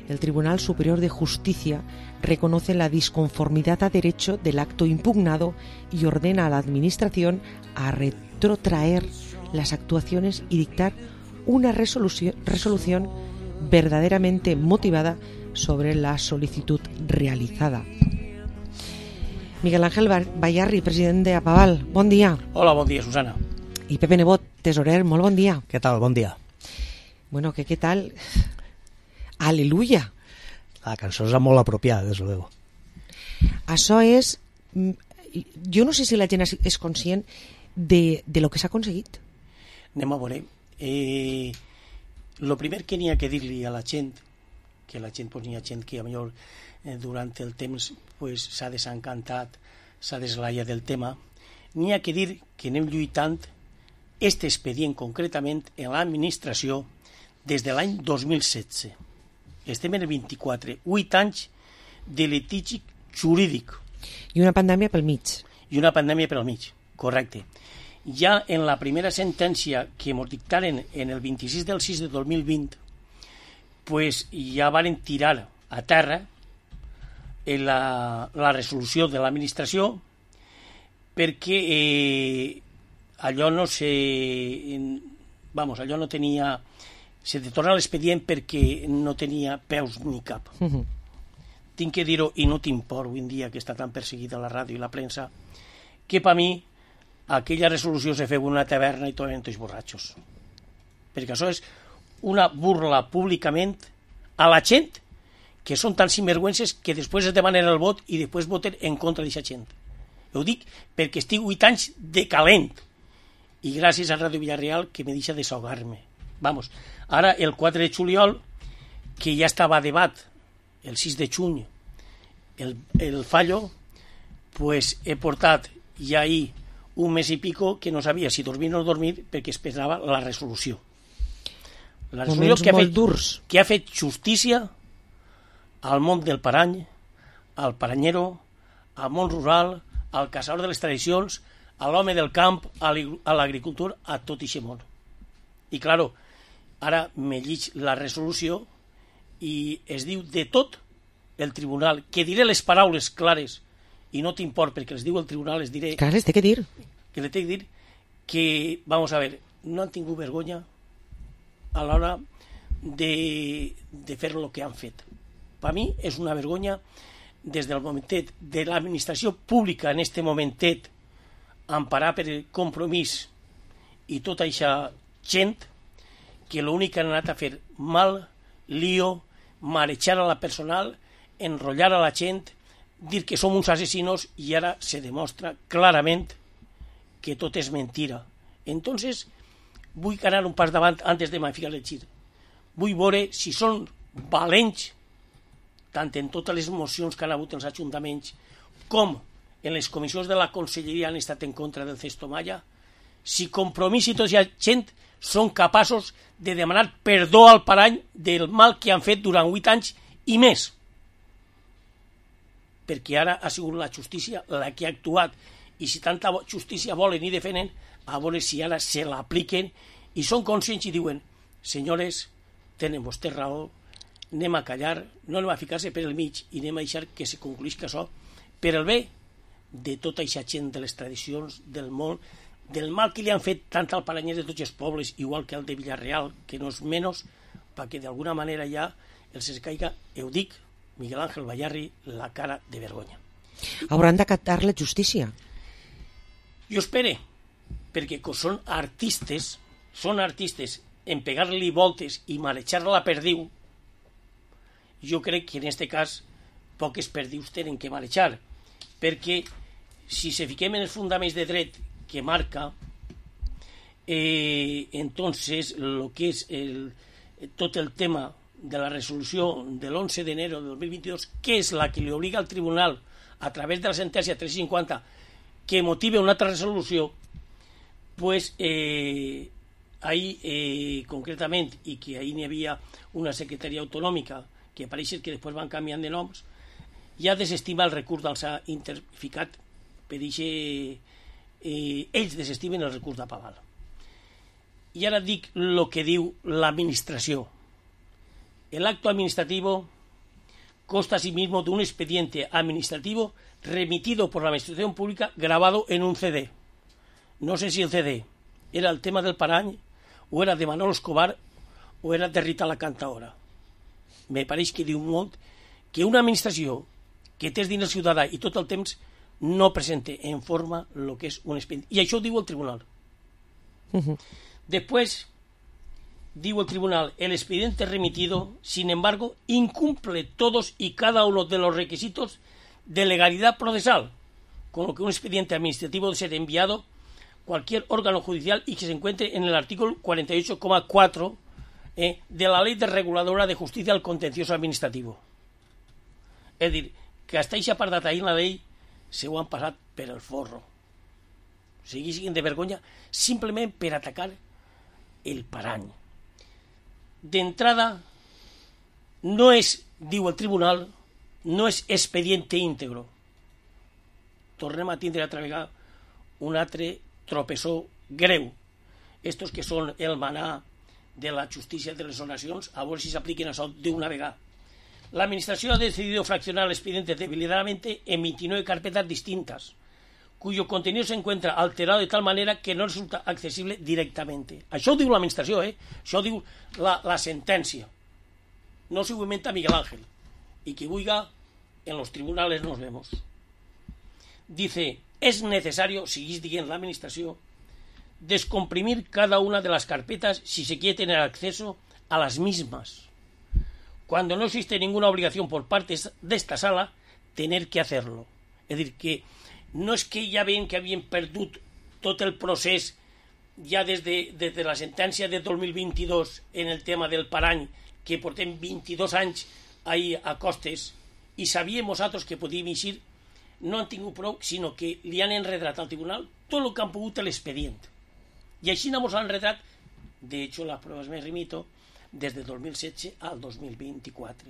El Tribunal Superior de Justicia reconoce la disconformidad a derecho del acto impugnado y ordena a la Administración a retrotraer las actuaciones y dictar una resolución verdaderamente motivada sobre la solicitud realizada. Miguel Ángel Bayarri, president de Apaval, bon dia. Hola, bon dia, Susana. I Pepe Nebot, tesorer, molt bon dia. Què tal? Bon dia. Bueno, ¿qué tal? Aleluya. La cançó és molt apropiada, des luego. Això és... Jo no sé si la gent és conscient de lo que s'ha aconseguit. Anem a veure. Lo primer que n'hi ha que dir-li a la gent, que la gent, n'hi ha gent que a millor durant el temps s'ha desencantat, s'ha deslaiat del tema, n'hi ha que dir que anem lluitant este expedient concretament en l'administració des de l'any 2016. Estem en el 24, 8 anys de litigi jurídic. I una pandèmia pel mig. I una pandèmia pel mig, correcte. Ja en la primera sentència que ens dictaren en el 26 del 6 de 2020, pues ja varen tirar a terra la resolució de l'administració perquè allò no allò no tenia... Se de tornar l'expedient perquè no tenia peus ni cap. Tinc que dir-ho, i no t'import avui en dia que està tan perseguida la ràdio i la premsa, que per mi aquella resolució se feu en una taverna i tomen tots borratxos. Perquè això és una burla públicament a la gent que són tan sinvergüences que després es demanen el vot i després voten en contra d'aquesta gent. Ho dic perquè estic 8 anys de calent i gràcies a Ràdio Villarreal que me deixa desahogar-me. Vamos, ara el 4 de juliol, que ja estava a debat el 6 de juny el fallo, pues he portat ja ahir un mes i pico que no sabia si dormir o no dormir perquè esperava la resolució. La resolució que ha fet justícia al món del parany, al paranyero, al món rural, al caçador de les tradicions, a l'home del camp, a l'agricultor, a tot aquest món. I, claro, ara me llig la resolució i es diu de tot el tribunal, que diré les paraules clares, i no t'import perquè les diu el tribunal, les diré... Clar, les té que dir. Que le té que dir que, vamos a ver, no han tingut vergonya a l'hora de fer el que han fet. Per mi és una vergonya des del momentet de l'administració pública en este momentet emparar per el compromís i tota aquesta gent que l'únic que han anat a fer mal, lío, marejar a la personal, enrotllar a la gent, dir que som uns assassinos i ara se demostra clarament que tot és mentira. Entonces, vull anar un pas davant antes de ficar el gir. Vull veure si són valents tant en totes les mocions que han hagut els ajuntaments com en les comissions de la Conselleria han estat en contra del Cesto Malla, si Compromís i tota aquesta gent són capaços de demanar perdó al parany del mal que han fet durant 8 anys i més. Perquè ara ha sigut la justícia la que ha actuat i si tanta justícia volen i defenen, a veure si ara se l'apliquen i són conscients i diuen: senyores, tenen vostè raó, anem a callar, no anem a ficar-se per el mig i anem a deixar que se concluïsca això per el bé de tota aquesta gent de les tradicions, del món, del mal que li han fet tant al paranyès de tots els pobles, igual que al de Villarreal, que no és menys, perquè d'alguna manera ja els caiga, ho dic, Miguel Ángel Bayarri, la cara de vergonya. Hauran d'acatar la justícia. Jo espere, perquè són artistes en pegar-li voltes i marejar-la perdiu. Jo crec que en aquest cas poques perdius tenen que marejar, perquè si se fiquem en els fundaments de dret que marca, entonces lo que és tot el tema de la resolució de l'11 d'enero de 2022, que és la que li obliga al tribunal a través de la sentència 350 que motive una altra resolució, pues ahir concretament, i que ahir n'hi havia una secretaria autonòmica que pareix que després van canviant de noms, ja desestima el recurs dels ha interficat per això ells desestimen el recurs d'apaval. Y ahora dic lo que diu l'administració. El acto administrativo consta asimismo de un expediente administrativo remitido por la administración pública grabado en un CD. No sé si el CD era el tema del Parany, o era de Manolo Escobar, o era de Rita la Cantaora. Me pareix que diu molt que una administració que té diners ciutadà i tot el temps no presente en forma lo que és un expedient. I això ho diu el tribunal. Después, digo el tribunal, el expediente remitido, sin embargo, incumple todos y cada uno de los requisitos de legalidad procesal, con lo que un expediente administrativo debe ser enviado a cualquier órgano judicial y que se encuentre en el artículo 48,4 de la Ley de Reguladora de Justicia al Contencioso Administrativo. És dir, que hasta aquest apartat ahí en la llei se ho han passat per el forro. O sigui, siguin de vergonya simplement per atacar el Parany. D'entrada, no és, diu el tribunal, no és expediente íntegro. Tornem a tindre altra vegada un altre tropessó greu. Estos que són el manà de la justícia de les donacions, a veure si s'apliquen això d'una vegada. La administración ha decidido fraccionar el expediente deliberadamente en 29 carpetas distintas, cuyo contenido se encuentra alterado de tal manera que no resulta accesible directamente. Això ho diu l'administració, Això ho diu la sentència. No se ho inventa Miguel Ángel. Y que huiga, en los tribunales nos vemos. Dice, es necesario, seguís diciendo la administración, descomprimir cada una de las carpetas si se quiere tener acceso a las mismas. Cuando no existe ninguna obligación por parte de esta sala, tener que hacerlo. Es decir, que no és que ja veien que havien perdut tot el procés ja des de la sentència de 2022 en el tema del Parany, que portem 22 anys ahí a costes, i sabíem nosaltres que podíem eixir, no han tingut prou, sinó que li han enredat al tribunal tot el que han pogut l'expedient. I així no ens han enredat, de hecho, las pruebas me remito, desde 2016 al 2024.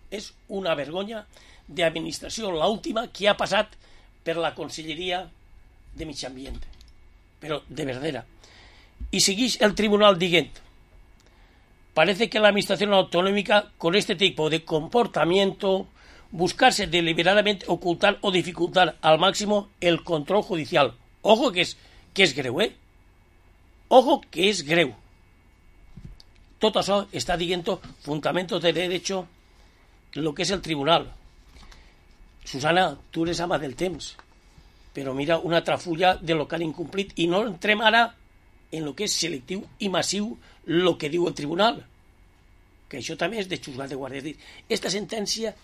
És una vergonya d'administració, l'última que ha passat per la Conselleria de Mig Ambient. Però de verdera. Y seguís el tribunal dient, parece que la administración autonómica con este tipo de comportamiento buscarse deliberadamente ocultar o dificultar al máximo el control judicial. Ojo que és greu, Ojo que és greu. Tot això està dient fundamentos de derecho lo que és el tribunal. Susana, tu eres ama del temps, però mira una altra fulla de lo que han incomplit i no entrem ara en lo que és selectiu i massiu lo que diu el tribunal, que això també és de juzgat de guàrdia. És dir, esta sentència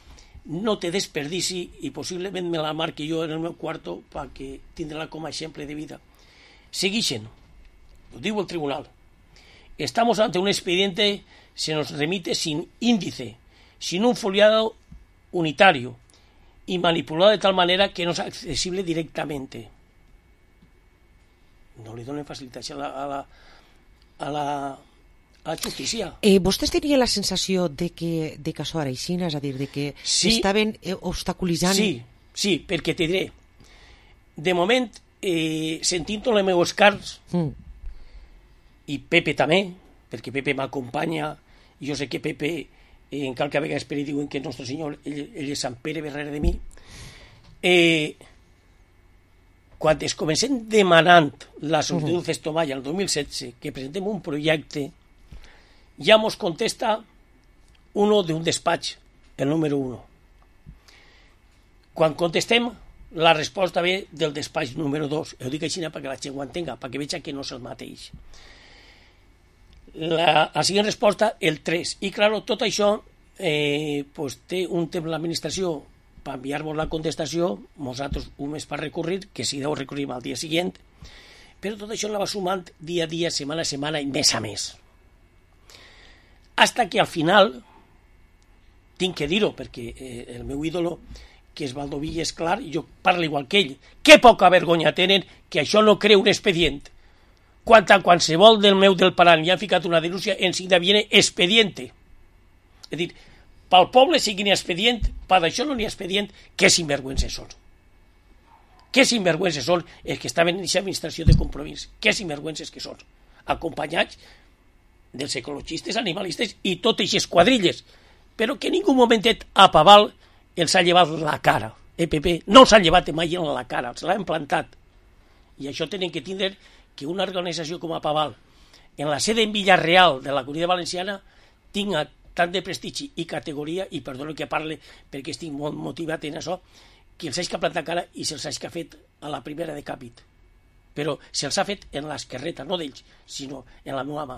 no té desperdici i possiblement me la marqui jo en el meu quarto perquè tindrà com a exemple de vida. Seguixen, ho diu el tribunal. Estamos ante un expediente, se nos remite sin índice, sin un foliado unitario y manipulado de tal manera que no es accesible directamente. No li donen facilitació a la justícia. Vostès tenien la sensació de que això era així, és a dir, de que estaven obstaculitzant... Sí, perquè te diré, de moment, sentint les meves carns, i Pepe també, perquè Pepe m'acompanya, i jo sé que Pepe, encara que a vegades per ell diuen que Nostre Senyor, ell és Sant Pere darrere de mi, quan es comencem demanant la sol·licitud Festomaya el 2016, que presentem un projecte, ja mos contesta uno d'un despatx, el número 1. Quan contestem, la resposta ve del despatx número 2. Ho dic així perquè la gent ho entenga, perquè veig que no és el mateix. La següent resposta, el 3. I, claro, tot això té un temps l'administració per enviar-nos la contestació, nosaltres un mes per recurrir, que si deu recurrim al dia següent, però tot això la va sumant dia a dia, setmana a setmana i mes a mes. Hasta que al final, tinc que dir-ho, perquè el meu ídolo, que és Valdoví, és clar, jo parlo igual que ell. Que poca vergonya tenen que això no crea un expedient. Quan a qualsevol del meu del Parany hi han ficat una denúncia, enseguida viene expediente. És dir, pel poble sigui expedient, per això no n'hi ha expedient, que sinvergüences són. Que sinvergüences són els que estaven en aquesta administració de Compromís, que sinvergüences que són, acompanyats dels ecologistes, animalistes i totes aquestes quadrilles, però que en ningú momentet a Paval els ha llevat la cara. PP no s'ha llevat mai en la cara, els l'ha implantat. I això tenen que tindre que una organització com a Paval, en la sede en Villarreal de la Comunitat Valenciana, tinga tant de prestigi i categoria, i perdono que parle perquè estic molt motivat en això, que els hagi que plantar cara i se'ls hagi que fet a la primera de càpit. Però se'ls ha fet en l'esquerreta, no d'ells, sinó en la meva mà.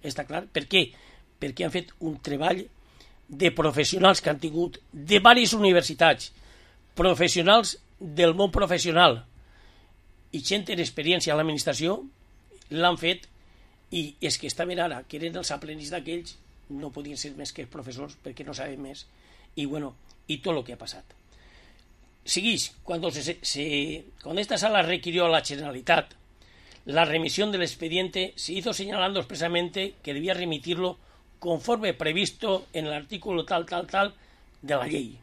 Està clar? Per què? Perquè han fet un treball de professionals que han tingut de diverses universitats, professionals del món professional i gent en experiència a l'administració, l'han fet, i els que estaven ara, que eren els aprenents d'aquells, no podien ser més que els professors perquè no saben més, i bueno, y todo lo que ha pasado. Seguís, cuando esta sala requirió a la Generalitat la remisión del expediente, se hizo señalando expresamente que debía remitirlo conforme previsto en el artículo tal de la ley.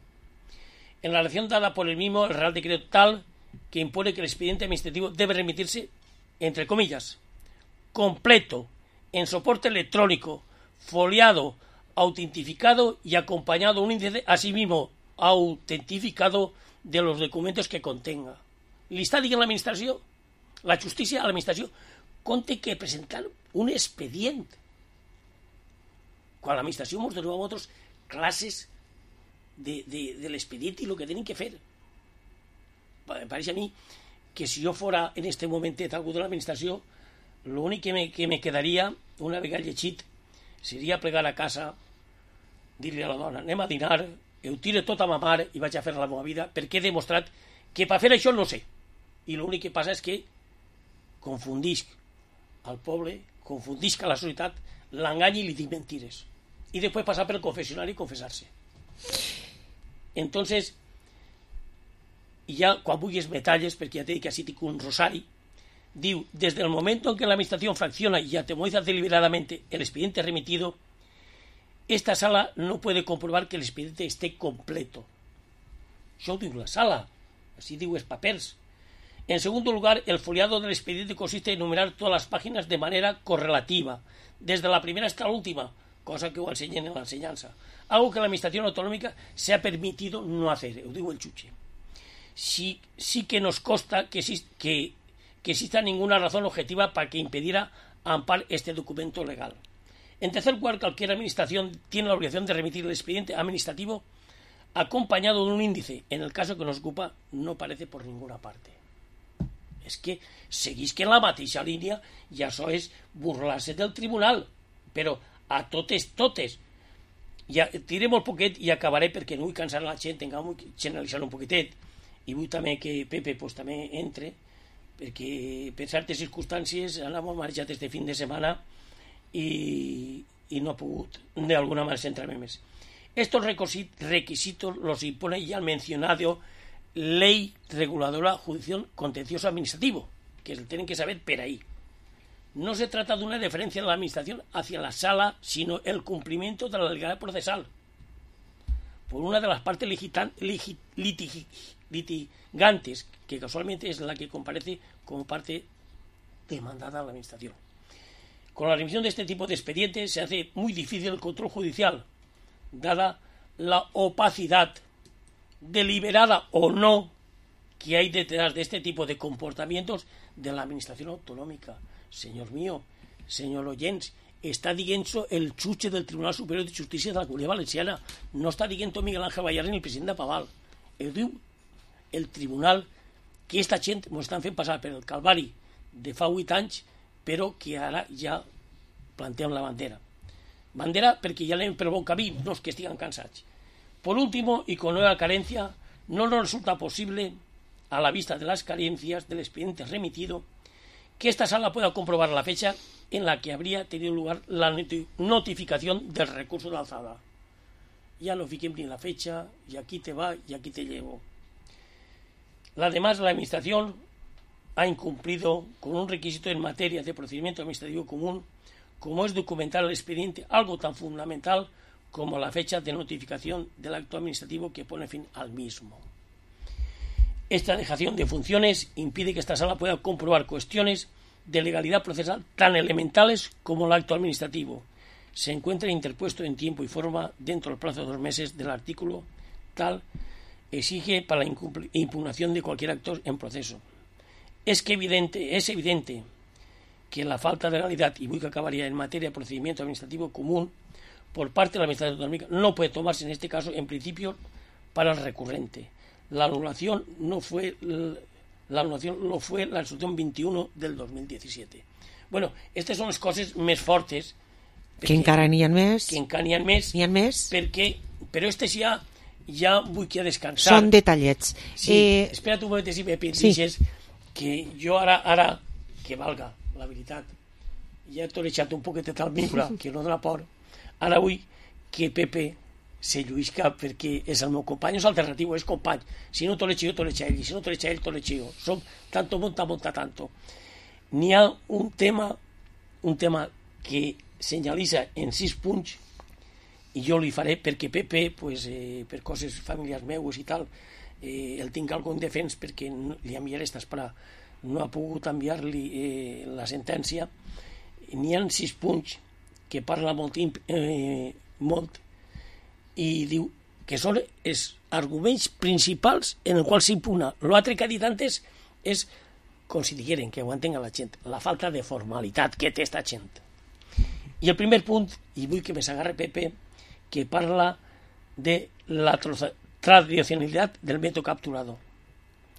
En la relación dada por el mismo, el Real Decreto tal que impone que el expediente administrativo debe remitirse, entre comillas, completo, en soporte electrónico, foliado, autentificado y acompañado de un índice asimismo autentificado de los documentos que contenga. L'està dient l'administració, la justícia a l'administració, conté que presentar un expedient. Quan l'administració ens donava a nosaltres classes de l'expedient i el que tenen que fer. Em pareix a mi que si jo fora en este momentet algú de l'administració, l'únic que me quedaria, una vegada llegit, seria plegar a casa, dir-li a la dona, anem a dinar, ho tiro tot a ma mare i vaig a fer la meva vida, perquè he demostrat que per fer això no sé. I l'únic que passa és que confundisc al poble, confundisc a la societat, l'engany i li dic mentires. I després passar pel confessionari i confessar-se. Entonces, ja quan vulguis metalles, perquè ja t'he dit que així tinc un rosari, diu, desde el momento en que la administración fracciona y atemoriza deliberadamente el expediente remitido, esta sala no puede comprobar que el expediente esté completo. Això ho diu la sala, així diu els papers. En segundo lugar, el foliado del expediente consiste en enumerar todas las páginas de manera correlativa, desde la primera hasta la última, cosa que ho ensenyen en la enseñanza, algo que la administración autonómica se ha permitido no hacer, ho diu el jutge. Sí que nos consta que exista ninguna razón objetiva para que impidiera amparar este documento legal. En tercer lugar, cualquier administración tiene la obligación de remitir el expediente administrativo acompañado de un índice. En el caso que nos ocupa, no aparece por ninguna parte. És que seguís que en la mateixa línia i això és burlar-se del tribunal, però a totes. Ja tiré molt poquet i acabaré perquè no vull cansar la gent, vull generalitzar un poquetet i vull també que Pepe pues, també entre, perquè per certes circumstàncies anàvem marejat este fin de setmana y no ha pogut de alguna manera centrarme més. Estos requisitos los impone ya el mencionado Ley Reguladora Judicial Contencioso Administrativo, que tienen que saber por ahí. No se trata de una deferencia de la administración hacia la sala, sino el cumplimiento de la legalidad procesal por una de las partes litigantes, que casualmente es la que comparece como parte demandada a la administración. Con la remisión de este tipo de expedientes se hace muy difícil el control judicial, dada la opacidad, deliberada o no, que hay detrás de este tipo de comportamientos de la administración autonómica. Señor mío, señor oyents, está dient el jutge del Tribunal Superior de Justícia de la Comunitat Valenciana, no està dient Miguel Ángel Bayarri ni el president de Paval. Ho diu el tribunal, que esta gent ens estan fent passar per el calvari de fa 8 anys, però que ara ja planteem la bandera. Bandera perquè ja anem per bon camí, no és que estiguen cansats. Por último, y con nueva carencia, no nos resulta posible, a la vista de las carencias del expediente remitido, que esta sala pueda comprobar la fecha en la que habría tenido lugar la notificación del recurso de alzada. Ya no fiquen bien la fecha, y aquí te va, y aquí te llevo. Además, la administración ha incumplido con un requisito en materia de procedimiento administrativo común, como es documentar el expediente, algo tan fundamental como la fecha de notificación del acto administrativo que pone fin al mismo. Esta dejación de funciones impide que esta sala pueda comprobar cuestiones de legalidad procesal tan elementales como el acto administrativo. Se encuentra interpuesto en tiempo y forma dentro del plazo de 2 meses del artículo tal exige para la impugnación de cualquier acto en proceso. Es evidente que la falta de legalidad, y muy que acabaría en materia de procedimiento administrativo común por parte de la Administración Autonómica, no puede tomarse en este caso en principio para el recurrente. La anulación lo fue la resolución 21 del 2017. Bueno, estas són les coses més fortes que encara n'hi ha més, però aquestes ja vull que descansar. Són detallets. Sí, espera't un moment, si me deixes, que jo ara, que valga la veritat, ja t'ho he deixat un poquet al micro, que no dona por, ara vull que Pepe se lluïsca perquè és el meu company, és alternatiu, és company. Si no t'ho l'he jo, t'ho l'he ell, si no t'ho l'he ell, t'ho l'he jo. Som tanto, monta, tanto. N'hi ha un tema que senyalitza en 6 punts i jo li faré perquè Pepe, pues, per coses familiars meues i tal, el tinc algun defens perquè li enviaré esta esperar. No ha pogut enviar-li la sentència. N'hi ha 6 punts que parla molt i diu que són els arguments principals en els quals s'impugna. L'altre que ha dit antes és, com si digueren, que ho entenga la gent, la falta de formalitat que té esta gent. I el primer punt, i vull que me s'agarre Pepe, que parla de la tradicionalitat del método capturado.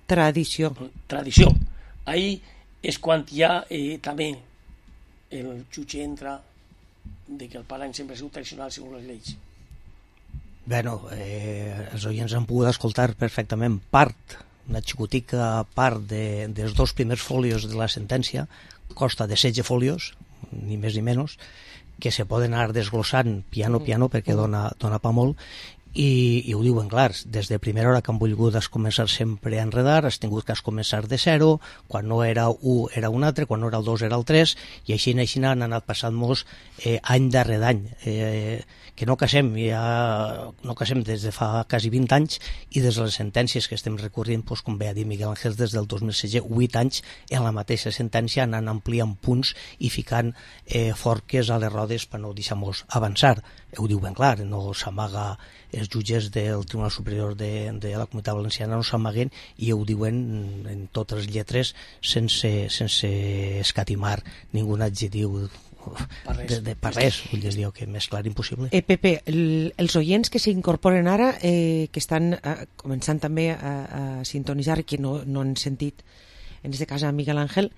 Tradició. Ahí és quan ja també el jutge entra de que el parany sempre ha sigut tradicional segons les lleis. Bueno, els oients han pogut escoltar perfectament una xicotica part dels 2 primers folios de la sentència, costa de 16 folios, ni més ni menys, que se poden anar desglossant piano perquè dona pa molt, i ho diuen clar, des de primera hora que han volgut començar sempre a enredar, has tingut que començar de 0, quan no era 1 era un altre, quan no era el 2 era el 3, i així han anat passant-nos any darrere d'any, que no casem des de fa quasi 20 anys, i des de les sentències que estem recorrent, com bé ha dit Miguel Ángel, des del 2016, 8 anys en la mateixa sentència, anant ampliant punts i ficant forques a les rodes per no deixar-nos avançar. Ho diu ben clar, no s'amaga, els jutges del Tribunal Superior de la Comunitat Valenciana no s'amaguen i ho diuen en totes les lletres sense escatimar ningú adjectiu de per res, vull dir que més clar impossible. Pepe, els oients que s'incorporen ara, que estan començant també a sintonitzar i que no han sentit, en aquest cas a Miguel Ángel,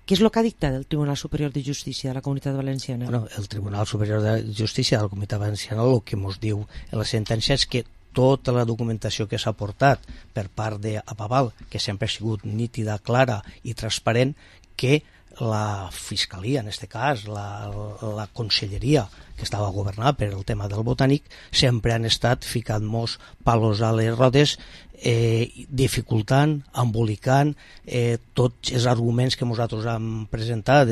què és el que ha dictat el Tribunal Superior de Justícia de la Comunitat Valenciana? Bueno, el Tribunal Superior de Justícia de la Comunitat Valenciana el que ens diu en la sentència és que tota la documentació que s'ha portat per part d'Apaval, que sempre ha sigut nítida, clara i transparent, que la Fiscalia, en aquest cas, la Conselleria, que estava governada per el tema del botànic, sempre han estat ficant-nos palos a les rodes, dificultant, embolicant tots els arguments que nosaltres hem presentat,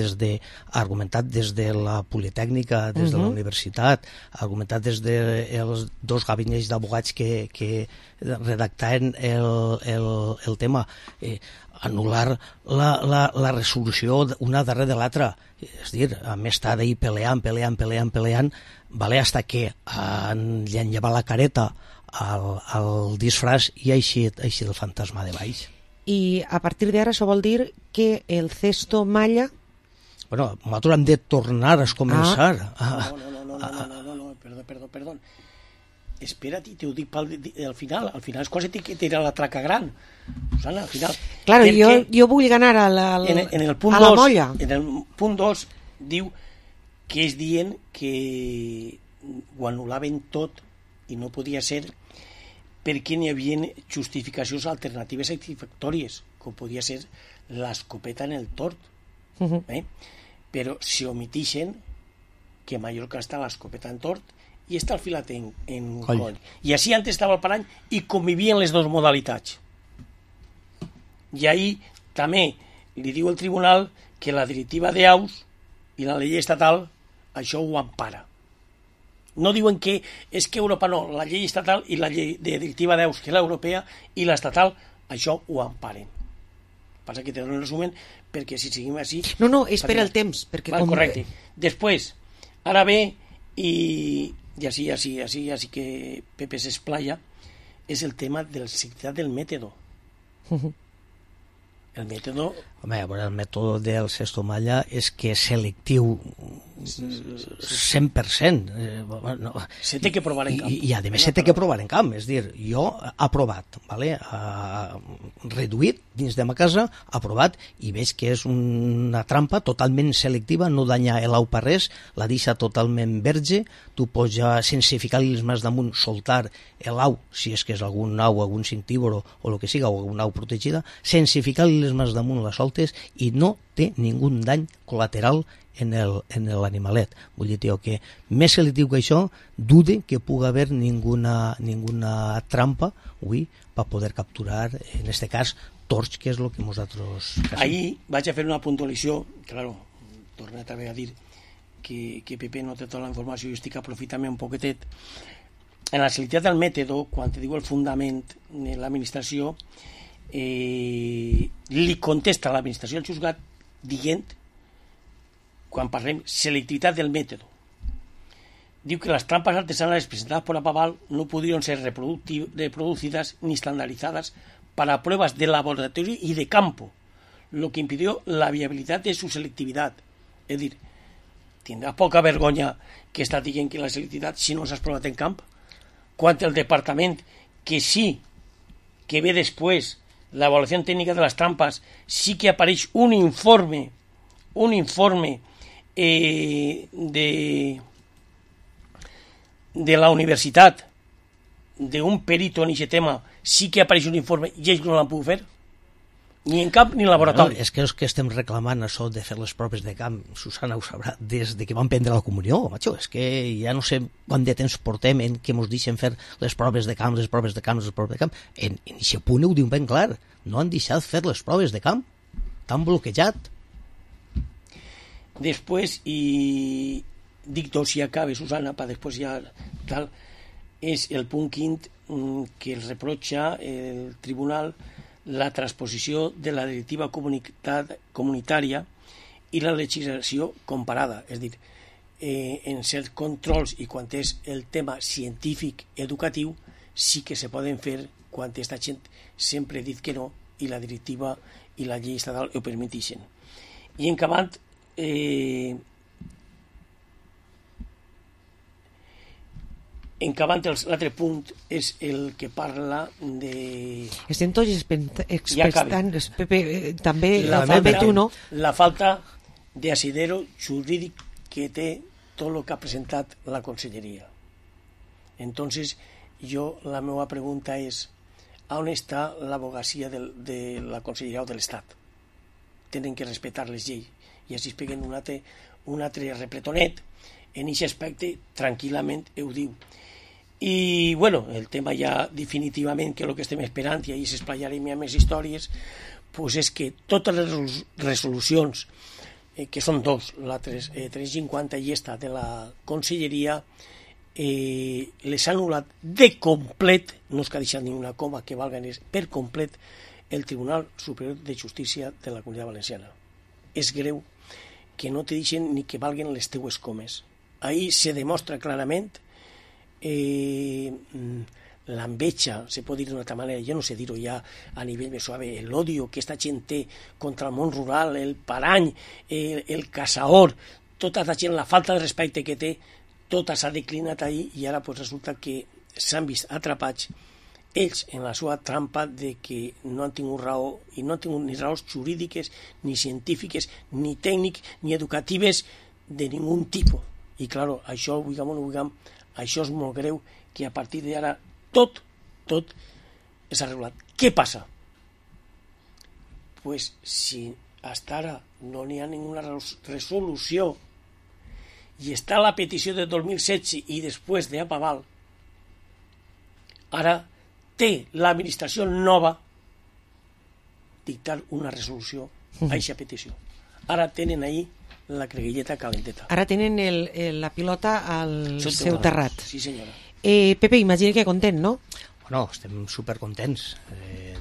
argumentat des de la Politècnica, des de la universitat, argumentat des dels 2 gabinets d'abogats que redactaven el tema, anul·lar la resolució una darrere de l'altra, és a dir, a més estar d'ahir peleant, hasta que li han llevat la careta al disfraç i ha eixit el fantasma de baix. I a partir d'ara això vol dir que el cesto malla... Bueno, nosaltres hem de tornar a començar. No, perdó. Espera't, te ho dic al final. Al final és cosa que tira la traca gran. Susana, al final... Claro, jo vull ganar a la molla. En el punt 2 diu que és dient que ho anul·laven tot i no podia ser perquè n'hi havia justificacions alternatives satisfactòries, com podia ser l'escopeta en el tort. Però si omitixen que a Mallorca està l'escopeta en tort i està el filat en coll. I així antes estava el parany i convivien les dues modalitats. I ahí també li diu el tribunal que la directiva d'AUS i la llei estatal això ho empara. No diuen que és que Europa no, la llei estatal i la llei de directiva 10, que és l'europea, i l'estatal, això ho emparen. Passa que te dono un resumen, perquè si seguim així... No, espera el temps. Perquè correcte. Després, ara ve, i així que Pepe s'esplaya, és el tema de la selectivitat del mètode. El mètode... Home, el mètode del Sestomalla és que és selectiu 100%. Se té que provar en camp. I a més se té que provar en camp. És dir, jo ha provat, vale? Reduït dins de ma casa, ha provat i veig que és una trampa totalment selectiva, no danya l'au per res, la deixa totalment verge, tu pots ja, sense ficar-li les mans damunt, soltar l'au, si és que és algun au, algun cintíboro o el que siga, o alguna au protegida, sense ficar-li les mans damunt la soltes i no té ningú dany col·lateral en l'animalet. Vull dir, tio, que més selectiu que això, dude que pugui haver ninguna trampa, per poder capturar, en este cas, torx, que és el que nosaltres... Ahir vaig a fer una puntualització, claro, torna també a dir que Pepe no té tota la informació i estic aprofitant un poquetet. En la selectivitat del mètode, quan te diu el fundament de l'administració, li contesta a l'administració del juzgat dient, quan parlem selectivitat del mètode, diu que las trampas artesanales presentadas por Apaval no pudieron ser reproducidas ni estandarizadas para pruebas de laboratorio y de campo, lo que impidió la viabilidad de su selectividad. Es decir, tindràs poca vergonya que està dient que la selectivitat si no s'has provat en camp, quan el departament que sí que ve després la evaluació tècnica de les trampes sí que apareix un informe de la universitat d'un perito en aquest tema, sí que apareix un informe i ells no l'han pogut fer ni en camp ni en laboratori. És que els que estem reclamant això de fer les proves de camp, Susana ho sabrà, des de que van prendre la comunió, macho, és que ja no sé quant de temps portem en què ens deixen fer les proves de camp, en aquest punt ho diu ben clar, no han deixat fer les proves de camp, t'han bloquejat. Després, i dic dos si acabe, Susana, per després ja tal, és el punt quint que els reprotxa el tribunal la transposició de la directiva comunitària i la legislació comparada. És a dir, en certs controls i quan és el tema científic educatiu sí que se poden fer quan aquesta gent sempre ha dit que no i la directiva i la llei estatal ho permetixen. I en acabant, l'altre punt és el que parla de... Estem tots expectant, Pepe, també la falta de asidero jurídic que té tot el que ha presentat la Conselleria. Entonces, la meva pregunta és, on està l'advocacia de la Conselleria o de l'Estat? Tenen que respectar les lleis i així es peguen un altre repletonet en aquest aspecte, tranquil·lament ho diu. I, bueno, el tema ja definitivament, que és el que estem esperant, i ahir s'esplayarem a més històries, pues és que totes les resolucions, que són dos, la 350 i esta de la Conselleria, les ha anul·lat de complet, no és que ha deixat ni una coma que valga per complet, el Tribunal Superior de Justícia de la Comunitat Valenciana. És greu que no te deixen ni que valguen les teues comes. Ahí se demostra clarament l'enveja, se pot dir d'una altra manera, jo no sé dir-ho ja a nivell més suave, l'odio que esta gent té contra el món rural, el parany, el caçador, tota la gent, la falta de respecte que té, tota s'ha declinat ahir i ara pues, resulta que s'han vist atrapats ells en la seva trampa de que no han tingut raó i no han tingut ni raons jurídiques, ni científiques, ni tècniques, ni educatives de ningun tipus. I claro, això, vulguem o no vulguem, això és molt greu, que a partir d'ara tot és arreglat. Què passa? Pues si hasta ara no n'hi ha ninguna resolució i està la petició de 2016 i després de Apaval, ara té l'administració nova dictar una resolució a aquesta petició. Ara tenen ahir la creguilleta calenteta. Ara tenen la pilota al seu terrat. Sí, senyora. Pepe, imagina que content, no? Bueno, estem supercontents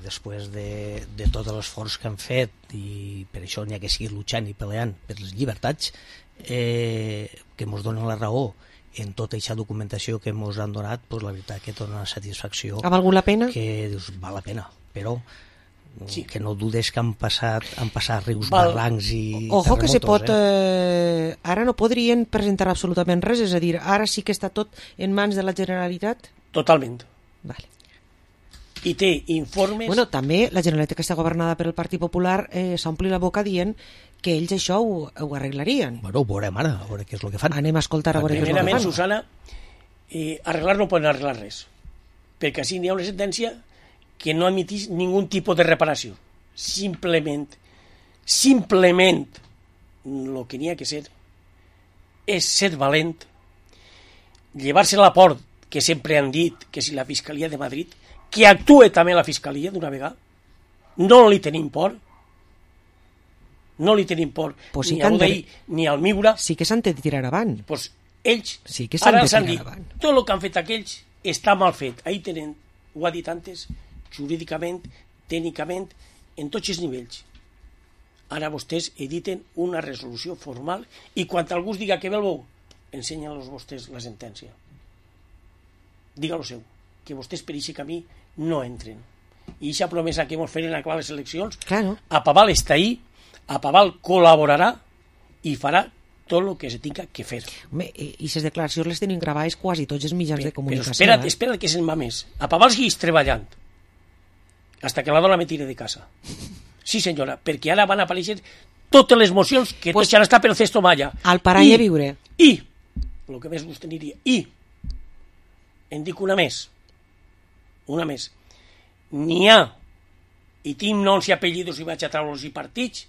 després de tot l'esforç que han fet, i per això n'hi ha que seguir luchant i peleant per les llibertats, que ens donen la raó en tota aquesta documentació que ens han donat, pues la veritat que dona una satisfacció. Ha valgut la pena? Que dius, val la pena, però sí, que no dudes que han passat rius, barrancs i ojo, que se pot... terremotos, ara no podrien presentar absolutament res, és a dir, ara sí que està tot en mans de la Generalitat? Totalment. Vale. I té informes... Bueno, també la Generalitat, que està governada per el Partit Popular, s'ompli la boca dient que ells això ho arreglarien. Bueno, ho veurem ara, a veure què és el que fan. Anem a escoltar a veure què és el que fan. Primerament, Susana, arreglar no poden arreglar res, perquè així n'hi ha una sentència que no emitís ningú tipus de reparació. Simplement, el que n'hi ha que ser és ser valent, llevar-se la por, que sempre han dit que si la Fiscalia de Madrid, que actue també la Fiscalia d'una vegada, no li tenim por, pues ni a l'Udei ni al Miura. Sí que s'han de tirar avant. Pues ells, sí que ara s'han dit, tot el que han fet aquells està mal fet. Ahí tenen, ho ha dit antes, jurídicament, tècnicament, en tots els nivells. Ara vostès editen una resolució formal i quan algú us diga que ve el bou, ensenyen-los vostès la sentència. Digue-lo seu, que vostès per aquest camí no entren. I aquesta promesa que ens feren a acabar les eleccions, claro. A Paval està ahí, a Paval col·laborarà i farà tot el que se tinga que fer. Home, i aquestes declaracions les tenim gravades quasi tots els mitjans de comunicació. Però espera't que se'n va més. A Paval segueix treballant hasta que la dona me tire de casa. Sí, senyora, perquè ara van aparèixer totes les mocions que pues, tots han estat pel cesto malla. Al parany a viure. I, el que més gust aniria, en dic una més, n'hi ha, i tinc noms i apellidos i vaig a treure-los i partits,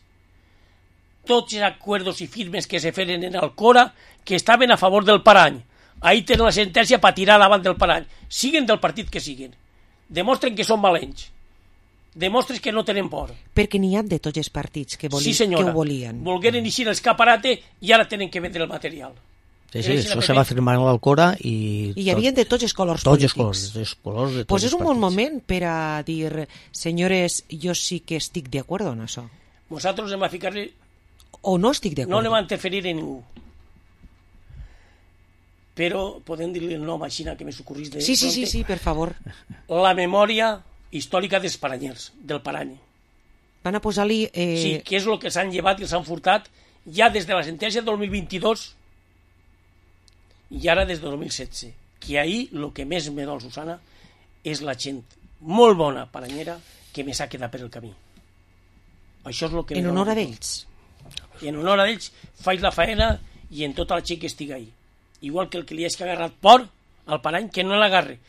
tots els acuerdos i firmes que se feren en Alcora que estaven a favor del parany. Ahí tenen la sentència per tirar davant del parany. Siguen del partit que siguen. Demostren que són valents. Demostres que no tenen por. Perquè n'hi ha de tots els partits que, sí, senyora, que ho volien. Volgueren eixir l'escaparate i ara tenen que vendre el material. Sí, això se va firmar en l'Alcora i... I hi havia de tots els colors polítics. Tots els colors de tots pues és un bon moment per a dir, senyores, jo sí que estic d'acord en això. Nosaltres hem a ficar-li... O no estic d'acord. No anem a interferir en ningú. Però podem dir-li el nom així que me s'ocorrís de... Sí, per favor. La memòria històrica dels paranyers, del parany. Van a posar-li... Sí, que és el que s'han llevat i els han furtat ja des de la sentència del 2022 i ara des de 2016. Que ahir el que més me dol, Susana, és la gent molt bona paranyera que me s'ha quedat per el camí. Això és el que... En honor a d'ells. En honor a d'ells faig la faena i en tota la gent que estigui ahí. Igual que el que li hagi agarrat por al parany, que no l'agarre.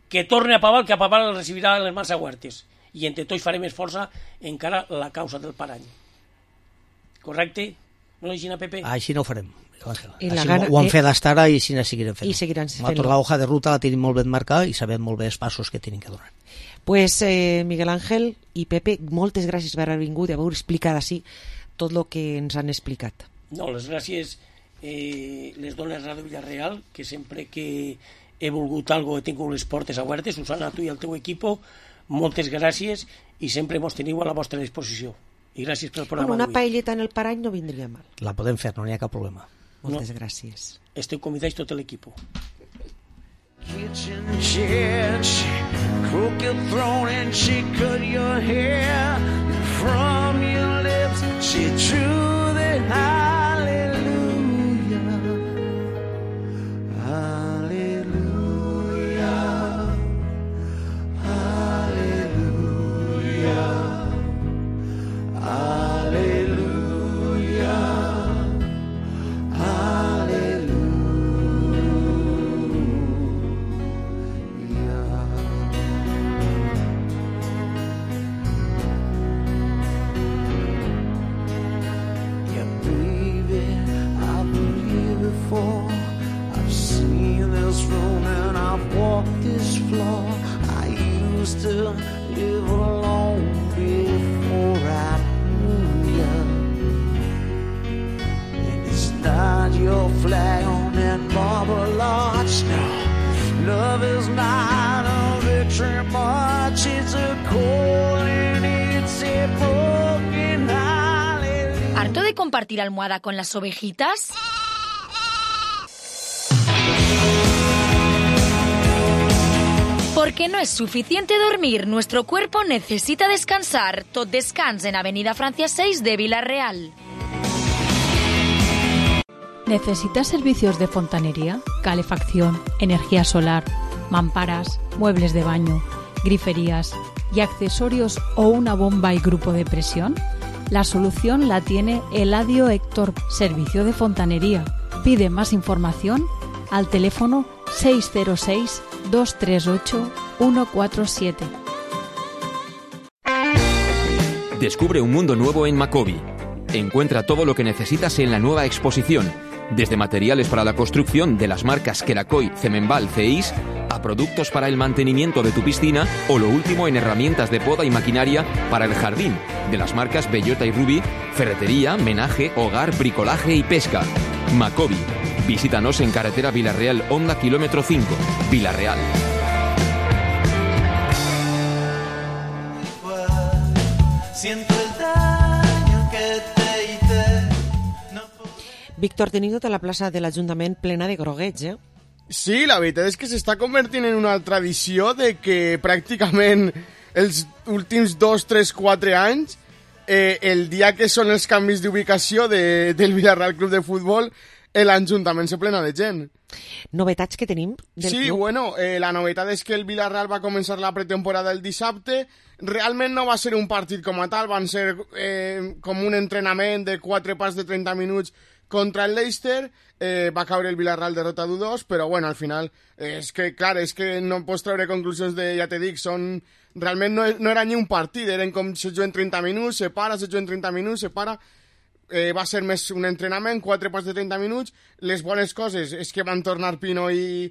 Que torne a Paval, que a Paval el recibirà en les mans aguertes. I entre tots farem més força encara la causa del parany. Correcte? No ho així, Pepe? Així no ho farem. Gana, ho han fet fins ara i així seguirem fent. I seguiran fent. Nosaltres la hoja de ruta la tenim molt ben marcada i sabem molt bé els passos que tenim que donar. Pues Miguel Ángel i Pepe, moltes gràcies per haver vingut i haver explicat així tot el que ens han explicat. No, les gràcies les dones a Ràdio Villarreal, que sempre que he volgut algo he tingut les portes obertes. Susana, tu i el teu equip, moltes gràcies i sempre mos teniu a la vostra disposició. I gràcies pel programa una paelleta en el parany no vindria mal. La podem fer, no n'hi ha cap problema. Moltes gràcies. Esteu convidats tot l'equip. Kitchen chair, she crook your throne and she cut your hair. From your lips she drew the hallelujah. Hallelujah. Hallelujah. Hallelujah. I've seen this room and I've walked this floor. I used to live alone before I knew was not a victory march, it's a call and it's a broken hallelujah. ¿Harto de compartir almohada con las ovejitas? Porque no es suficiente dormir, nuestro cuerpo necesita descansar. Tot descans en Avenida Francia 6 de Vila-real. ¿Necesitas servicios de fontanería, calefacción, energía solar, mamparas, muebles de baño, griferías y accesorios o una bomba y grupo de presión? La solución la tiene Eladio Héctor, Servicio de Fontanería. Pide más información al teléfono 606-238-147. Descubre un mundo nuevo en Macobi. Encuentra todo lo que necesitas en la nueva exposición, desde materiales para la construcción de las marcas Kerakoy, Cemenbal, CEIS, a productos para el mantenimiento de tu piscina o lo último en herramientas de poda y maquinaria para el jardín, de las marcas Bellota y Ruby, ferretería, menaje, hogar, bricolaje y pesca. Macobi. Visítanos en carretera Vila-real, Honda, kilómetro 5, Vila-real. Siento el daño que te hice. Víctor, tenim tota la plaça de l'Ajuntament plena de groguets, eh? Sí, la veritat és que s'està convertint en una tradició de que pràcticament els últims 2, 3, 4 anys, el dia que són els canvis d'ubicació del Villarreal Club de Futbol, l'Ajuntament se plena de gent. Novetats que tenim del sí, club? Bueno, la novetat és que el Villarreal va començar la pretemporada el dissabte. Realment no va ser un partit com a tal, van ser com un entrenament de 4 parts de 30 minuts contra el Leicester. Va caure el Villarreal derrota d'1-2, però bueno, al final és que, clar, és que no pots treure conclusions de, ja te dic, realment no era ni un partit, eren com se juguen 30 minuts, se para, se juguen 30 minuts, se para. Va ser més un entrenament, 4 parts de 30 minuts. Les bones coses és que van tornar Pino i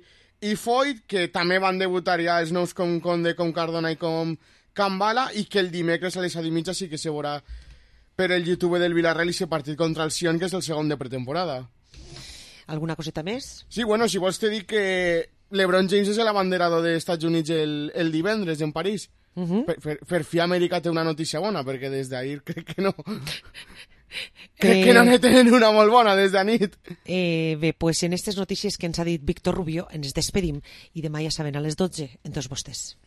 Foyt, que també van debutar ja els nous com Conde, com Cardona i com Cambala, i que el dimecres a les 7:30 sí que se veurà per el YouTube del Villarreal i se partit contra el Sion, que és el segon de pretemporada. Alguna coseta més? Sí, bueno, si vols te dic que LeBron James és l'abanderador dels Estats Units el divendres en París. Per fi Amèrica té una notícia bona, perquè des d'ahir crec que no... Crec que no ne tenen una molt bona des de nit. Bé, pues en aquestes notícies que ens ha dit Víctor Rubio ens despedim i demà ja saben a les 12 en Tots Vostès.